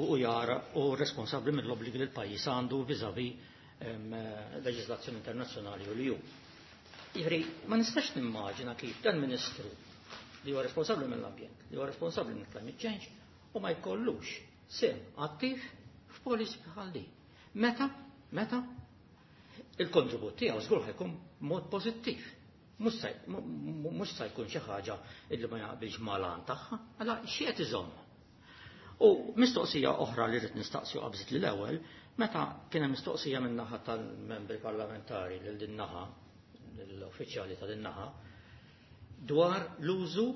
u jara u responsabbli mill-obbligi li l-pajjiż għandu vis-à-vis leġislazzjoni internazzjonali u li ju. Jiġifieri, ma nistax nimmaġina kif dan ministru li huwa responsabbli mill-ambjent, li huwa responsabbli mill-climate change u ma jkollux sehem attiv f'policy bħal din. Meta, meta il-kontribut tiegħu żgur ħa jkun mod pożittiv. Mhux sa jkun xi ħaġa illi ma jaqbilx mal-għan tagħha, għala xi qed iżomm. U mistoqsija oħra li rrid nistaqsi qabżit li l-ewwel, meta kien hemm mistoqsija minn naħa tal-membri parlamentari lil din naħa, l-uffiċjali ta' din naħa, dwar l-użu,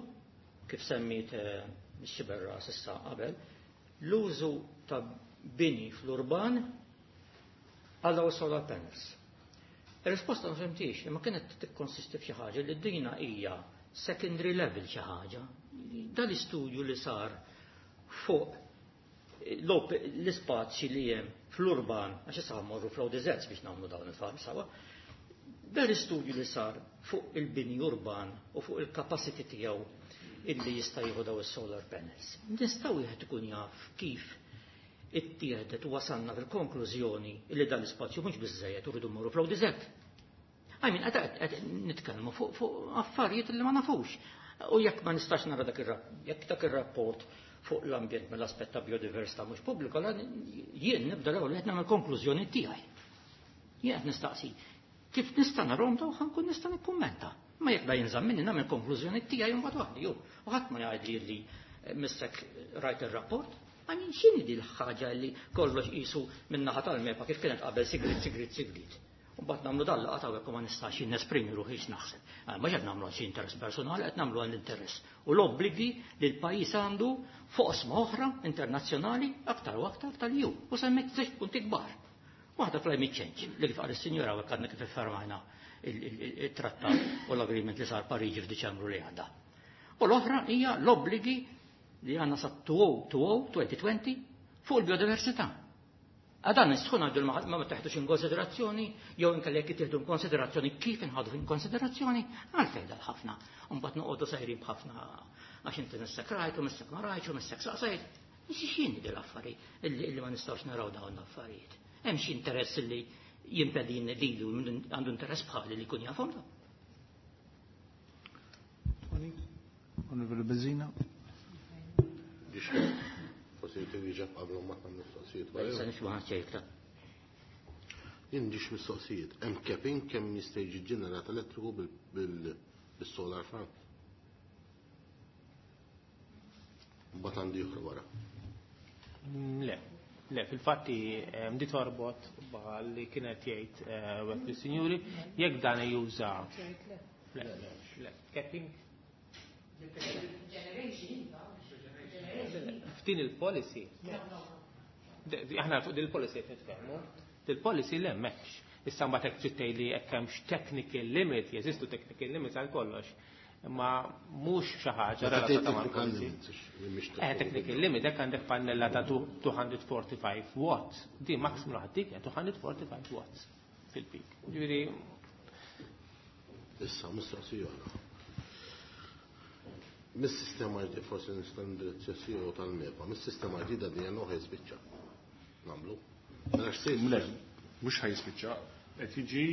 kif semmit xiberra s'issa qabel, l-użu ta' bini fl-urban għal solar panels. Il-risposta ma fhimtix, imma kienet tikkonsisti f'xi ħaġa li dina hija secondary level xi ħaġa. Dal-istudju li sar fuq l-ispazji li hemm fl-urban, għax issa mmorru fl-O D Zs biex nagħmlu dawn il-farm sawa, dal-istudju li sar fuq il-bini urban u fuq il-capacity tiegħu illi jista' jieħu daw is-solar panels. Nistgħu wieħed ikun jaf kif ittieħdet u wasalna fil-konklużjoni illi dan l-ispazju mhux biżejjed u rridu mmorru fl-O D Z? I mean, qed nitkellmu fuq affarijiet li ma nafux. U jekk ma nistax nara dak jekk dak ir-rapport fuq l-ambjent mill-aspett ta' biodiversità mhux pubbliku, jien nibda l-ewwel qed nagħmel konklużjoni tiegħi. Jien qed nistaqsi kif nista' narhom daw ħa nkun nista' nikkummenta. Ma jekk da jinżamm minni, nagħmel konklużjoni tiegħi mbagħad waħdi jew. U ħadd ma jgħidli li missek rajt ir-rapport. I mean, x'inhi di l-ħaġa li kollox qisu min-naħa tal-MEPA kif kienet qabel sigrit, sigrit, sigrit? U mbagħad nagħmlu dal laqgħa hawnhekk u ma nistax nesprimi ruħi x'naħseb. Ma qed nagħmlu xi interess personali, qed nagħmlu għall-interess. U l-obbligi li l-pajjiż għandu fuq oqsma oħra internazzjonali, aktar u aktar tal-E U. U semmejt żewġ punti kbar. Waħda climate change, li kif qal is-sinjora għadna kif iffirmajna il-trattat u l-agreement li sar Pariġi f'Diċembru li għadda. U l-oħra hija l-obbligi li għandna sa twenty twenty fuq il-biodiversità. Għadan nistħu ngħidu ma ma teħdux in konsiderazzjoni, jew inkella jekk tieħdu in konsiderazzjoni, kif inħadu in konsiderazzjoni, għalfejn dal-ħafna. Mbagħad noqogħdu sejrin b'ħafna għax inti missek rajt u missek ma rajtx u missek saqsejt. X'inhi din l-affari illi ma nistgħux naraw dawn l-affarijiet? Hemm xi interess li jimpedin lilu għandu interess bħali li jkun jafhom da? Onorevole Bezzina. Forsi twieġeb qabel ma tagħmel mistoqsijiet. Issa nifhmu ħadd. Jien ġiex mistoqsijiet. Hemm capping kemm jista' jiġi ġenerat elettriku bil-solar farm? Mbagħad għandi oħra wara. Le, le, fil-fatti di torbot li kienet jgħid wieħed mis-sinjuri jekk dan juża. Le, le, capping. Ftit F'din il-policy, aħna fuq din il-policy qed nitkellmu, il-policy le m'hemmx. Issa mbagħad hekk trid tgħidli hekk hemmx technical limit, jeżistu technical limits għal kollox. Imma mhux xi ħaġa relatata mal-policy. Eh, technical limit, hekk għandek pannella ta' two hundred forty-five watts. Di maximum ħaddik two hundred forty-five watts fil-peak. Ġifieri Issa, mistoqsija oħra. Mis-sistema ġdida, forsi nista' nindirizza C E O tal-MEPA, mis-sistema ġdida D N O ħa jispiċċa. Nagħmlu. Mela x'sejt? Le, mhux ħa jispiċċa, qed jiġi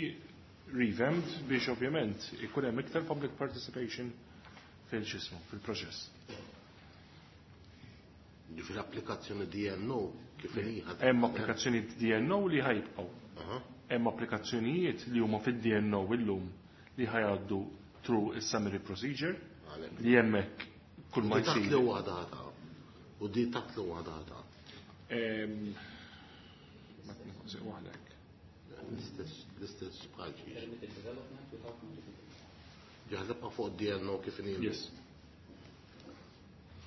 revamped biex ovvjament ikun hemm iktar public participation fil-xismu, fil-proċess. Ġifieri applikazzjoni D N O kif inhi? Hemm applikazzjoni D N O li ħa jibqgħu. Hemm applikazzjonijiet li huma fid-D N O illum li ħa jgħaddu through is-summary procedure li hemmhekk kull ma U di taħt jsir. li huwa data. U di taħt li huwa data. Ehm, Ma tnaqsi waħdek. L-istess, l-istess bħal xiex. Ġaħlibqa fuq D N O kif inhi. Yes.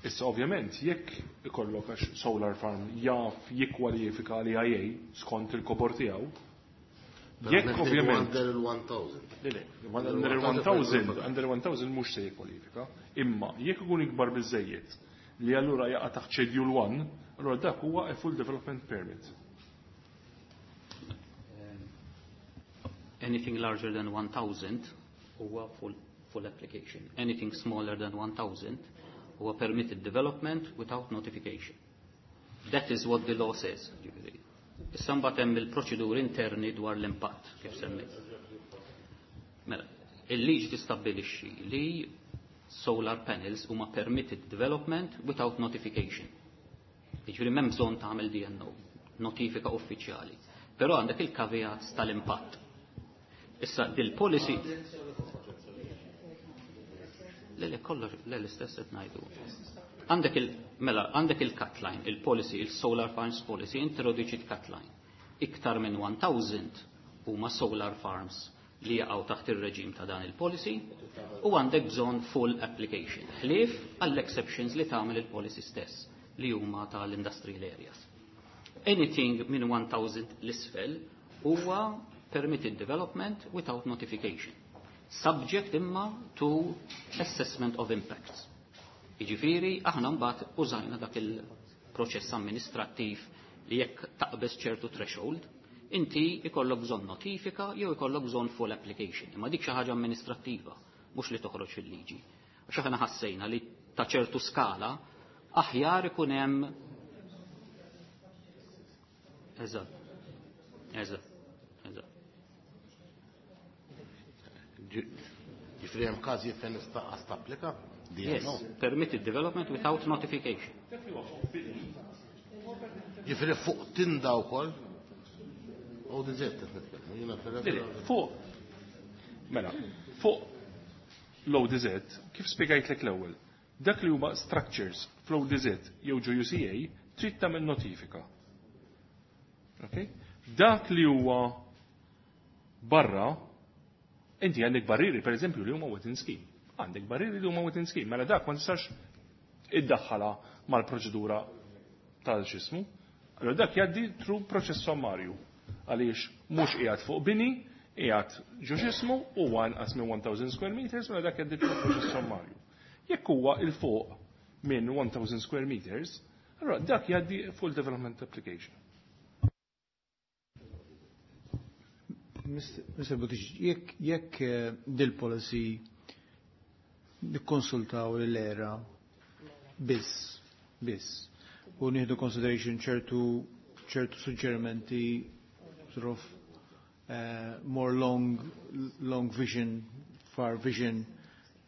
Issa ovvjament jekk ikollok għax solar farm jaf jikkwalifika għal E I A skont il-kobor tiegħu, jekk ovvjament Under il-one thousand. Le, le, under il-one thousand, under il-one thousand mhux se jikkwalifika, imma jekk ikun ikbar biżejjed li allura jaqa' taħt Schedule one, allura dak huwa a full development permit. Anything larger than one thousand huwa full, full application. Anything smaller than one thousand huwa permitted development without notification. That is what the law says. Ġifieri. Issa mbagħad hemm il-proċeduri interni dwar l-impatt kif semmejt. Mela, il-liġi tistabbilixxi li solar panels huma permitted development without notification. Jiġifieri m'hemm bżonn tagħmel D N O, notifika uffiċjali. Però għandek il-caveats tal-impatt. Issa dil-policy. Le, le, kollox, le, l-istess qed ngħidu. Għandek il, mela, għandek il-cutline, il-policy, il-solar farms policy, introduċi cutline. Iktar minn one thousand huma solar farms li jaqgħu taħt ir-reġim ta' dan il-policy u għandek bżonn full application. Ħlief għall-exceptions li tagħmel il-policy stess li huma tal-industrial areas. Anything minn one thousand l-isfel huwa permitted development without notification. Subject imma to assessment of impacts. Jiġifieri aħna mbagħad użajna dak il-proċess amministrattiv li jekk taqbeż ċertu threshold, inti ikollok bżonn notifika jew ikollok bżonn full application. Imma dik xi ħaġa amministrattiva, mhux li toħroġ fil-liġi. Għax aħna ħassejna li ta' ċertu skala aħjar ikun hemm. Eżatt. Eżatt. Eżatt. Ġifieri hemm każi fejn nista' tapplika Yes, D N O. Permitted development without notification. Ġifieri fuq tinda wkoll. U diżert qed nitkellmu. Jiena Le, le, fuq, mela, fuq l-O D Z, kif spiegajtlek l-ewwel, dak li huma structures fl-O D Z jew ġo U C A trid tagħmel notifika. Okay? Dak li huwa barra, inti għandek barriri, per eżempju, li huma within scheme. Għandek barriri li huma within scheme, mela dak ma tistax iddaħħala mal-proċedura tal-xismu. Allora dak jgħaddi through proċess sommarju. Għaliex mhux qiegħed fuq bini, qiegħed ġo xismu u anqas minn one thousand square meters, mela dak jgħaddi through proċess sommarju. Jekk huwa 'il fuq minn one thousand square meters, allora dak jgħaddi full development application. Mister Buttigieg, jekk jekk eh, dil-policy nikkonsultaw l-ERA biss, biss, u nieħdu consideration ċertu ċertu suġġerimenti sort of uh, more long long vision, far vision,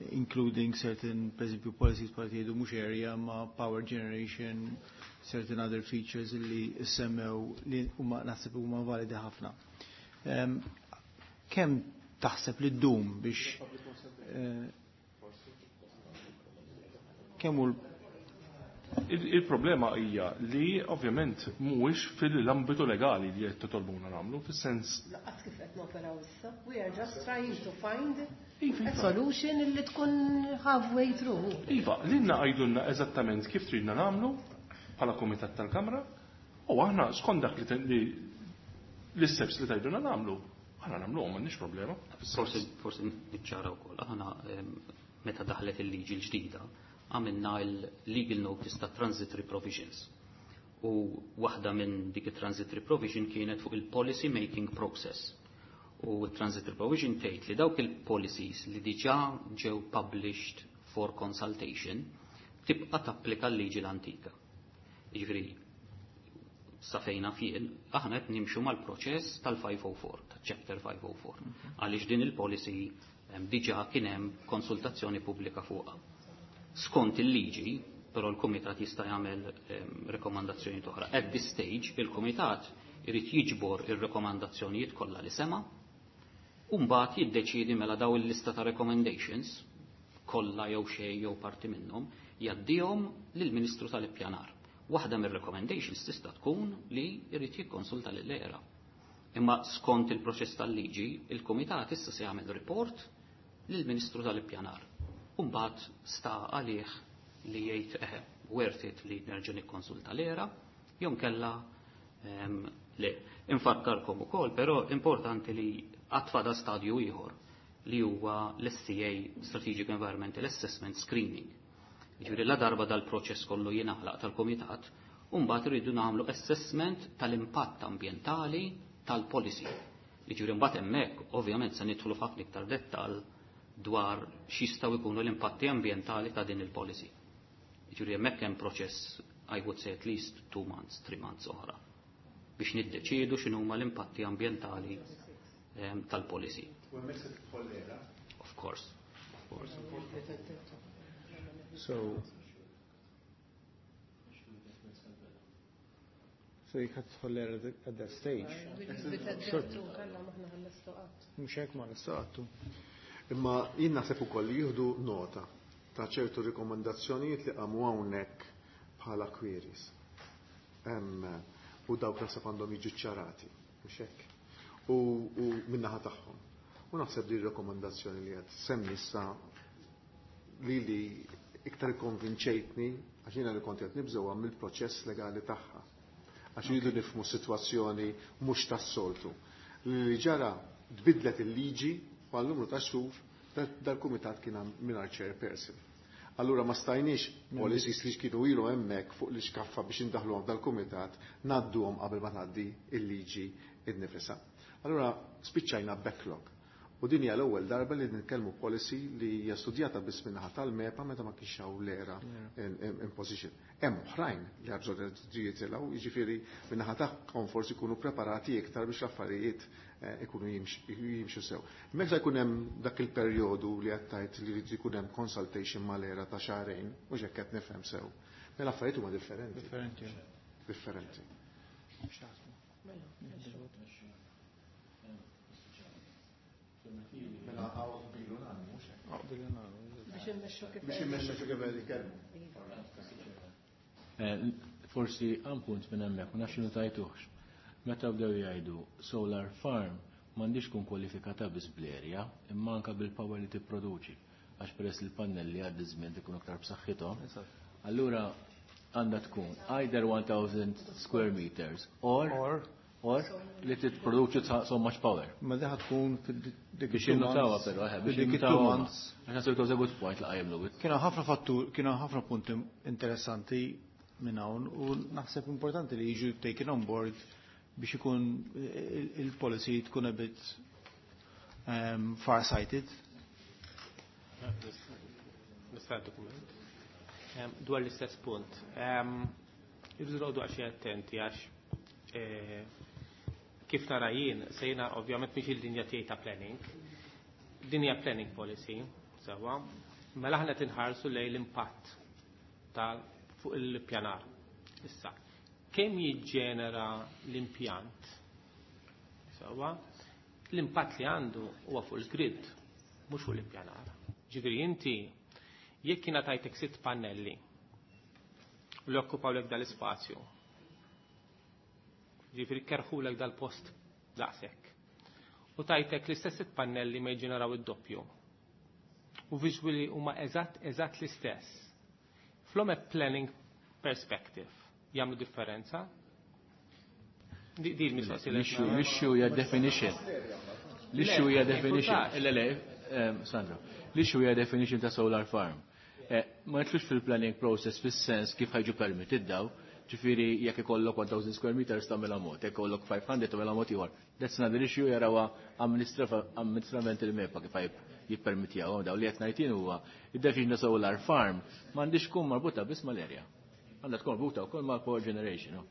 including certain, per esempio, policies bħal tgħidu mhux area ma power generation, certain other features li semmew li huma naħseb huma validi ħafna. Um, kemm taħseb li ddum biex eh, kemm hu Il- Il-problema hija li ovvjament mhuwiex fil-ambitu legali li qed titolbuna nagħmlu, fis-sens Lanqas kif qed noperaw issa. We are just trying to find a solution li tkun halfway through. Iva, lilna għajdulna eżattament kif tridna nagħmlu, bħala Kumitat tal-Kamra u aħna skont dak li l-isteps li tgħidulna nagħmlu, aħna nagħmluhom, m'għandniex problema. Forsi forsi niċċara wkoll. Aħna meta daħlet il-liġi l-ġdida għamilna il-legal notice ta' transitory provisions. U waħda minn dik il-transitory provision kienet fuq il-policy making process. U il-transitory provision tgħid li dawk il-policies li diġà ġew published for consultation tibqa' tapplika l-liġi l-antika. Jiġifieri sa fejna fien, aħna qed nimxu mal-proċess tal-five oh four, ta' chapter five oh four. Għaliex din il-policy diġà kien hemm konsultazzjoni pubblika fuqha. Skont il-liġi, però l-Kumitat jista' jagħmel rekomandazzjoni oħra. At this stage, il-Kumitat irid jiġbor ir-rekomandazzjonijiet kollha li sema' u mbagħad jiddeċiedi mela daw il-lista ta' recommendations kollha jew xejn jew parti minnhom jgħaddihom lill-Ministru tal-Ippjanar. Waħda mir-recommendations tista' tkun li jrid jikkonsulta lill-ERA. Imma skont il-proċess tal-liġi, il-Kumitat issa se jagħmel report lill-Ministru tal-Ippjanar. U mbagħad sta għalih li jgħid eħe, worth it li nerġa' nikkonsulta l-ERA, jew kella le. Infakkarkom ukoll, però importanti li għad fadal stadju ieħor li huwa l-S E A, Strategic Environmental Assessment Screening. Jiġifieri la darba dal-proċess kollu jingħalaq tal-komitat, u mbagħad irridu nagħmlu assessment tal-impatt ambjentali tal-policy. Jiġifieri mbagħad hemmhekk ovvjament se nidħlu f'ħafna iktar dettal dwar x'jistgħu jkunu l-impatti ambjentali ta' din il-policy. Jiġifieri hemmhekk hemm proċess, I would say, at least two months, three months oħra biex niddeċiedu x'inhuma l-impatti ambjentali tal-policy. U hemmhekk se tidħol l-ERA? Of course. Of course. So, so you ħa tidħol l-ERA at that stage. Mhux hekk ma nistaqattu. Imma jien naħseb ukoll li jieħdu nota ta' ċertu rikomandazzjonijiet li qamu hawnhekk bħala queries. U dawk naħseb għandhom jiġu ċarati, mhux hekk. U, u min-naħa tagħhom. U naħseb li r-rekomandazzjoni li qed semmi issa li li iktar konvinċejtni, għax jiena li kont qed nibżgħu mill-proċess legali tagħha. Għax jridu nifhmu sitwazzjoni mhux tas-soltu. Li ġara, tbidlet il-liġi għal numru ta' xhur dal-kumitat kien mingħajr chairperson. Allura ma stajniex policies li kienu ilu hemmhekk fuq l-iskaffa biex indaħluhom dal-kumitat ngħadduhom qabel ma tgħaddi il-liġi nnifisha. Allura spiċċajna backlog. U din hija l-ewwel darba li nitkellmu policy li hija studjata biss min-naħa tal-MEPA meta ma kienx hawn l-ERA in position. Hemm oħrajn li bżonn jitilgħu, jiġifieri min-naħa tagħhom forsi jkunu preparati iktar biex l-affarijiet eh, ikunu jimxu sew. Meta jkun hemm dak il-perjodu li qed tgħid li jrid ikun hemm consultation mal-ERA ta' xahrejn, mhux hekk qed nifhem sew. Mela affarijiet huma differenti. Differenti. Differenti. Mela għaw bilu nagħmlu, mhux hekk. Biex immexxu kif Biex immexxu kif qed jitkellmu. Eh, forsi għan punt minn hemmhekk, ma nafx tajtuħx. Meta bdew jgħidu solar farm m'għandix tkun kwalifikata biss bl-area, imma anka bil-power li tipproduċi. Għax peress li l-pannelli għaddi żmien ikunu aktar b'saħħithom. Allura għandha tkun either one thousand square meters or or or li titproduċi so much power. Ma diħa tkun fid-dik Biex jinnutawa però, eh, biex dik jinnutawa. Months. Għax naħseb it was a good point li qajjem Louis. Kienu ħafna fattur, kienu ħafna punti interessanti minn hawn u naħseb importanti li jiġu taken on board biex ikun il-policy tkun a bit um, far-sighted. Nista' dokument. Dwar l-istess punt. Irridu noqogħdu għaxi attenti għax eh, kif nara jien, se jiena ovvjament mhix il-linja tiegħi ta' planning. Din hija planning policy, sewwa. Mela aħna tinħarsu lejn l-impatt ta' fuq il-pjanar. Issa, kemm jiġġenera l-impjant? Sewwa, l-impatt li għandu huwa fuq il-grid, mhux fuq l-ippjanar. Ġifieri inti jekk jiena tajtek sitt pannelli u li okkupawlek dal-ispazju, ġifieri kerħulek dal-post daqshekk. U tajtek l-istess sitt pannelli ma jġeneraw id-doppju. U visually huma eżatt eżatt l-istess. From a planning perspective, Jagħmlu differenza? Di l-mistoqsija. L-issue hija definition. L-issue hija definition. Le, le, Sandro. L-issue hija definition ta' solar farm. Ma jitlux fil-planning process fis-sens kif ħajġu permitted daw, ġifieri jekk ikollok one thousand square meters tagħmilha mod, jekk ikollok five hundred tagħmilha mod ieħor. That's another issue jarawha amministrativament il-MEPA kif jippermettjahom daw. Li qed ngħid jien huwa id-definition ta' solar farm m'għandix tkun marbuta biss mal-area. Għandha tkun marbuta wkoll mal-power generation.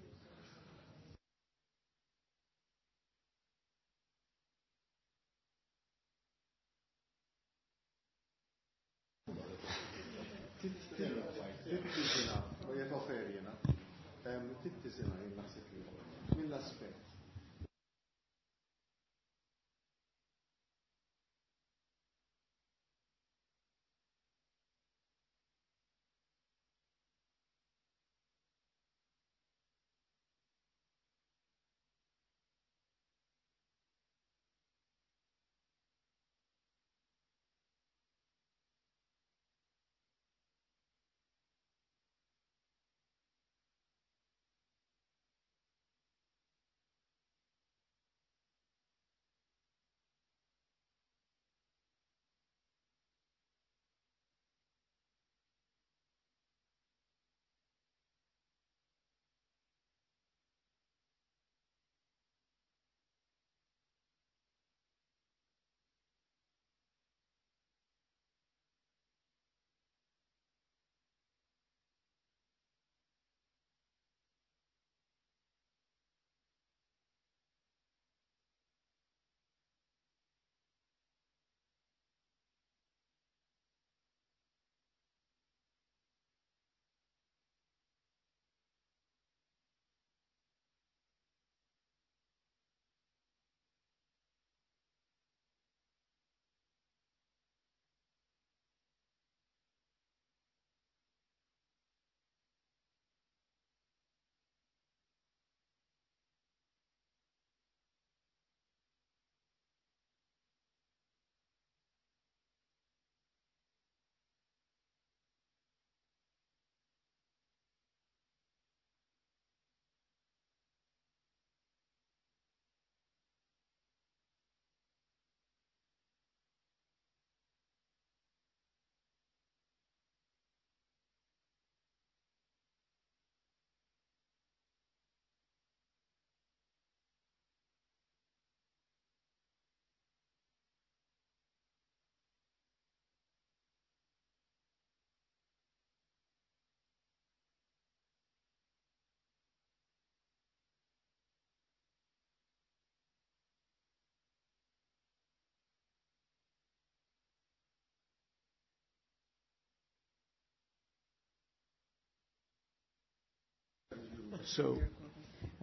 So,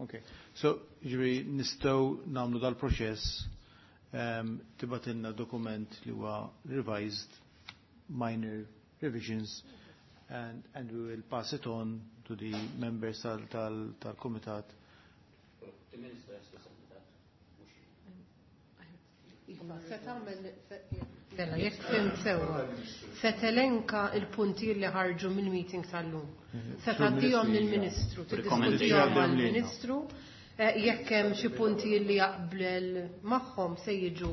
okay. So, ġifieri nistgħu nagħmlu dal-proċess, um, tibatilna dokument li huwa revised, minor revisions, and, and we will pass it on to the members tal-komitat. The minister has to send that. Iva, se tagħmel Mela, jekk fhimt sewwa, se telenka il-punti li ħarġu mill-meeting tal-lum. Se tgħaddihom lill-Ministru, tiddiskutihom mal-Ministru, jekk hemm xi punti li jaqbel magħhom se jiġu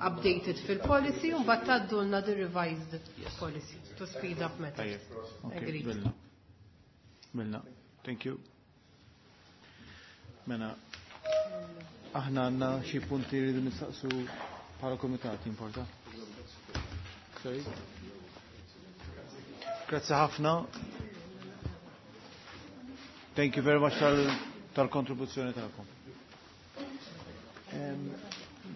updated fil-policy u mbagħad tgħaddulna the revised policy to speed up matters. Agreed. Bilna. Thank you. Mela, aħna għandna xi punti li rridu nistaqsu bħala komitat importa. Sorry. Grazzi ħafna. Thank you very much tal-kontribuzzjoni tagħkom.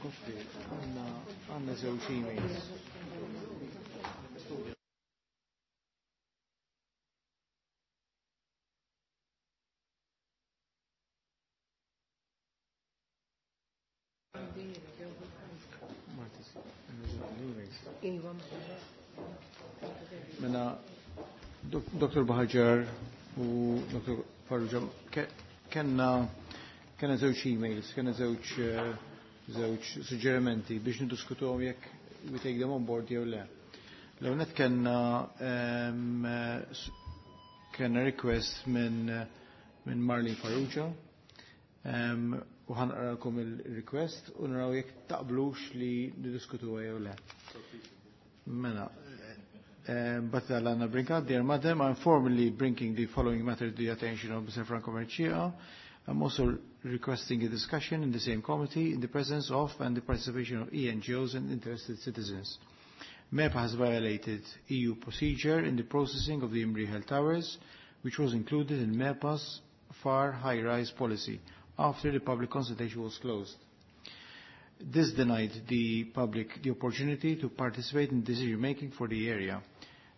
Goffi, għandna għandna żewġ emails. Mela, Doktor Buhagiar u Doktor Farrugia, kenna kenna żewġ emails, kenna żewġ żewġ suġġerimenti biex niddiskutuhom jekk we take them on board jew le. L-ewwel kenna kenna request minn minn Marlene Farrugia. Um, u ħa naqralkom il-request u naraw jekk taqblux li niddiskutuha jew le. Mela, but Anna Brincat, dear Madam, I'm formally bringing the following matter to the attention of Mister Franco Mercieca. I'm also requesting a discussion in the same committee in the presence of and the participation of E N G Os and interested citizens. MEPA has violated E U procedure in the processing of the Imrieħel Towers, which was included in MEPA's far high-rise policy after the public consultation was closed. This denied the public the opportunity to participate in decision-making for the area.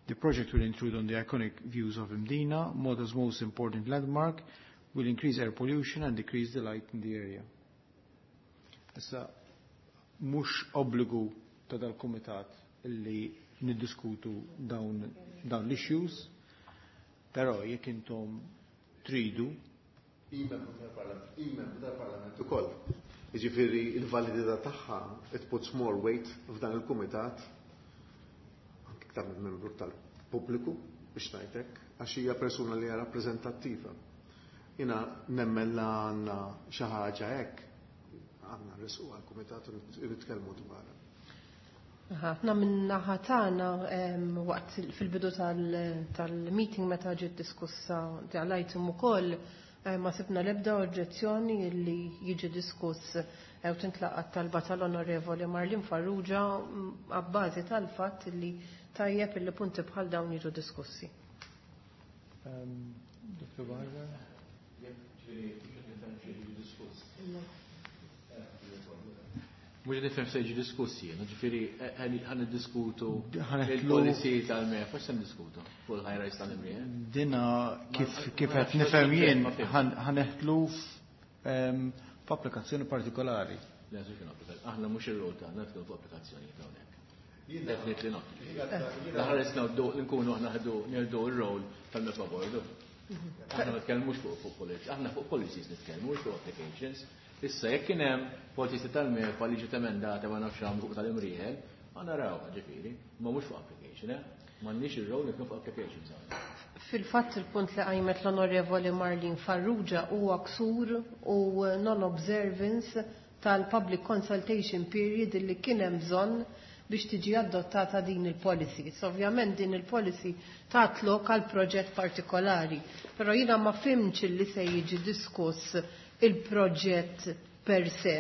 The project will intrude on the iconic views of Mdina, Malta's most important landmark, will increase air pollution and decrease the light in the area. Issa, mhux obbligu ta' dal-kumitat illi niddiskutu dawn, dawn l-issues, però jekk intom tridu. I-membru tal-Parlament ukoll. Jiġifieri il-validità tagħha it puts more weight f'dan il-kumitat anke iktar minn membru tal-pubbliku biex ngħidlek, għax hija persuna li hija rappreżentattiva. Jiena nemmen la għandna xi ħaġa hekk, għandna nresqu għall-kumitat u nitkellmu dwarha. Aħna minn naħa tagħna waqt fil-bidu tal-meeting meta ġiet diskussa tal-item ukoll ma sibna l-ebda oġġezzjoni li jiġi diskuss u tintlaqat talba tal-Onorevoli Marlene Farrugia għabbażi tal-fatt li tajjeb illi punti bħal dawn jiġu diskussi. Dottor Barber? Mhux nifhem se jiġi diskussi, jiġifieri ħa niddiskutu il-policy tal-MEPA, x'se niddiskutu fuq il-high-rise tal-Imrieħel? Dina kif kif qed nifhem jien ħa neħtlu f'applikazzjoni partikolari. Le, aħna mhux ir-rol tagħna nitkellmu fuq applikazzjonijiet hawnhekk. Definitely not. L-aħħar isna nkunu aħna nieħdu r-rol tal-MEPA board. Aħna ma nitkellmux fuq policy, aħna fuq policies nitkellmu, mhux fuq applications. Issa jekk kien hemm policy tal-MEPA li ġiet emendata ma nafx għamlu fuq tal-Imrieħel, ma naraw ġifieri, ma mhux fuq application, eh? M'għandniex ir-rol nitkellmu fuq applications hawnhekk. Fil-fatt il-punt li qajmet l-Onorevoli Marlene Farrugia huwa ksur u non-observance tal-public consultation period li kien hemm bżonn biex tiġi adottata din il-policy. So, ovvjament din il-policy tat lok għal proġett partikolari, però jiena ma fimx li se jiġi diskuss il-proġett per se,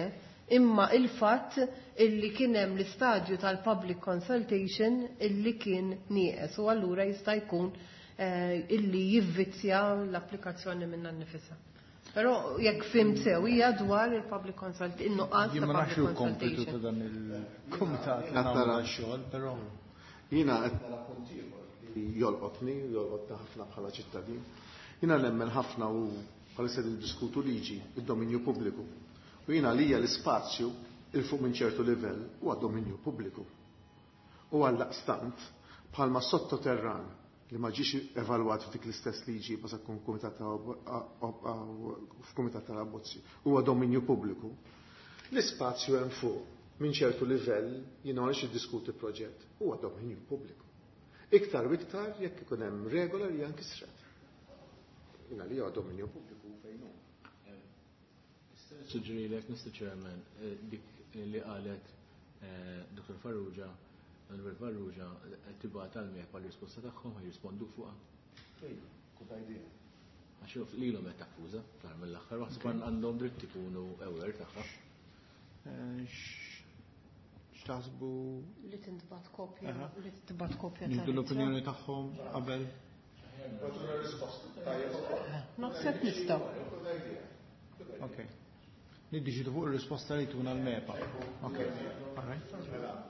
imma il-fatt illi kien hemm l-istadju tal-public consultation illi kien nieqes u allura jista' jkun eh, illi jivvizzja l-applikazzjoni minna nnifisha. Però jekk fhimt sew hija dwar il-public consultation, in-nuqqas Jien ta' ma nafx public il-kompitu ta' consultation. dan il-kumitat li Qed nagħmlu nara xogħol, però Jiena qed nara punt ieħor li jolqotni, jolqotna ħafna bħala ċittadin. Jiena nemmen ħafna u bħalissa niddiskutu liġi id-dominju pubbliku. U jiena lija l-ispazju il fuq minn ċertu livell huwa dominju pubbliku. U għaldaqstant bħalma sottoterran li ma ġiex evalwat f'dik l-istess liġi ma se tkun kumitat f'kumitat tal-abbozzi huwa dominju pubbliku. L-ispazju hemm fuq minn ċertu livell jiena ma rridx iddiskuti proġett huwa dominju pubbliku. Iktar u iktar jekk ikun hemm regola li hija nkisret. Jiena li huwa dominju pubbliku fejn hu. Suġġerilek, Mister Chairman, eh, dik li qalet, eh, Dottor Farrugia, Onorevoli Farrugia, eh, tibgħat għall-MEPA l-risposta tagħhom jirrispondu fuqha. Ejja, good idea. Għax jaf lilhom qed takkuża, fl-aħħar mill-aħħar, waħseb għandhom dritt ikunu aware tagħha. Eh, x'taħsbu? Li tintbagħat kopja, Aha. li tintbagħat kopja Nieħdu tal-ittra. l-opinjoni tagħhom qabel. Naħseb nistgħu. Ok. Niddeċidu fuq ir-risposta li tuna l-MEPA. Ok. All right.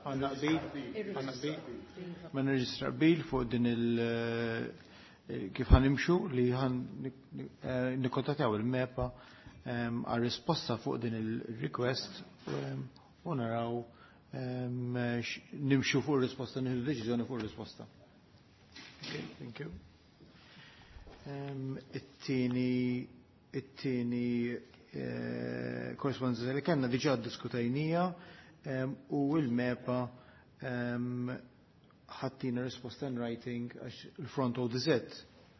Għandna qbil, għandna qbil. Ma nirreġistra qbil fuq din il-, eh, kif ħanimxu li ħan nikkontattjaw il-MEPA, ehm, għal risposta fuq din il-request, ehm, u naraw, ehm, x-, nimxu fuq ir-risposta, nieħdu deċiżjoni fuq ir-risposta. Ok, thank you. Ehm, it-tieni, it-tieni, eh, korrespondenza li kellna diġà ddiskutejnija, ehm, u l-MEPA, ehm, ħattina risposta in writing għax il-front O D Z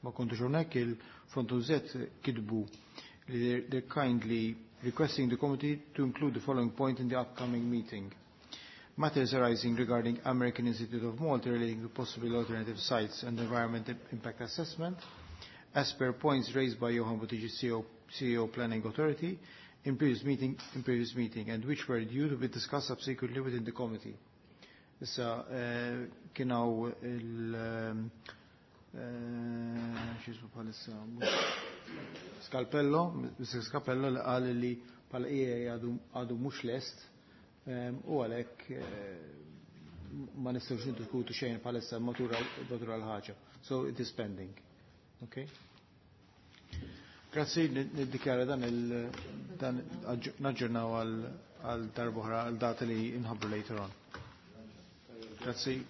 ma kontux hawnhekk, il-Front U Z kitbu li they're kindly requesting the committee to include the following point in the upcoming meeting. Matters arising regarding American Institute of Malta relating to possible alternative sites and environment impact assessment, as per points raised by Johan Buttigieg, C E O, C E O Planning Authority, in previous meeting, in previous meeting, and which were due to be discussed subsequently within the committee. Issa, eh, kien hawn il- eh, x'jismu bħalissa, Scalpello, Mister Scalpello, li qal li bħala E A għadu mhux lest eh, u għalhekk ma nistgħux niddiskutu xejn bħalissa matura l-ħaġa. So it is pending. Okay? Grazzi, niddikjara dan il dan naġġornaw għal darb'oħra għal data li nħabbru later on. Grazzi.